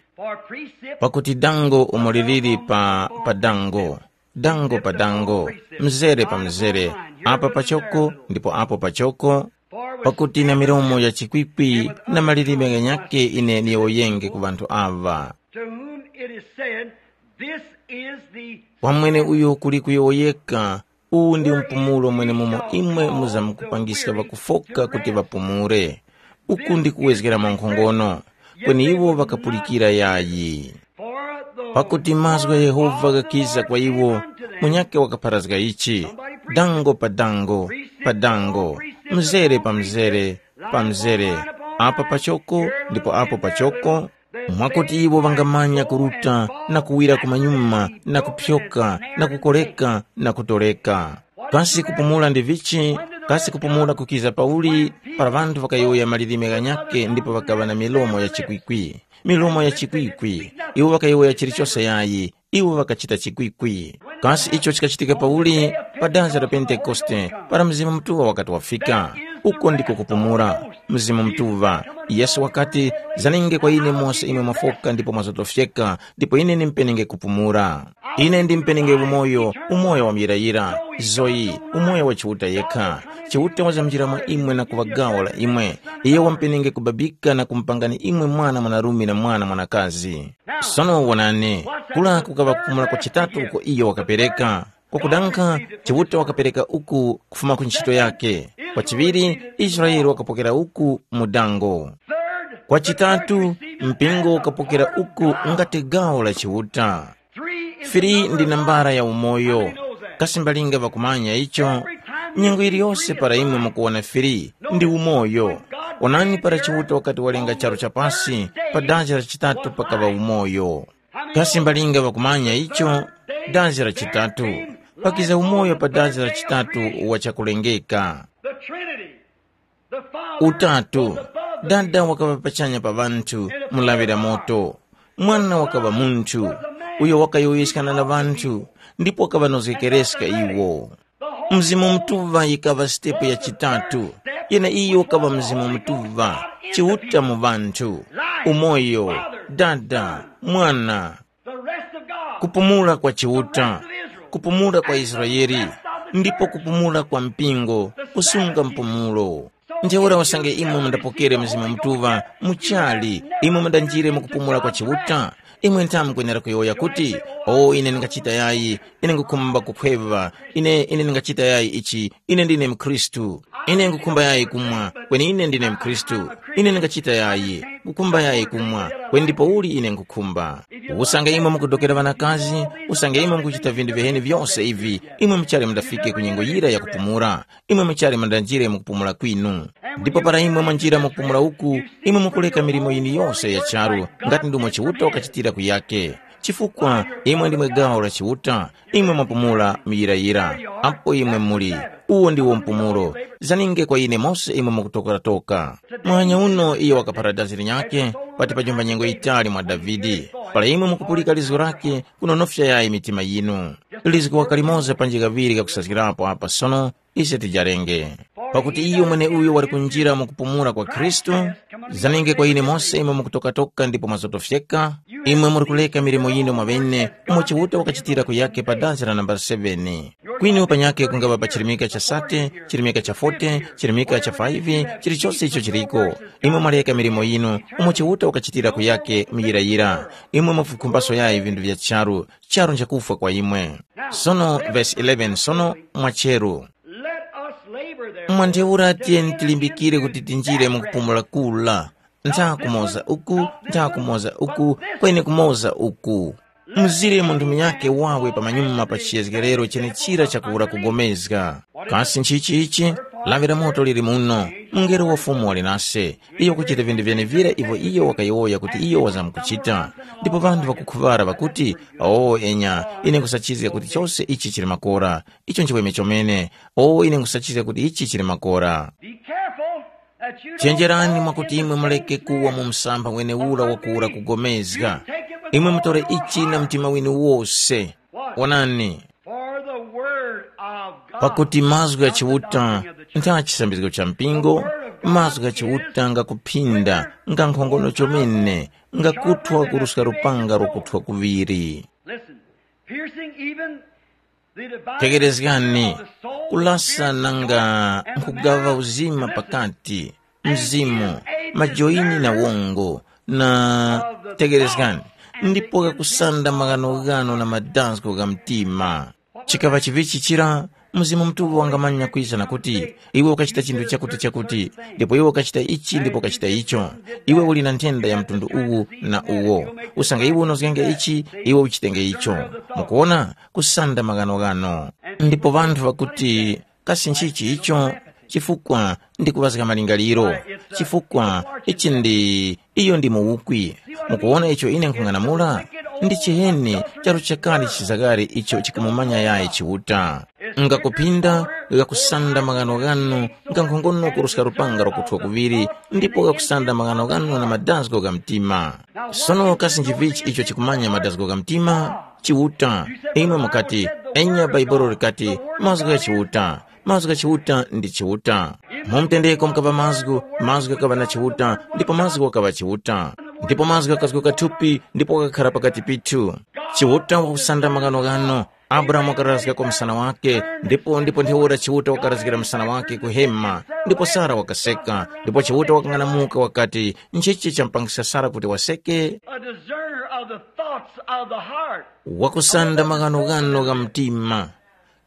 pakuti dango umo liliri pa, pa dango, dango pa dango, mzere pa mzere, apa pachoko ndipo apo pachoko, pakuti na milomo ya chikwikwi na malilime ghanyakhe ine niyowoyenge ku ŵanthu aŵa. To whom it is said, this is the Kwa mwene uyo kuli kuyowoyeka, uwu ndi mpumulo mwenemumo imwe muzamkupangiska ŵakufoka kuti ŵapumule. Uku ndi kuwezgera mwankhongono, kweni iwo ŵakapulikira yayi. Pakuti mazgu gha Yehova ghakiza kwa iwo, munyakhe wakapharazga ichi, dango pa dango, pa dango, mzere pa mzere, pa mzere, apa pachoko ndipo apo pachoko, mwakuti iwo ŵangamanya kuruta na kuwira kumanyuma na kupyoka na kukoreka na kutoleka. Kasi kupumula ndi vichi? Kasi kupumula kukiza pauli? Para ŵanthu ŵakayowoya malilime ghanyakhe ndipo ŵakaŵa na milomo ya chikwikwi. Milomo ya chikwikwi. Iwo ŵakayowoya chilichose yayi. Iwo ŵakachita chikwikwi. Kasi icho chikachitika pauli? Pa dazi la Pentekoste, para Mzimu Mutuŵa wakati wafika. Uko ndiko kupumula. Mzimu Mutuŵa. Yesu wakati, “Zanenge kwa ine mose imwe mwafoka ndipo mwazotofyeka, ndipo ine ndimpenenge kupumula. Ine ndimpenenge umoyo, umoyo wa muyirayira, zoyi, umoyo wa Chiuta yekha. Chiuta wazamjira mwa imwe na kuŵa gawo la imwe. Iye wampenenge kubabika na kumupangani imwe mwana mwanarume na mwana mwanakazi.” Sono wonani, kula kukaŵa kupumula kwa chitatu uko iyo wakapereka. Kwakudankha, Chiuta wakapereka uku kufuma ku ntchito yake. Kwachiŵiri, Israele wakapokera uku mu dango. Kwa chitatu, mpingo ukapokera uku ngati gawo la Chiuta. Fili ndi nambara ya umoyo. Kasi mbalinga ŵakumanya icho? Nyengo yiliyose para imwe mukuwona fili, ndi umoyo. Onani para Chiuta wakati walenga charu cha pasi, pa dazi la chitatu pakaŵa umoyo. Kasi mbalinga ŵakumanya icho? Dazi la chitatu. Pakiza umoyo pa dazi la chitatu wa chakulengeka. The Trinity, the Father, Utatu. Dada wakaŵa pachanya pa ŵanthu, mulaŵira moto. Mwana wakaŵa munthu, uyo wakayowoyeskana na ŵanthu, ndipo wakaŵanozgekereska iwo. Mzimu Mutuŵa yikaŵa sitepu ya chitatu, yeneiyo ukaŵa Mzimu Mutuŵa, Chiuta mu ŵanthu, umoyo, Dada, Mwana, kupumula kwa Chiuta, kupumula kwa Israele, ndipo kupumula kwa mpingo, kusunga mpumulo. Ntheura usange imwe mundapokere Mzimu Mutuŵa muchali, imwe mundanjire mu kupumula kwa Chiuta, imwe nthamu mukwenera kuyowoya kuti, “O, ine ndingachita yayi, ine ngukhumba kukhweŵa, ine ine ndingachita yayi ichi, ine ndine mkhristu. Ine ngukhumba yayi kumwa, kweni ine ndine mkhristu. Ine ndingachita yayi, ngukhumba yayi kumwa, kweni ndipouli ine ngukhumba.” Usange imwe mukudokera ŵanakazi, usange imwe mukuchita vinthu vyaheni vyose ivi, imwe muchali mundafike ku nyengo yira ya kupumula. Imwe muchali mundanjire mu kupumula kwinu. Ndipo para imwe mwanjira mu kupumula uku, imwe mukuleka milimo yinu yose ya charu, ngati ndumo Chiuta wakachitira kuyake. Chifukwa imwe ndimwe gawo la Chiuta, imwe mwapumula muyirayira. Apo imwe muli, uwo ndiwo mpumulo. Zaninge kwa ine mose imwe mukutokeratoka. Muhanya uno iyo wakaphara dazi linyakhe, pati pajomba nyengo yitali mwa Davide. Para imwe mukupulika lizgu lakhe, kunonofya yayi mitima yinu. Lizgu waka limoza panji kaŵiri kakusazgirapo apa sono, ise tijarenge. Pakuti iyo mweneuyo wali kunjira mu kupumula kwa Khristu, zanenge kwa ine mose imwe mukutokatoka ndipo mwazotofyeka, imwe muri kuleka milimo yinu mwaŵene, umo Chiuta wakachitira kuyake pa dazi la nambala seveni. Kwinu panyakhe kungaŵa pa chirimika cha sate, chirimika cha forty, chirimika cha five, chilichose icho chiliko. Imwe mwaleka milimo yinu, umo Chiuta wakachitira kuyake muyirayira. Imwe mufukhumbaso yayi vinthu vya charu, charu nchakufwa kwa imwe. Sono verse eleven, sono mwacheru. Let us labor therefore. Mwa ntheura tiyeni tilimbikire kuti tinjire mu kupumula kula. Ntha kumoza uku, ntha kumoza uku, kweni kumoza uku. Mzire munthu munyakhe wawe pamanyuma pa chiyezgerero chenechira chakuwura kugomezga. Kasi nchichi ichi? Lawi la moto lili muno. Mungelo wa Fumu wali nase. Iyo kuchita vinthu vyenevira ivyo iyo wakayowoya kuti iyo wazamkuchita. Ndipo ŵanthu ŵakukhuŵara ŵakuti, “O enya, ine nkhusachizga kuti chose ichi chili makora. Icho nchiweme chomene. O ine nkhusachizga kuti ichi chili makora.” Be careful that you don't chenjerani fall mwakuti into imwe muleke kuwa mu msampha wenewura wakuwura kugomezga. Imwe mutore ichi na mtima winu wose. Onani, for the word of God pakuti mazgu gha Chiuta ntha chisambizgo cha mpingo, mazgu gha Chiuta ngakuphinda, nga nkhongono chomene, ngakuthwa kuruska lupanga rwakuthwa kuŵiri. Listen, piercing even the dividing tekerezgani, of the soul, kulasa spirit, nanga and nkhugava marrow, uzima pakati, mzimu, majoyini na wongo, na tekerezgani, ndipo ghakusanda maghanoghano na madazgo gha mtima. Chikaŵa chivichi chira, Mzimu Mutuŵa wangamanya kwiza na kuti, iwe ukachita chinthu chakuti chakuti, ndipo iwe ukachita ichi ndipo ukachita icho. Iwe uli na nthenda ya mtundu uwu na uwo. Usange iwe unozgenge ichi, iwe uchitenge icho. Mukuona? Kusanda maghanoghano. Ndipo ŵanthu ŵakuti, kasi nchichi icho? Chifukwa ndikuŵazga malingaliro. Chifukwa ichi ndi iyo ndi muwukwi. Mukuwona icho ine nkhung'anamula? Ndi chiheni charu chakale chizagare icho chikumumanya yayi Chiuta. Ngakuphinda, ghakusanda maghano ghanu, nga nkhongono kuruska lupanga lwakuthwa kuŵiri, ndipo ghakusanda maghano ghanu na madazgo gha mtima. Sono kasi nchivichi icho chikumanya madazgo gha mtima? Chiuta. Imwe mukati, enya Bhaibuli likati, mazgu gha Chiuta. Mazgu gha Chiuta ndi Chiuta. Mu mtendeko mukaŵa mazgu, mazgu ghakaŵa na Chiuta, ndipo mazgu ghakaŵa Chiuta. Ndipo mazgu ghakazguka thupi ndipo ghakakhara pakati pithu. Chiuta wakusanda maghanoghano. Abrahamu wakarazgako msana wake, ndipo ndipo ntheura Chiuta wakarazgira msana wake ku hema, ndipo Sara wakaseka, ndipo Chiuta wakang'anamuka wakati, nchichi champangisa Sara kuti waseke? A discerner of the thoughts of the heart. Wakusanda maghanoghano gha mtima.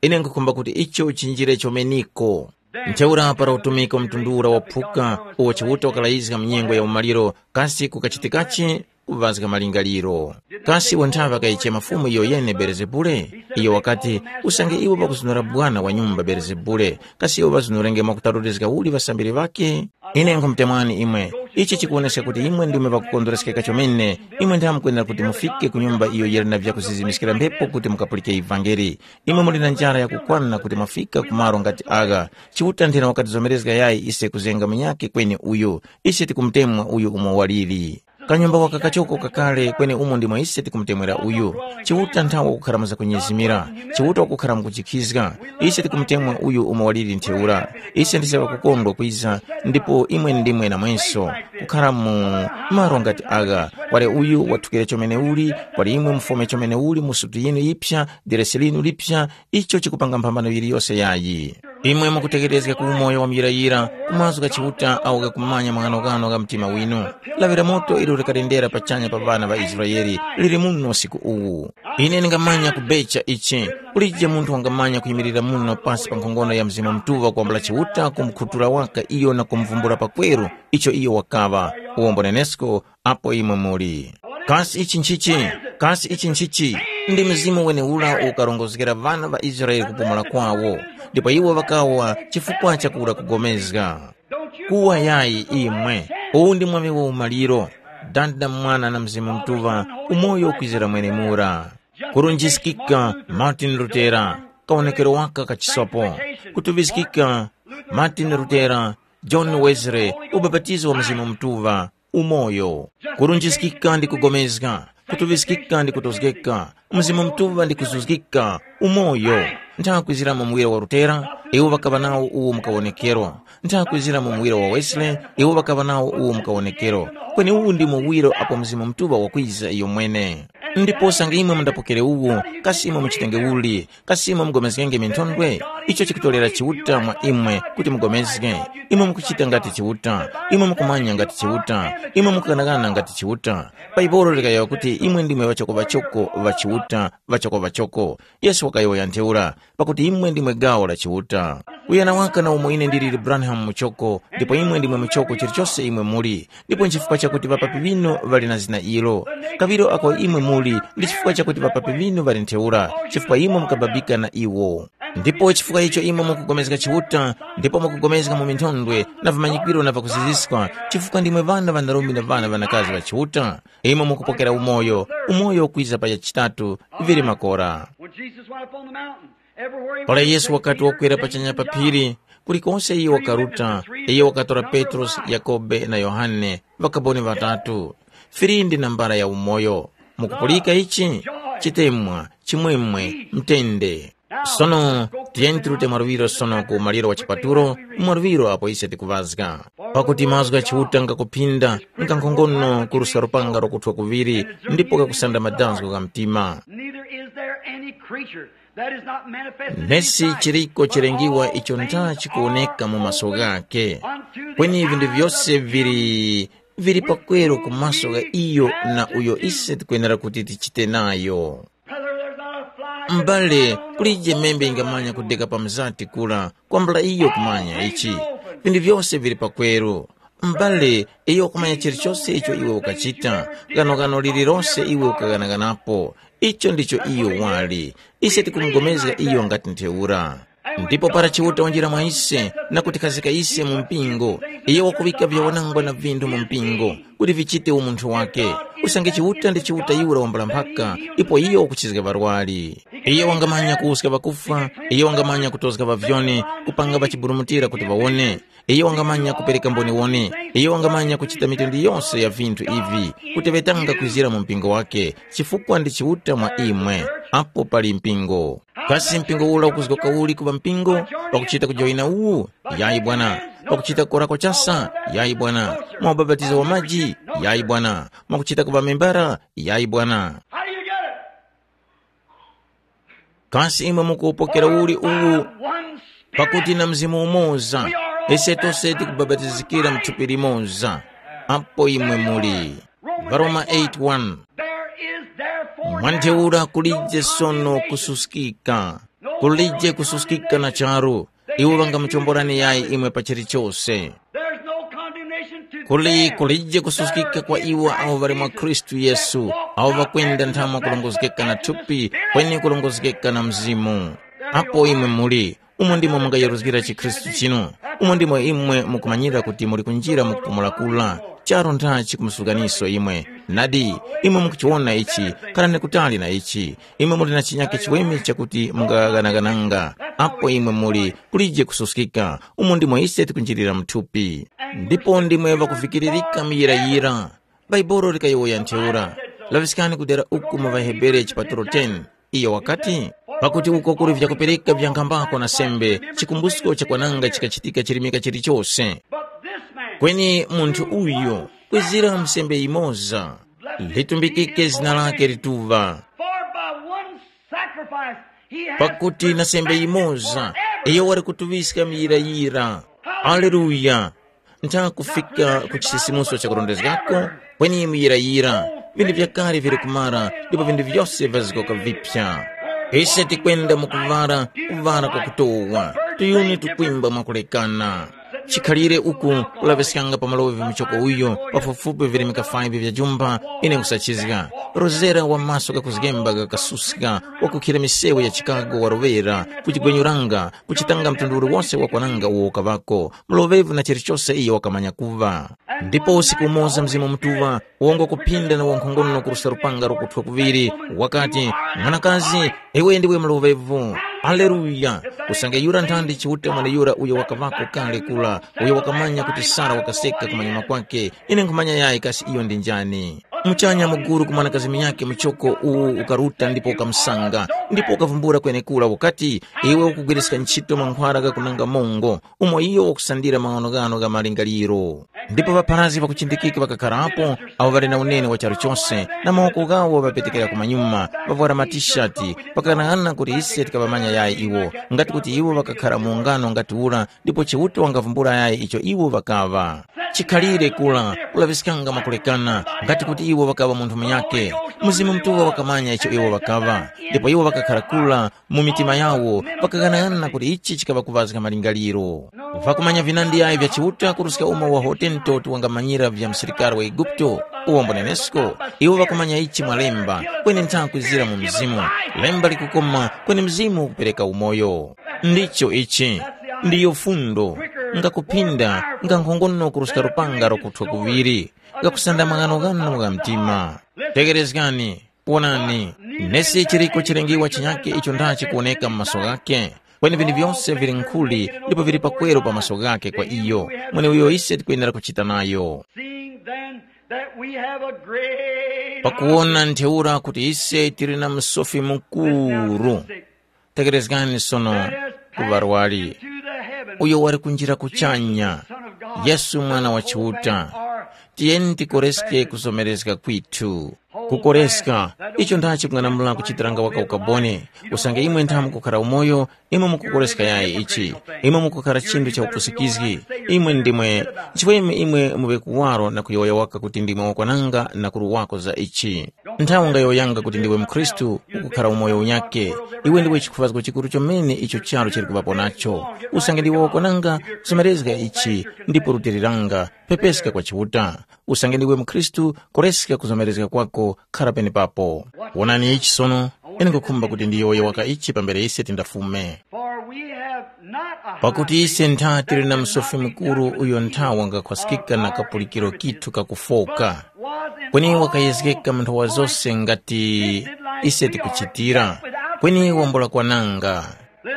Ine nkhukhumba kuti icho chinjire chomeniko. Ntheura para utumiki wa mtundu ura waphuka, uwo Chiuta wakalayizga mu nyengo ya umaliro, kasi kukachitikachi? Kuŵazga malingaliro. Kasi iwo nthawe ŵakayichema fumu iyo yene Belezebule? Iyo wakati, usange iwo ŵakuzunura bwana wa nyumba Belezebule, kasi iwo ŵazunurenge mwakutarulizga uli ŵasambiri ŵakhe? Ine nkhumutemwani imwe, ichi chikuwoneska kuti imwe ndimwe ŵakukondwereskeka chomene. Imwe ntha mukwenera kuti mufike ku nyumba iyo yili na vyakuzizimiskira mphepo kuti mukapulike ivangeli. Imwe muli na njara yakukwana kuti mwafika ku malo ngati agha. Chiuta nthena wakatizomerezga yayi ise kuzenga munyakhe kweni uyu. Ise tikumutemwa uyu umo waliri. Kanyumba waka kachoko kakale kweni umo ndimo ise tikumutemwera uyu. Chiuta nthawi wakukhara mu zakunyezimira. Chiuta wakukhara mukujikhizga. Ise tikumutemwa uyu umo waliri ntheura. Ise ndise ŵakukondwa kwiza, ndipo imwe ndimwe namwenso. Kukhara mu malo ngati agha, kwali uyu wathukira chomene uli, kwali imwe mufome chomene uli mu sutu yinu yipsa, deresi linu lipsa, icho chikupanga mphambano yiliyose yayi. Imwe mukutekerezga ku umoyo wa muyirayira, ku mazgu gha Chiuta awo ghakumanya maghanoghano gha mtima winu. Lawi la moto ilo likalendera pachanya pa ŵana ŵa Israele lili muno usiku uwu. Ine ndingamanya kubecha ichi. Kulije munthu wangamanya kuyimirira muno pasi pa nkhongono ya Mzimu Mutuŵa kwambula Chiuta kumukhutura waka iyo na kumuvumbula pakweru icho iyo wakaŵa. Uwombo nenesko apo imwe muli. Kasi ichi nchichi? Kasi ichi nchichi? Ndi Mzimu wenewura ukarongozgera ŵana ŵa Israele kupumula kwawo, ndipo iwo ŵakawa chifukwa cha kura kugomezga. Kuwa yayi imwe, uwu ndi mwaŵi wa umaliro. Dada, Mwana na Mzimu Mutuŵa, umoyo ukwizira mwenemura. Kurunjiskika Martin Lutera, kawonekero waka kachisopo. Kutuŵiskika Martin Lutera, John Wesley, ubapatizo wa Mzimu Mutuŵa, umoyo. Kurunjiskika ndi kugomezga, kutuŵiskika ndi kutozgeka, Mzimu Mutuŵa ndi kuzuzgika, umoyo. Nthakwiziramo muwiro wa Lutera, iwo ŵakaŵa nawo uwu mukawonekero. Nthakwiziramo muwiro wa Wesley, iwo ŵakaŵa nawo uwu mukawonekero. Kweni uwu ndi muwiro apo Mzimu Mutuŵa wakwiza iyo mwene. Ndipo usange imwe mundapokere uwu, kasi imwe muchitenge uli? Kasi imwe mugomezgenge minthondwe? Icho chikutolera Chiuta mwa imwe kuti mugomezge. Imwe mukuchita ngati Chiuta. Imwe mukumanya ngati Chiuta. Imwe mukughanaghana ngati Chiuta. Bhaibuli likayowoya kuti imwe ndimwe ŵachokoŵachoko ŵa Chiuta, ŵachokoŵachoko. Yesu wakayowoya ntheura, pakuti imwe ndimwe gawo la Chiuta. Kuyana waka na umo ine ndiliri Branham muchoko, ndipo imwe ndimwe muchoko chilichose imwe muli. Ndipo nchifukwa chakuti ŵapapi ŵinu ŵali na zina ilo. Kaŵiro ako imwe muli, ndi chifukwa chakuti ŵapapi ŵinu ŵali ntheura, chifukwa imwe mukababika na iwo. Ndipo chifukwa icho imwe mukugomezga Chiuta, ndipo mukugomezga mu minthondwe, na vimanyikwiro na vakuziziska, chifukwa ndimwe ŵana ŵanarume na ŵana ŵanakazi ŵa Chiuta. Imwe mukupokera umoyo, umoyo ukwiza pa chachitatu, vili makora. When Jesus went up on the mountain, everywhere he Para went, Yesu wakati wakwera pachanya pa phiri, kulikonse iyo wakaruta, iyo wakatora Petrosi, Yakobe na Yohane, ŵakaboni ŵatatu. Firindi na mbara ya umoyo. Mukupulika ichi? Chitemwa, chimwemwe, mtende. Sono, tiyeni tirute mwaluŵiro sono ku maliro wa chipaturo, mwaluŵiro apo ise tikuŵazga. Pakuti mazgu gha Chiuta ngakuphinda, ngankhongono kuruska lupanga lwakuthwa kuŵiri, ndipo kakusanda madazgo gha mtima. Neither is there any creature that is not manifested in Nesi sight, chiriko but chilengiwa all icho things ntha are chikuwoneka mu maso open ghake. Unto the Kweni vinthu eyes vyose of him vili, vili pakweru ku maso gha iyo na uyo ise tikwenera kuti tichite nayo. Brother, there's not a fly M'bale, kulije membe ingamanya kudeka pa mzati kula, kwambula iyo kumanya ichi. Vinthu vyose vili pakweru. M'bale, iyo kumanya chilichose icho iwe ukachita, ghanogano lililose iwe ukaghanaganapo. Icho ndicho iyo wali. Ise tikumugomezga iyo ngati ntheura. Ndipo para Chiuta wanjira mwa ise na kutikhazika ise mu mpingo, iyo wakuŵika vyawanangwa na vinthu mu mpingo, kuti vichite umunthu wake. Usange Chiuta ndi Chiuta yura wambula mphaka, ipo iyo wakuchizga ŵarwari. Iyo wangamanya kuwuska ŵakufwa, iyo wangamanya kutozga ŵavyoni, kupanga ŵachiburumutira kuti ŵawone. Iyo wangamanya kupereka mboniwoni, iyo wangamanya kuchita mitundu yose ya vinthu ivi, kuti ŵetanga kwizira mu mpingo wake, chifukwa ndi Chiuta mwa imwe. Apo pali mpingo. Kasi mpingo ula ukuzgoka uli ku ŵampingo? Pakuchita kujoyina uwu? Yayi bwana. Pakuchita korako chasa? Yayi bwana. Mwa ubapatizo wa maji? Yayi bwana. Mwakuchita kuŵa membara? Yayi bwana. How do you get it? Kasi imwe mukupokera uli uwu? One spirit. Pakuti na mzimu umoza, ise tose tikubabatizikira mu thupi limoza. Apo imwe muli. Varoma eight one. There is therefore mwa ntheura now kulije no sono condemnation. Kususkika. Kulije kususkika na charu. Iwo ŵangamuchomborani yayi imwe pa chilichose. There's no condemnation to kuli them kulije that kususkika are kwa in iwo awo ŵali mwa Christ Khristu Jesus, Yesu, that awo walk ŵakwenda after the nthamo flesh kulongozgeka na and the thupi Spirit. Kweni kulongozgeka na mzimu. Apo imwe muli, umo ndimo mungayeruzgira chikhristu chinu. Umo ndimo imwe mukumanyira kuti muli kunjira mu kupumula kula. Charo nthachi kumusukaniso imwe. Nadi, imwe mukuchiwona ichi. Khalani kutali na ichi. Imwe muli na chinyake chiweme chakuti mungaghanaghananga. Apo imwe muli, kulije kususkika. Umo ndimo ise tikunjirira mthupi. Ndipo ndimwe ŵakuvikiririka muyirayira. Bhaibuli likayowoya ntheura. Laŵiskani kudera uku mu ŵaHebere chipatulo ten. Iyo wakati, pakuti uko kuli vyakupereka vyankhambako na sembe, chikumbusko cha kwananga chikachitika chirimika chilichose. Kweni munthu uyu, kwizira msembe yimoza, litumbikike zina lake lituŵa. For by one sacrifice he has pakuti na sembe yimoza, iyo wali kutuŵiska miyirayira. Aleluya. Nthakufika ku chisisimuso cha kurondezgako, kweni muyirayira, vinthu vyakale vili kumara, ndipo vinthu vyose vyazigoka vipya. Ise tikwenda mu kuvara, kuvara kwa kutowa, tuyuni tukwimba mwakulekana. Chikhalire uku kulaŵiskanga pa malovi muchoko uyo, pafupifupi virimika five vya jumba, ine nkusachizga. Rozera wa maso gakuzgemba gakasuska, wakukhira misewu ya Chicago warovera, kuchigwenyuranga, kuchitanga mtundu uliwose wakwananga uwo ukaŵako, mloŵevu na chilichose iyo wakamanya kuŵa. Ndipo usiku umoza Mzimu Mutuŵa wongo kuphinda na wankhongono kuruska lupanga lokuthwa kuŵiri, wakati, “Mwanakazi, iwe ndiwe mloŵevu.” Aleluya! Usange yura nthandi Chiuta mweneyura uyo wakaŵako kale kura, uyo wakamanya kuti Sara wakaseka kumanyuma kwake, ine nkhumanya yayi kasi iyo ndi njani. Muchanya muguru ku mwanakazi munyakhe muchoko uwu ukaruta ndipo ukamusanga, ndipo ukavumbula kwenekura ukati, “Iwe ukugwiriska ntchito mankhwara ghakunanga mongo, umo iyo wakusandira maghanoghano gha malingaliro.” Ndipo ŵapharazgi ŵakuchindikika ŵakakharapo, awo ŵali na unene wa charu chose, na mawoko ghawo ŵapetekera kumanyuma, ŵavwara matishati, ŵakaghanaghananga kuti ise tikaŵamanya yayi iwo, ngati kuti iwo ŵakakhara mu ungano ngati ura, ndipo Chiuta wangavumbula yayi icho iwo ŵakaŵa. Chikhalire kura kulaŵiskanga mwakulekana, ngati kuti iwo ŵakaŵa munthu munyakhe. Mzimu Mutuŵa wakamanya icho iwo ŵakaŵa, ndipo iwo ŵakakhara kura mu mitima yawo, ŵakaghanaghananga kuti ichi chikaŵa kuŵazga malingaliro. Ŵakumanya vinandi yayi vya Chiuta kuruska umo wa Hoteni Toti wangamanyira vya msilikari wa Eguputo, uwo mbonenesko, iwo ŵakumanya ichi mwa lemba, kweni nthawi kwizira mu mzimu. Lemba likukoma, kweni mzimu ukupereka umoyo. Ndicho ichi, ndiyo fundo, ngakuphinda, ngankhongono kuruska lupanga lokuthwa kuŵiri, ngakusanda maghanoghano gha mtima. Tegerezgani, wonani, nesi chiriko chilengiwa chinyakhe icho ndha chikuwoneka mu maso ghakhe, kweni vinthu vyose vili nkhuli ndipo vili pakweru pa maso ghakhe kwa iyo, mweneuyo ise tikwenera kuchita nayo. Seeing then that we have a great Pakuwona ntheura kuti ise tili na msofi mukuru, tekerezgani sono ku ŵarwari, uyo wali kunjira kuchanya, Yesu Mwana wa Chiuta. Tiyeni tikoreske kuzomerezga kwithu. Kukoreska, icho ndachi kung'anamula kuchitiranga waka ukaboni, usange imwe nthamu mukukhara umoyo, imwe mukukoreska yayi ichi, imwe mukukhara chinthu cha upusikizgi, imwe ndimwe, nchifukwa imwe muŵe kuwaro na kuyowoya waka kuti ndimwe wakwananga na kuruwako za ichi. Nthawi ungayowoyanga kuti ndiwe mkhristu, ukukhara umoyo unyakhe, iwe ndiwe chikhuvazgo chikuru chomene icho charu chili kuŵapo nacho. Usange ndiwe wakwananga, kuzomerezga ichi, ndipo rutiliranga, pepeska kwa Chiuta. Usange ndiwe mkhristu, koreska kuzomerezga kwako, khara penepapo. Wonani ichi sono, ine nkhukhumba kuti ndiyowoye waka ichi pambere ise tindafume. For we have not a Pakuti ise ntha tili na msofi mukuru uyo ntha wangakhwaskika na kapulikiro kithu kakufoka. Kweni wakayezgeka mu nthowa zose ngati ise tikuchitira, kweni wambula kwananga.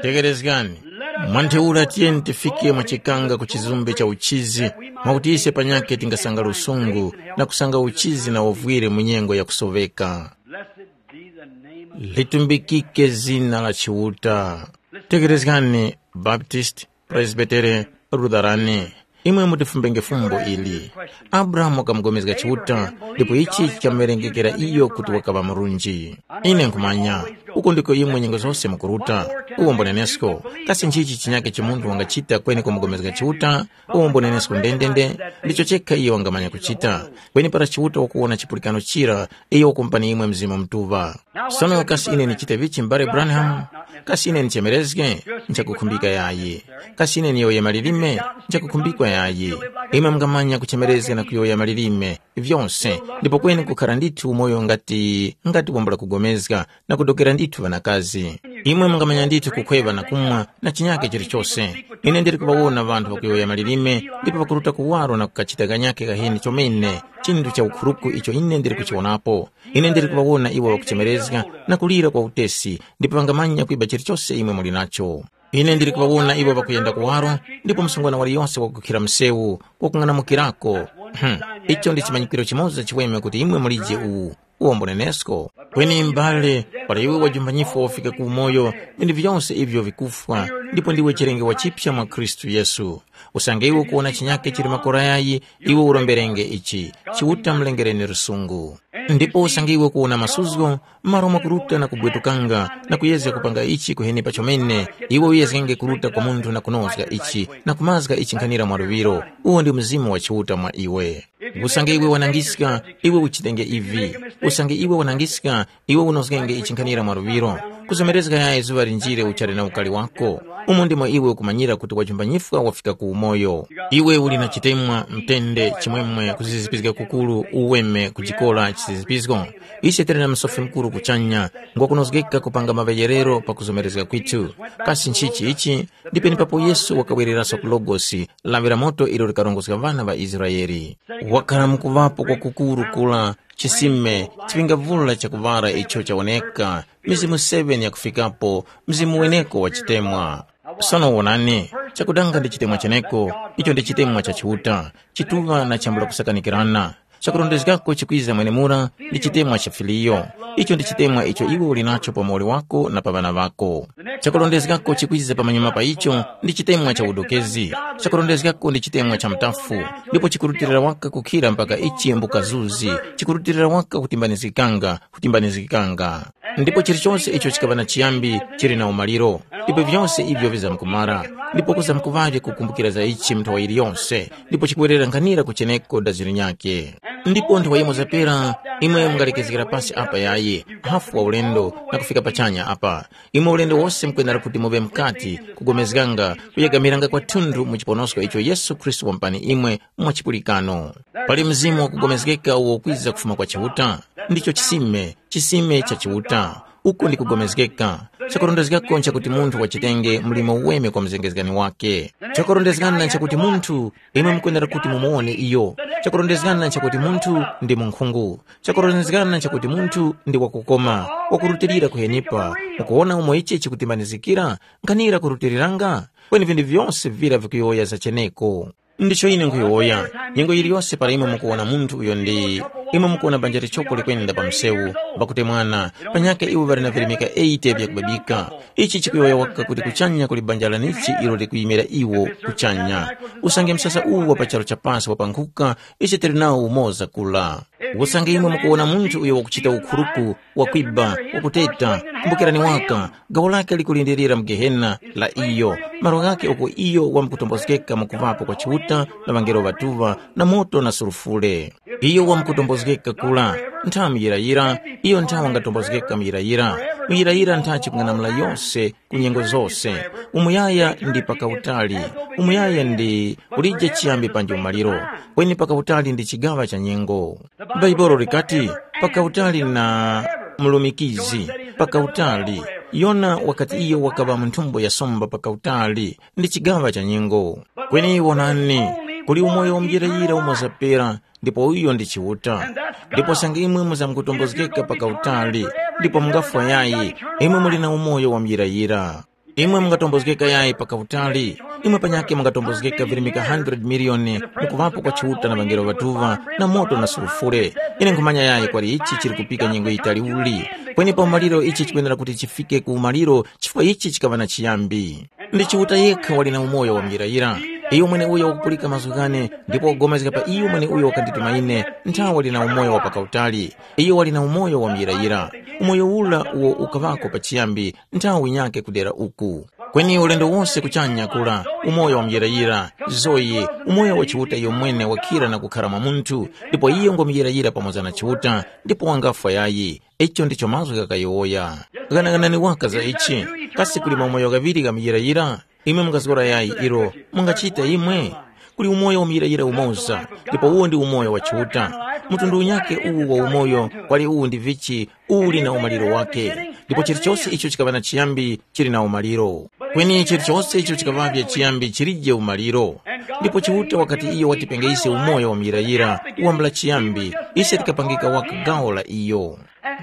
Tekerezgani, mwa ntheura tiyeni tifike mwa chikanga ku chizumbe cha uchizi, mwakuti ise panyakhe tingasanga lusungu na kusanga uchizi na uvwire mu nyengo yakusoveka. Blessed be the name Litumbikike zina la Chiuta. Tekerezgani, Baptist, Presbytere, Lutherani. Imwe mutifumbenge fumbo ili. Abrahamu wakamugomezga Chiuta, ndipo ichi chikamuŵerengekera iyo kuti wakaŵa murunji. Ine nkhumanya, uko ndiko imwe nyengo zose mukuruta. Uwombo nenesko, kasi nchichi chinyake cha munthu wangachita kweni kumugomezga Chiuta? Uwombo nenesko ndendende, ndicho chekha iyo wangamanya kuchita. Kweni para Chiuta wakuwona chipulikano chira, iyo wakumupani imwe Mzimu Mutuŵa. Sono kasi ine ndichite vichi m'bale Branham? Kasi ine ndichemerezge? Nchakukhumbika yayi. Kasi ine ndiyowoye malilime? Nchakukhumbikwa yayi. Imwe mungamanya kuchemerezga na kuyowoya malilime, vyonse, ndipo kweni kukhara ndithu umoyo ngati ngati wambula kugomezga na kudokera ndithu ŵanakazi. Imwe mungamanya ndithu kukhweŵa na kumwa na chinyake chilichose. Ine ndili kuŵawona ŵanthu ŵakuyowoya malilime ndipo ŵakuruta kuwaro na kukachita kanyake kaheni chomene, chinthu cha ukhuruku icho ine ndili kuchiwonapo. Ine ndili kuŵawona iwo ŵakuchemerezga na kulira kwa utesi, ndipo ŵangamanya kwiba chilichose imwe muli nacho. Ine ndili kuŵawona iwo ŵakuyenda kuwaro, ndipo msungwana waliyonse wakukhira msewu wakung'anamukirako. Hmm. Icho ndi chimanyikiro chimoza chiweme kuti imwe mulije uwu. Uwombo nenesko. Kweni m'bale, para iwe wajumba nyifwa wafika ku umoyo, vinthu vyonse ivyo vikufwa, ndipo ndiwe chilengedwe chipya mwa Khristu Yesu. Usange iwe ukuwona chinyake chili makora yayi, iwe uromberenge ichi, Chiuta mlengereni lusungu. Ndipo usange iwe ukuwona masuzgo, malo mwakuruta na kubwetukanga na kuyezga kupanga ichi kuheni pachomene, iwe uyezgenge kuruta kwa munthu na kunozga ichi na kumazga ichi nkhanira mwa luŵiro. Uwo ndi Mzimu wa Chiuta mwa iwe. Usange iwe wanangiska, iwe uchitenge ivi. Usange iwe wanangiska, iwe unozgenge ichi nkhanira mwa luŵiro. Kuzomerezga yayi zuŵa linjire uchali na ukali wako. Umo ndimo iwe ukumanyira kuti wajumba nyifwa wafika ku umoyo. Iwe uli na chitemwa, mtende, chimwemwe, kuzizipizga kukuru, uweme, kujikora, chisizipizgo. Ise tili na Musofi Mukuru kuchanya, ngwakunozgeka kupanga maŵeyerero pa kuzomerezga kwithu. Kasi nchichi ichi? Ndi penepapo Yesu wakawereraso ku Logosi, lawi la moto ilo likarongozga ŵana ŵa Israele. Wakhala mukuŵapo kwakukuru kula, chisime, chipingavula chakuŵala icho chawoneka, mizimu seven yakufikapo, mzimu weneko wa chitemwa. Sono wonani, chakudanga ndi chitemwa cheneko, icho ndi chitemwa cha Chiuta, chituŵa na chambula kusakanikirana. Chakurondezgako chikwiza mwenemura ndi chitemwa cha filiyo. Icho ndi chitemwa icho iwe uli nacho pa muwoli wako na pa ŵana ŵako. Chakurondezgako chikwiza pamanyuma pa icho ndi chitemwa cha udokezi. Chakurondezgako ndi chitemwa cha mtafu, ndipo chikurutilira waka kukhira mpaka ichi mbukazuzi, chikurutilira waka kutimbanizgikanga, kutimbanizgikanga. Ndipo chilichonse icho chikaŵa na chiyambi chili na umaliro, ndipo vyonse ivyo vizamkumara. Ndipo kuzamkuŵavye kukumbukira za ichi nthawa yiliyonse, ndipo chikuwerera nkhanira kucheneko daziro nyakhe. Ndipo nthawa yimoza pera, imwe mungalekezgera pasi apa yayi, hafu wa ulendo, na kufika pachanya apa. Imwe ulendo wose mukwenera kuti muŵe mukati, kugomezganga, kuyegamiranga kwathunthu mu chiponosko icho Yesu Khristu wampani imwe mwa chipulikano. Pali mzimu wakugomezgeka uwo ukwiza kufuma kwa Chiuta, ndicho chisime, chisime cha Chiuta. Uko ndi kugomezgeka. Chakurondezgako nchakuti munthu wachitenge mlimo uweme kwa mzengezgani wake. Chakurondezgana nchakuti munthu, imwe mukwenera kuti mumuwone iyo. Chakurondezgana nchakuti munthu ndi munkhungu. Chakurondezgana nchakuti munthu ndi wakukoma, wakurutilira kuhenipa. Mukuwona umo ichi chikutimbanizikira? Nkhanira kurutiriranga? Kweni vinthu vyose vira vikuyowoya zacheneko. Ndicho ine nkhuyowoya, nyengo yiliyose para imwe mukuwona munthu uyo ndi, imwe mukuwona banja lichoko likwenda pa msewu, pakuti mwana, panyakhe iwo ŵali na virimika eighty vyakubabika. Ichi chikuyowoya waka kuti kuchanya kuli banja lanichi ilo likuyimira iwo kuchanya. Usange msasa uwu wa pa charu cha pasi wapankhuka, ichi tili nawo umoza kula. Usange imwe mukuwona munthu uyo wakuchita ukhuruku, wakwiba, wakuteta, kumbukirani waka, gawo lake likulindirira mu Gehena la iyo, malo ghakhe uko iyo wamkutombozgeka mu kuŵapo kwa Chiuta na ŵangelo ŵatuŵa na moto na sulufure. Iyo wamkutombozgeka kula, ntha muyirayira, iyo ntha wangatombozgeka muyirayira. Muyirayira ntha chikung'anamula yose ku nyengo zose. Umuyaya ndi pakautali, umuyaya ndi kulije chiyambi panji umaliro, kweni pakautali ndi chigaŵa cha nyengo. Bhaibuli likati, pakautali na mulumikizi, pakautali. Yona wakati iyo wakaŵa mu nthumbo ya somba pakautali, ndi chigaŵa cha nyengo. Kweni wonani, kuli umoyo wamuyirayira umo zapera, ndipo uyo ndi Chiuta. Ndipo sange imwe muzamkutombozgeka pakautali, ndipo mungafwa yayi, imwe muli na umoyo wamuyirayira. Imwe mungatombozgeka yayi pakautali, imwe panyakhe mungatombozgeka virimika hundred miliyoni mukuŵapo kwa Chiuta na ŵangelo ŵatuŵa na moto na sulufure. Ine nkhumanya yayi kwali ichi chili kupika nyengo yitali uli. Kweni pa umaliro ichi chikwenera kuti chifike ku umaliro chifukwa ichi chikaŵa na chiyambi. Ndi Chiuta yekha wali na umoyo wa muyirayira. Iyo mweneuyo wakupulika mazgu ghane ndipo wakupulikana pa iyo mweneuyo wakandituma ine, nthawe wali na umoyo wa pakautali. Iyo wali na umoyo wa muyirayira. Umoyo ura uwo ukaŵako pachiyambi nthawe yinyakhe kudera uku. Kweni ulendo wose kuchanya kura, umoyo wa muyirayira, Zoyi, umoyo wa Chiuta iyo mwene wakhira na kukhara mwa munthu, ndipo iyo ngwa muyirayira pamoza na Chiuta, ndipo wangafwa yayi. Icho ndicho mazgu ghakayowoya. Ghanaghanani waka za ichi. Kasi kuli maumoyo ghaŵiri gha muyirayira? Imwe mungazgora yayi ilo, mungachita imwe? Kuli umoyo wa muyirayira umoza, ndipo uwo ndi umoyo wa Chiuta. Mtundu unyakhe uwu wa umoyo kwali uwu ndi vichi, uli na umaliro wake. Ndipo chilichose icho chikaŵa na chiyambi chili na umaliro. Kweni chilichose icho chikaŵavye chiyambi chilije umaliro. Ndipo Chiuta wakati iyo watipenge ise umoyo wa muyirayira, wambula chiyambi, ise tikapangika waka gawo la iyo.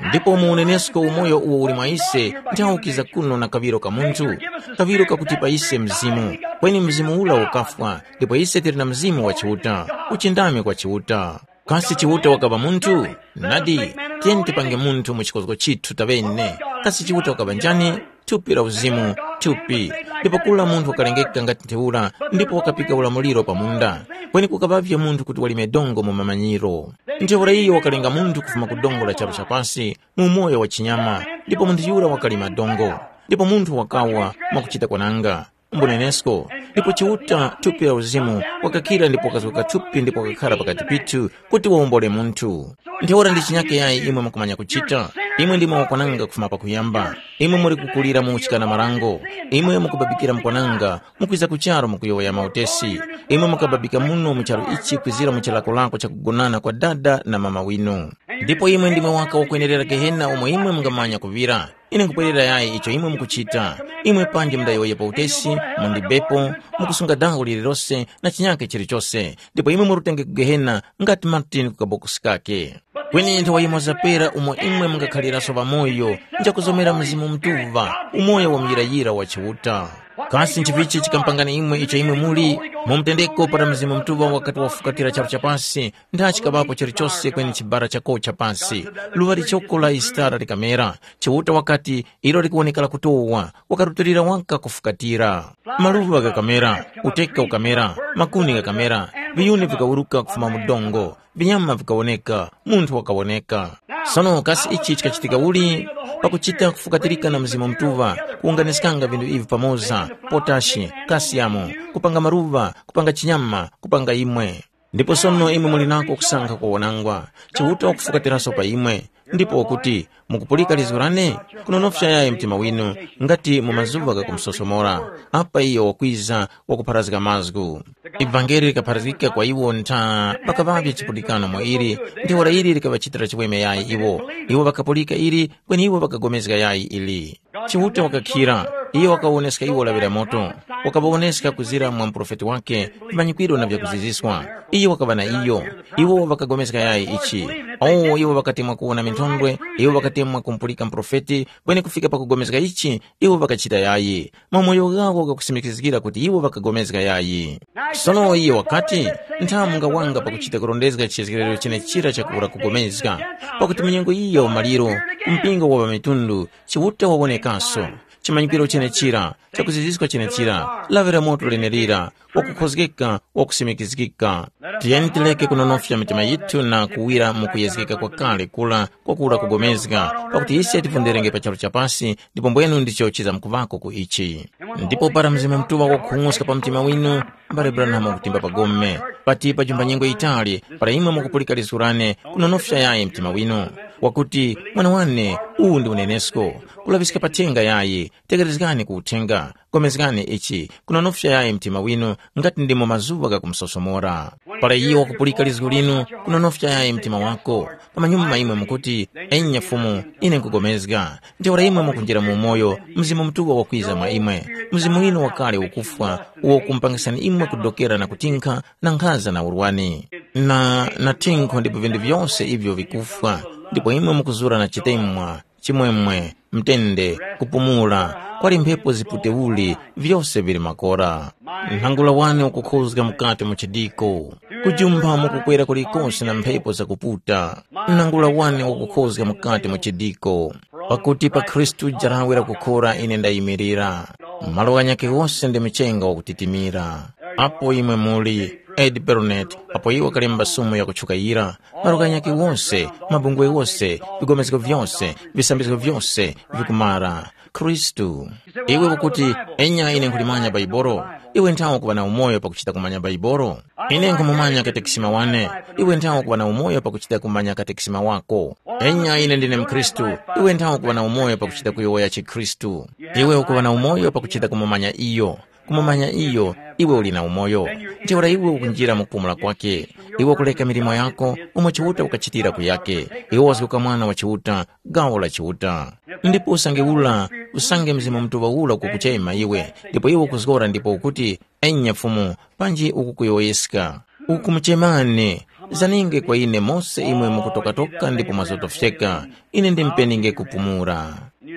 Ndipo mu unenesko umoyo uwo uli mwa ise, nthaukiza kuno na kaŵiro ka munthu, kaŵiro kakutipa ise mzimu. Kweni mzimu ula ukafwa, ndipo ise tili na mzimu wa Chiuta, uchindami kwa Chiuta. Kasi Chiuta wakaŵa munthu? Nadi, tiyeni tipange munthu mu chikozgo chithu taŵene. Kasi Chiuta wakaŵa njani? Thupi la uzimu, thupi. Ndipo kula munthu wakalengeka ngati ntheura, ndipo wakapika ulamuliro pa munda. Kweni kukaŵavye munthu kuti walime dongo mu mamanyiro. Ntheura iyo wakalenga munthu kufuma ku dongo la charu cha pasi, mu umoyo wa chinyama, ndipo munthu yura wakalima dongo. Ndipo munthu wakawa mwakuchita kwananga. Mbunenesko, ndipo Chiuta thupi la uzimu wakakhira ndipo wakazgoka thupi ndipo wakakhara pakati pithu kuti wawombole munthu. Ntheura ndi chinyake yayi imwe mukumanya kuchita? Imwe ndimwe wakwananga kufuma pakuyamba. Imwe muli kukulira mu uchikana marango. Imwe mukubabikira mukwananga, mukwiza ku charu mukuyowoya mautesi. Imwe mukababika muno mu charu ichi kwizira mu chilakolako chakugonana kwa dada na mama winu. Ndipo imwe ndimwe waka wakwenerera gehena umo imwe mungamanya kuŵira. Ine nkupwerera yayi icho imwe mukuchita. Imwe panji mundayowoyepo utesi, mundibepo, mukusunga dango lililose na chinyake chilichose, ndipo imwe murutenge ku gehena ngati Martin ku kabokosi kake. Kweni nthawa yimoza pera umo imwe mungakhaliraso ŵamoyo, njakuzomera Mzimu Mutuŵa, umoyo wa muyirayira wa Chiuta. Kasi nchivichi chikampangani imwe icho imwe muli? Mu mtendeko para Mzimu Mutuŵa wakati wafukatira charu cha pasi, ndachikaŵapo chilichose kweni chibara chakocha pasi. Luŵa lichoko la Yisitara likamera. Chiuta wakati, ilo likuwonekera kutowa, wakarutulira waka kufukatira. Maluŵa ghakamera, uteka ukamera, makuni ghakamera, viyuni vikawuruka kufuma mu dongo, vinyama vikawoneka, munthu wakawoneka. Sono kasi ichi chikachitika uli? Pakuchita kufukatirika na Mzimu Mutuŵa, kuwunganiskanga vinthu ivi pamoza, potashi, kasiyamu, kupanga maluŵa, kupanga chinyama, kupanga imwe. Ndipo sono imwe muli nako kusankha kuwonangwa, Chiuta wakufukatiranso pa imwe, ndipo wakuti, mukupulika lizgu lane? Kunonofya yayi mtima winu, ngati mu mazuŵa ghakumusosomora, apa iyo wakwiza wakupharazga mazgu. Ivangeli likapharazgika kwa iwo ntha pakaŵavye chipulikano mwa ili, ntheura ili likaŵachitira chiweme yayi iwo. Iwo ŵakapulika ili, kweni iwo ŵakagomezga yayi ili. Chiuta wakakhira, iyo wakawoneska iwo lawi la moto, wakaŵawoneska kuzira mwa muprofeti wake vimanyikwiro na vyakuziziswa. Iyo wakaŵa na iyo. Iwo ŵakapulikana yayi ichi. Awo iwo ŵakatemwa kuwona minthondwe, iwo ŵakatemwa kumupulika muprofeti, kweni kufika pakupulikana ichi, iwo ŵakachita yayi. Mamoyo ghawo ghakusimikizgira kuti iwo ŵakapulikana yayi. Sono iyo wakati, nthamu ngawanga pakuchita kurondezga chizgekero chenechira chakura kupulikana, pakuti mu nyengo iyi ya umaliro, mpingo wa ŵamitundu, Chiuta wawonekaso, chimanyikwiro chenechira, chakuziziska chenechira, lawi la moto lenelira, wakukhozgeka, wakusimikizgika. Tiyeni tireke kunonofya mitima yithu na kuwira mu kuyezgeka kwakale kura kwakura kugomezga, pakuti ise tivunderenge pa charu cha pasi, ndipo mbwenu ndicho chizamkuvako ku ichi. Ndipo para Mzimu Mutuŵa wakukhung'uska pa mtima winu, mbale Branham wakutimba pa gome, pati pa jumba nyengo yitali, para imwe mukupulika lizgu lane, kunonofya yayi mtima winu, wakuti, mwana wane, uwu ndi unenesko, kulaŵiska pa thenga yayi, tekerezgani ku uthenga, gomezgani ichi, kunonofya yayi mtima winu, ngati ndimo mazuŵa ghakumusosomora. Para iyo wakupulika lizgu linu, kunonofya yayi mtima wako. Pamanyuma imwe mukuti, enya Fumu, ine nkugomezga. Ntheura imwe mukunjira mu umoyo, Mzimu Mutuŵa wakwiza mwa imwe. Mzimu winu wakale ukufwa, uwo ukumupangisani imwe kudokera na kutinkha na nkhaza na urwani, na, na thinkho ndipo vinthu vyose ivyo vikufwa, ndipo imwe mukuzura na chitemwa, chimwemwe, mtende, kupumula, kwali mphepo ziputeuli, vyose vili makora. Nthangula wane ukukhuzga mukati mu chidiko. Kujumpha mukukwera kulikose na mphepo zakuputa. Nthangula wane ukukhuzga mukati mu chidiko. Pakuti pa Khristu jarawe lakukhora ine ndayimirira. Malo ghanyakhe ghose ndi mchenga wakutitimira. Apo imwe muli, Ed Bernet, apo iwo kalemba sumu yakutchuka yira, malo ghanyakhe ghose, mabungwe ghose, vigomezgo vyose, visambizgo vyose, vikumara. Khristu. Iwe ukuti, enya ine nkhulimanya Baibolo. Iwe nthawe kuŵa na umoyo pakuchita kumanya Baibolo. Ine nkhumumanya katekisima wane. Iwe nthawe kuŵa na umoyo pakuchita kumanya katekisima wako. Enya ine ndine mkhristu. Iwe nthawe kuŵa na umoyo pakuchita kuyowoya chikhristu. Iwe ukuŵa na umoyo pakuchita kumumanya iyo. Kumumanya iyo, iwe uli na umoyo. Ntheura iwe ukunjira mu kupumula kwake. Iwe ukuleka milimo yako, umo Chiuta ukachitira kuyake. Iwe wazguka mwana wa Chiuta, gawo la Chiuta. Ndipo usange ula, usange Mzimu Mutuŵa ula ukukuchema iwe, ndipo iwe ukuzgora ndipo ukuti, enya Fumu, panji ukukuyowoyeska. Ukumuchemani, zaninge kwa ine mose imwe mukutokatoka ndipo mwazotofyeka, ine ndimpeninge kupumula.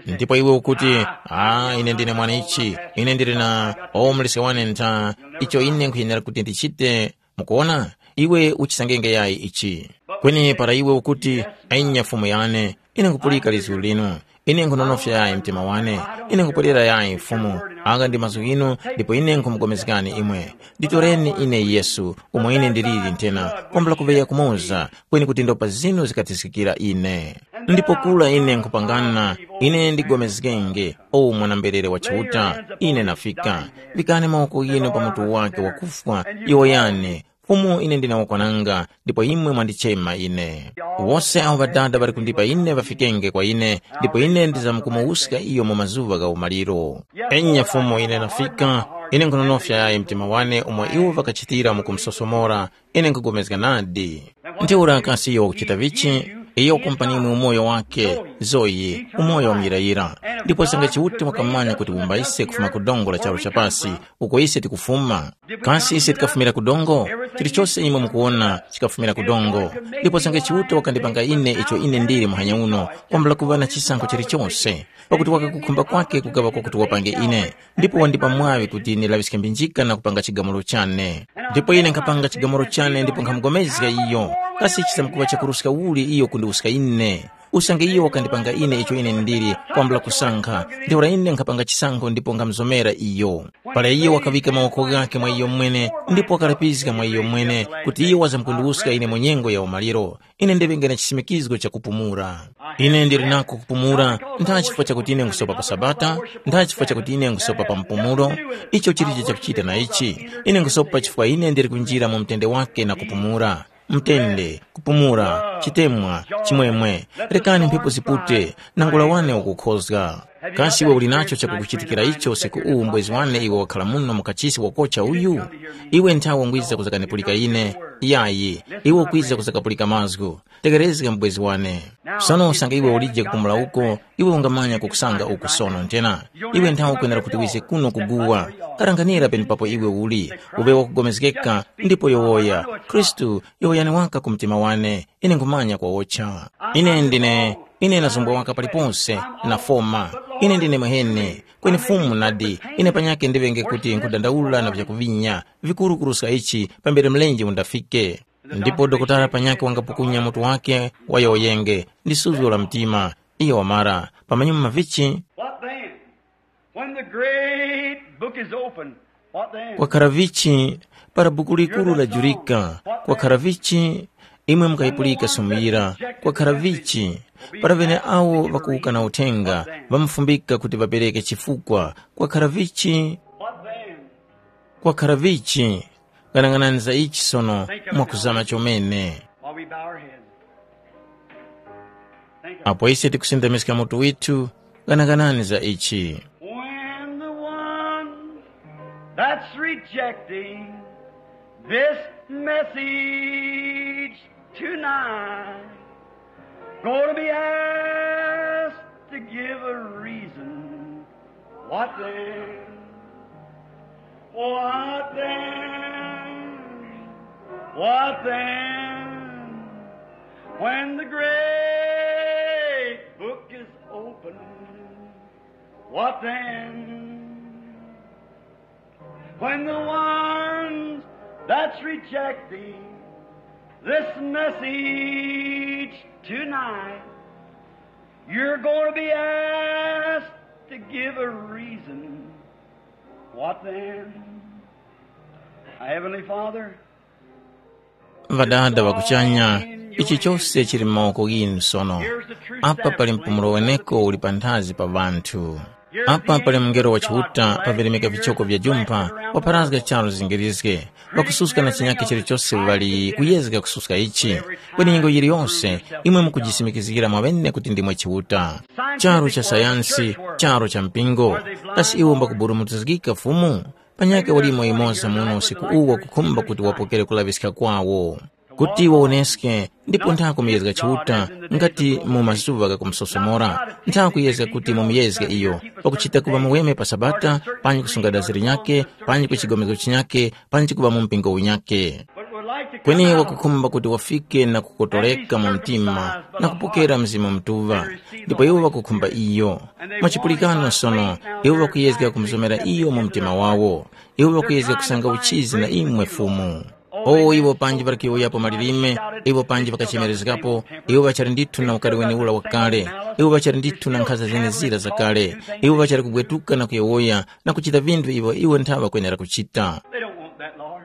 Ndipo iwe ukuti, ah, ine ndine mwana ichi, ine ndili na omulesi wane ntha, icho ine nkhuyenera kuti ndichite, mukuona? Iwe uchisangenge yayi ichi. Kweni para iwe ukuti, enya Fumu yane, ine nkupulika lizgu linu, ine nkhunonofya yayi mtima wane, ine nkupwerera yayi Fumu, agha ndi mazgu ghinu, ndipo ine nkhumupulikani imwe. Nditoreni ine Yesu, umo ine ndiliri nthena, kwambula kuŵeya kumoza, kweni kuti ndopa zinu zikathiskikira ine. Ndipo kura ine nkhupangana, ine ndigomezgenge, o mwana-mberere wa Chiuta, ine nafika. Vikani mawoko ghinu pa mutu wake wakufwa, yowoyani, Fumu ine ndine wakwananga, ndipo imwe mwandichema ine. Wose awo Ŵadada ŵali kundipa ine ŵafikenge kwa ine, ndipo ine ndizamkumuwuska iyo mu mazuŵa gha umaliro. Enya Fumu ine nafika, ine nkhunonofya yayi mtima wane umo iwo ŵakachitira mu kumusosomora, ine nkhupulikana nadi. Ntheura kasi iyo wakuchita vichi? Iyo wakumpa imwe umoyo wake, Zoyi, umoyo wa muyirayira. Ndipo sanga Chiuta wakamanya kuti wumba ise kufuma ku dongo la charu cha pasi, uko ise tikufuma. Kasi ise tikafumira ku dongo? Chilichose imwe mukuwona chikafumira ku dongo. Ndipo sanga Chiuta wakandipanga ine icho ine ndili muhanya uno, kwambula kuŵa na chisankho chilichose, pakuti wakakukhumba kwake kukaŵa kwakuti wapange ine, ndipo wandipa mwaŵi kuti ndilaŵiske mbinjika na kupanga chigamulo chane. Ndipo ine nkhapanga chigamulo chane ndipo nkhamugomezga iyo. Kasi chisamkuŵa chakuruska uli iyo kundiwuska ine? Usange iyo wakandipanga ine icho ine ndili kwambula kusankha, ntheura ine nkhapanga chisankho ndipo nkhamuzomera iyo. Para iyo wakaŵika mawoko ghakhe mwa iyo mwene ndipo wakalapizga mwa iyo mwene kuti iyo wazamkundiwuska ine mu nyengo ya umaliro, ine ndiŵenge na chisimikizgo cha kupumula. Ine ndili nako kupumula, ntha chifukwa chakuti ine nkusopa pa Sabata, ntha chifukwa chakuti ine nkusopa pa mpumulo, icho chilicho chakuchita na ichi. Ine nkusopa chifukwa ine ndili kunjira mu mtende wake na kupumula. Mtende, kupumula, chitemwa, chimwemwe, rekani mphepo zipute, nangula wane ukukhozga. Kasi iwe uli nacho chakukuchitikira icho usiku uwu mbwezi wane iwe wakhala muno mu kachisi wakocha uyu? Iwe nthawe ungwiza kuzakanipulika ine. Yayi, iwe ukwiza kuzakapulika mazgu. Tekerezga mbwezi wane. Sono usange iwe ulije kupumula uko, iwe ungamanya kukusanga uku sono nthena. Iwe nthawe ukwenera kuti wize kuno kuguwa. Karanganira penepapo iwe uli, uŵe wakugomezgeka, ndipo yowoya, Khristu, yowoyani waka ku mtima wane, ine nkhumanya kwawocha. Ine ndine, ine nazumbwa waka paliponse, nafoma. Ine ndine mwehene, kweni Fumu nadi, ine panyakhe ndiŵenge kuti nkhudandaula na vyakuvinya, vikuru kuruska ichi, pambere mlenje undafike. Ndipo dokotala panyakhe wangapukunya mutu wake, wayowoyenge, ndi suzgo la mtima, iyo wamara, pamanyuma mavichi. What then? When the great book is opened, what then? Kwakhara vichi, para buku likuru lajurika, kwakhara vichi, imwe mukayipulika sumuyira, kwakhara vichi, para vene awo ŵakuwukana uthenga, ŵamafumbika kuti ŵapereke chifukwa, kwakhara vichi, What then? Kwakhara vichi, ghanaghanani za ichi sono mwakuzama chomene. While we bow our heads. Think of Apo ise tikusindamiska mutu withu, ghanaghanani za ichi. When the one that's rejecting this message tonight gonna be asked to give a reason. What then? What then? What then? When the great book is opened, what then? When the ones that's rejecting this message tonight You're going to be asked to give a reason. What then? Heavenly Father, Ŵadada ŵa kuchanya, ichi chose chili mu mawoko ghinu sono. Apa pali mpumulo weneko uli panthazi pa ŵanthu. Apa pali mungelo wa Chiuta pavirimika vichoko vya jumpha, wapharazga charu zingirizge, ŵakususka na chinyakhe chilichose ŵali kuyezga kususka ichi. Kweni nyengo yiliyose, imwe mukujisimikizgira mwaŵene kuti ndimwe Chiuta. Charu cha sayansi, charu cha mpingo, kasi iwo mbakuburumutizgika Fumu? Panyakhe walimo yumoza muno usiku uwu wakukhumba kuti wapokere kulaŵiska kwawo. Kuti wawoneske, ndipo ntha kumuyezga Chiuta ngati mu mazuŵa ghakumusosomora, ntha kuyezga kuti mumuyezge iyo, pakuchita kuŵa muweme pa Sabata, panji kusunga dazi linyakhe, panji ku chigomezgo chinyakhe, panji kuŵa mu mpingo unyakhe. Kweni wakukhumba kuti wafike na kukotoleka mu mtima na kupokera Mzimu Mutuŵa, ndipo iwo ŵakukhumba iyo. Mwachipulikano sono, iwo ŵakuyezga kumuzomera iyo mu mtima wawo. Iwo ŵakuyezga kusanga uchizi na imwe Fumu. O iwo panji ŵali kuyowoyapo malilime, iwo panji ŵakachemerezgapo, iwo ŵachali ndithu na ukari wene ura wakale, iwo ŵachali ndithu na nkhaza zenezira zakale, iwo ŵachali kugwetuka na kuyowoya na kuchita vinthu ivyo iwo ntha ŵakwenera kuchita. They don't want that, Lord.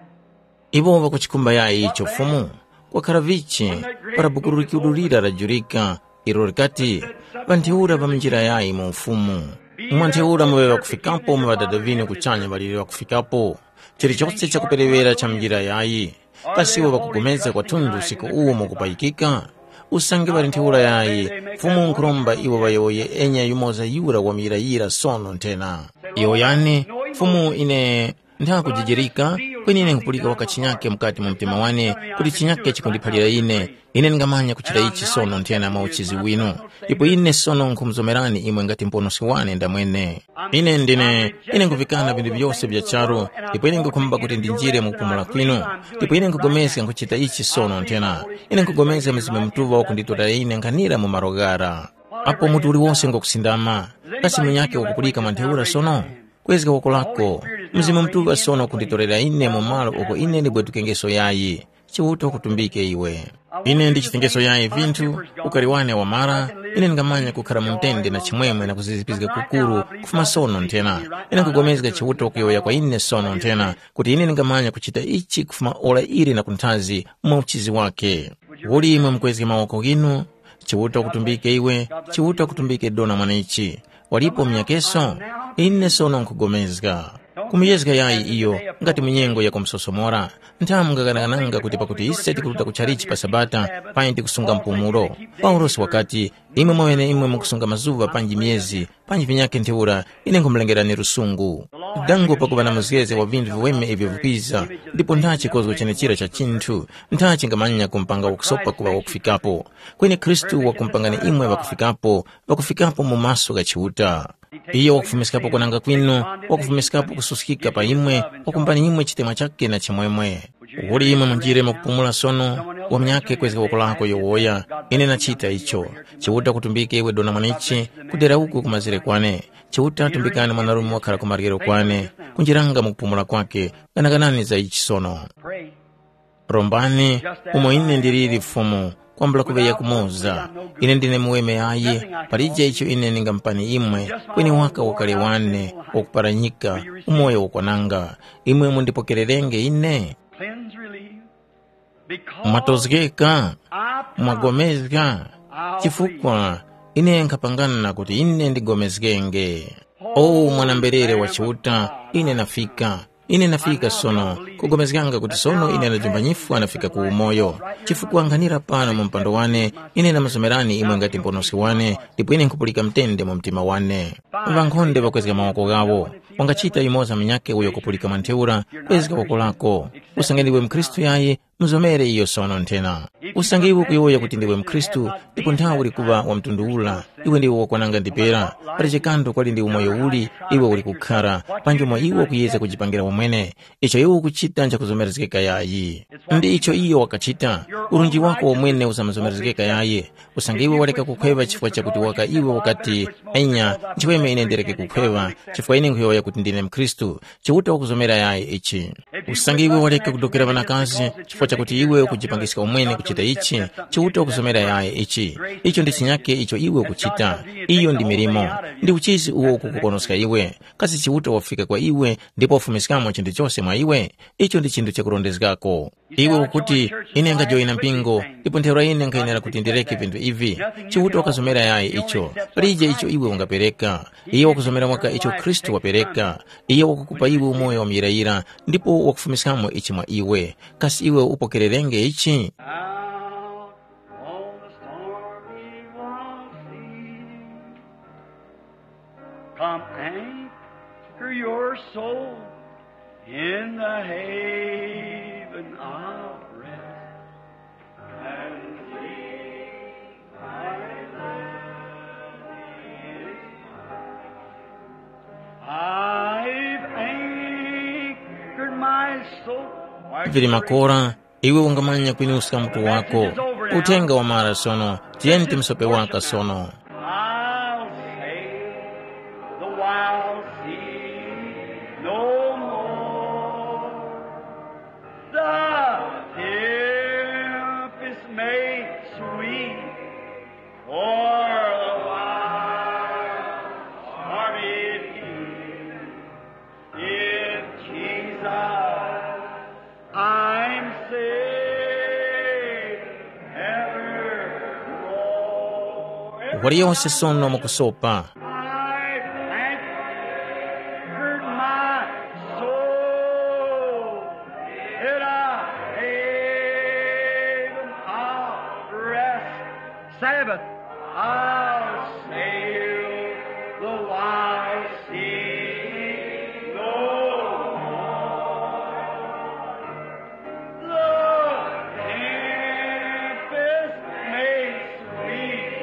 Iwo ŵakuchikhumba yayi icho Fumu? Kwakhala vichi para buku likudulira lajurika, ilo likati, ŵanthiura ŵa mu njira yayi mu Ufumu. Mwa ntheura muŵe ŵakufikapo mu Ŵadada ŵinu kuchanya ŵaliri ŵakufikapo. Chilichose chakuperewera cha mu njira yayi. Kasi iwo ŵakupulikana kwathunthu usiku uwu mukupayikika? Usange ŵali ntheura yayi, Fumu nkhuromba iwo ŵayowoye enya yumoza yura wamuyirayira sono nthena. Yowoyani, Fumu ine nthakujijirika, kweni ine nkhupulika waka chinyake mukati mu mtima wane kuti chinyake chikundiphalira ine. Ine ndingamanya kuchita ichi sono nthena mwa uchizi winu. Ndipo ine sono nkhumuzomerani imwe ngati Muponoski wane ndamwene. Ine ndine, ine nkhuvikana vinthu vyose vya charu, ndipo ine nkhukhumba kuti ndinjire mu kupumula kwinu. Ndipo ine nkhupulikana nkhuchita ichi sono nthena. Ine nkhupulikana Mzimu Mutuŵa wakunditora ine nkhanira mu malo ghara. Apo munthu uliwose ngwakusindama, kasi munyakhe wakupulika mwa ntheura sono? Kwezga woko lako. Mzimu Mutuŵa sono wakunditorera ine mu malo uko ine ndibwetukengeso yayi. Chiuta wakutumbike iwe. Ine ndichitengeso yayi vinthu, ukari wane wamara, ine ndingamanya kukhara mu mtende na chimwemwe na kuzizipizga kukuru kufuma sono nthena. Ine nkupulikana Chiuta wakuyowoya kwa ine sono nthena, kuti ine ndingamanya kuchita ichi kufuma ora ili na kunthazi mwa uchizi wake. Uli imwe mukwezge mawoko ghinu, Chiuta wakutumbike iwe, Chiuta wakutumbike dona mwanechi. Walipo munyakeso? Ine sono nkhugomezga. Kumuyezga yayi iyo ngati mu nyengo ya kumusosomora. Nthamu ngakanakananga kuti pakuti ise tikuruta ku chalichi pa Sabata, payi tikusunga mpumulo. Paulosi wakati, imwe mwaŵeneimwe mukusunga mazuŵa panji myezi, panji vinyakhe ntheura, ine nkhumulengerani lusungu. Dango pakuŵa na muzgezge wa vinthu viweme ivyo vikwiza, ndipo ntha chikozgo chenechira cha chinthu, ntha chingamanya kumupanga wakusopa kuŵa wakufikapo. Kweni Khristu wakumupangani imwe ŵakufikapo, ŵakufikapo mu maso gha Chiuta. Iyo wakufumiskapo kwananga kwinu, wakufumiskapo kususkika pa imwe, wakumbani imwe chitemwa chakhe na chimwemwe. Uli imwe munjire mukupumula sono, wamnyakhe kwezga woko lako yowoya, ine nachita icho. Chiuta kutumbike iwe dona mwanechi, kudera uku kumazire kwane. Chiuta tumbikani mwanarume wakhala ku maryero kwane, kunjiranga mukupumula kwakhe, ganaganani za ichi sono. Rombani, umo ine ndiliri Fumu, kwambula kuŵeya kumoza. Ine ndine muweme yayi, palije icho ine ndingamupani imwe, kweni waka ukale wane, wakuparanyika, umoyo wakwananga. Imwe mundipokererenge ine? Cleanse, relieve. Because mwatozgeka, I mwagomezga, I chifukwa ine nkhapangana kuti ine ndigomezgenge. O mwana-mberere wa Chiuta, ine nafika. Ine nafika sono, kugomezganga kuti sono ine ndajumba nyifwa nafika ku umoyo. Chifukwa nkhanira pano mu mpando wane, ine namuzomerani imwe ngati Muponoski wane, ndipo ine nkhupulika mtende mu mtima wane. Ŵankhonde ŵakwezga mawoko ghawo. Wangachita yumoza munyakhe uyo kupulika mwa ntheura, kwezga woko lako. Usange ndiwe mukhristu yayi, muzomere iyo sono nthena. Usange iwe ukuyowoya kuti ndiwe mukhristu, ndipo nthawe uli kuŵa wa mtundu ula, iwe ndiwe wakwananga ndipera. Pali chikandu kwali ndi umoyo uli iwe uli kukhara, panji umo iwe ukuyezga kujipangira wamwene. Icho iwe ukuchita nchakuzomerezgeka yayi. Ndi icho iyo wakachita. Urunji wako wamwene usamuzomerezgeka yayi. Usange iwe waleka kukhweŵa chifukwa chakuti waka iwe ukati, enya, nchiweme ine ndireke kukhweŵa, chifukwa ine nkhuyowoya kuti ndine mukhristu. Chiuta wakuzomera yayi ichi. Usange iwe waleka kudokera ŵanakazi chifukwa chakuti iwe ukujipangiska umwene kuchita ichi, Chiuta wakuzomera yayi ichi. Icho ndi chinyake icho iwe ukuchita. Chiuta. Iyo ndi milimo. Ndi uchizi uwo ukukuponoska iwe. Kasi Chiuta wafika kwa iwe ndipo wafumiskamo chinthu chose mwa iwe? Icho ndi chinthu chakurondezgako. Iwe ukuti, ine ngajoyina mpingo, ndipo ntheura ine nkhayenera kuti ndireke vinthu ivi. Chiuta wakazomera yayi icho. Palije icho iwe ungapereka. Iye wakuzomera mwaka icho Khristu wapereka. Iye wakukupa iwe umoyo wa muyirayira, ndipo wakufumiskamo ichi mwa iwe. Kasi iwe upokererenge ichi? Out on the stormy sea, come anchor your soul in the haven of rest. And sleep my life is I've anchored my soul. Vili makora, iwe ungamanya kwinuska mutu wako. Uthenga wamara sono, tiyeni timusope waka sono. I'll sail the wild sea no more. The tempest may sweep o'er the wild stormy deep. In Jesus I'm safe evermore. Waliyonse sono mukusopa. I've anchored my soul in a haven of rest. Sabbath. I'll sail the wide sea no more. The tempest may sweep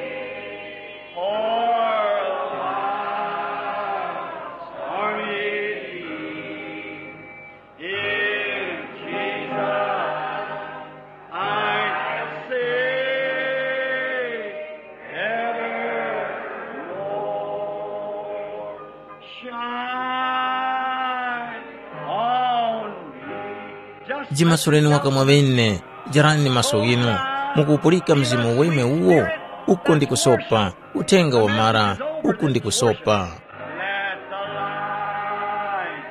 o'er the wild stormy deep. In Jesus I'm safe evermore. Shine on me. Just jimasuleni waka mwa ŵene, jarani maso ghinu, mukupulika Mzimu Weme uwo, uko ndi kusopa, uthenga wamara, uku ndi kusopa. Let the light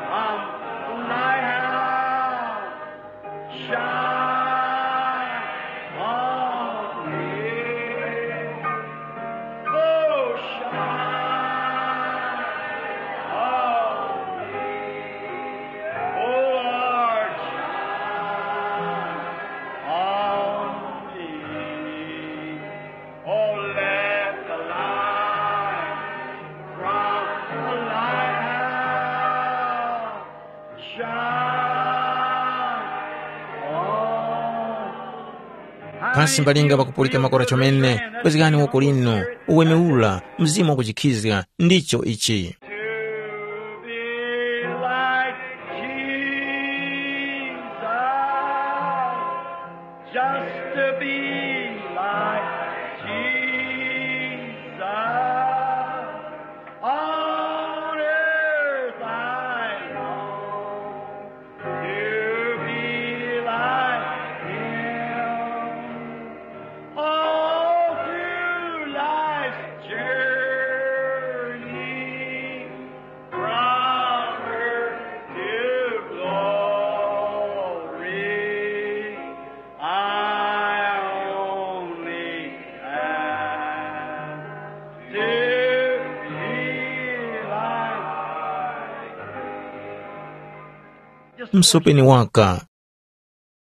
from thy house shine on me. Oh, shine on me. Oh, Lord, shine on me. Oh, let the light from the lighthouse shine on. Pasi mbalinga pakupulika makora chomene, kwezgani woko linu, uweme ura, Mzimu wakuchikhizga, ndicho ichi. To be like Jesus. Just to be like Jesus on earth I long to be like him. All through life's journey, from earth to glory, I only ask to be like Msopeni waka,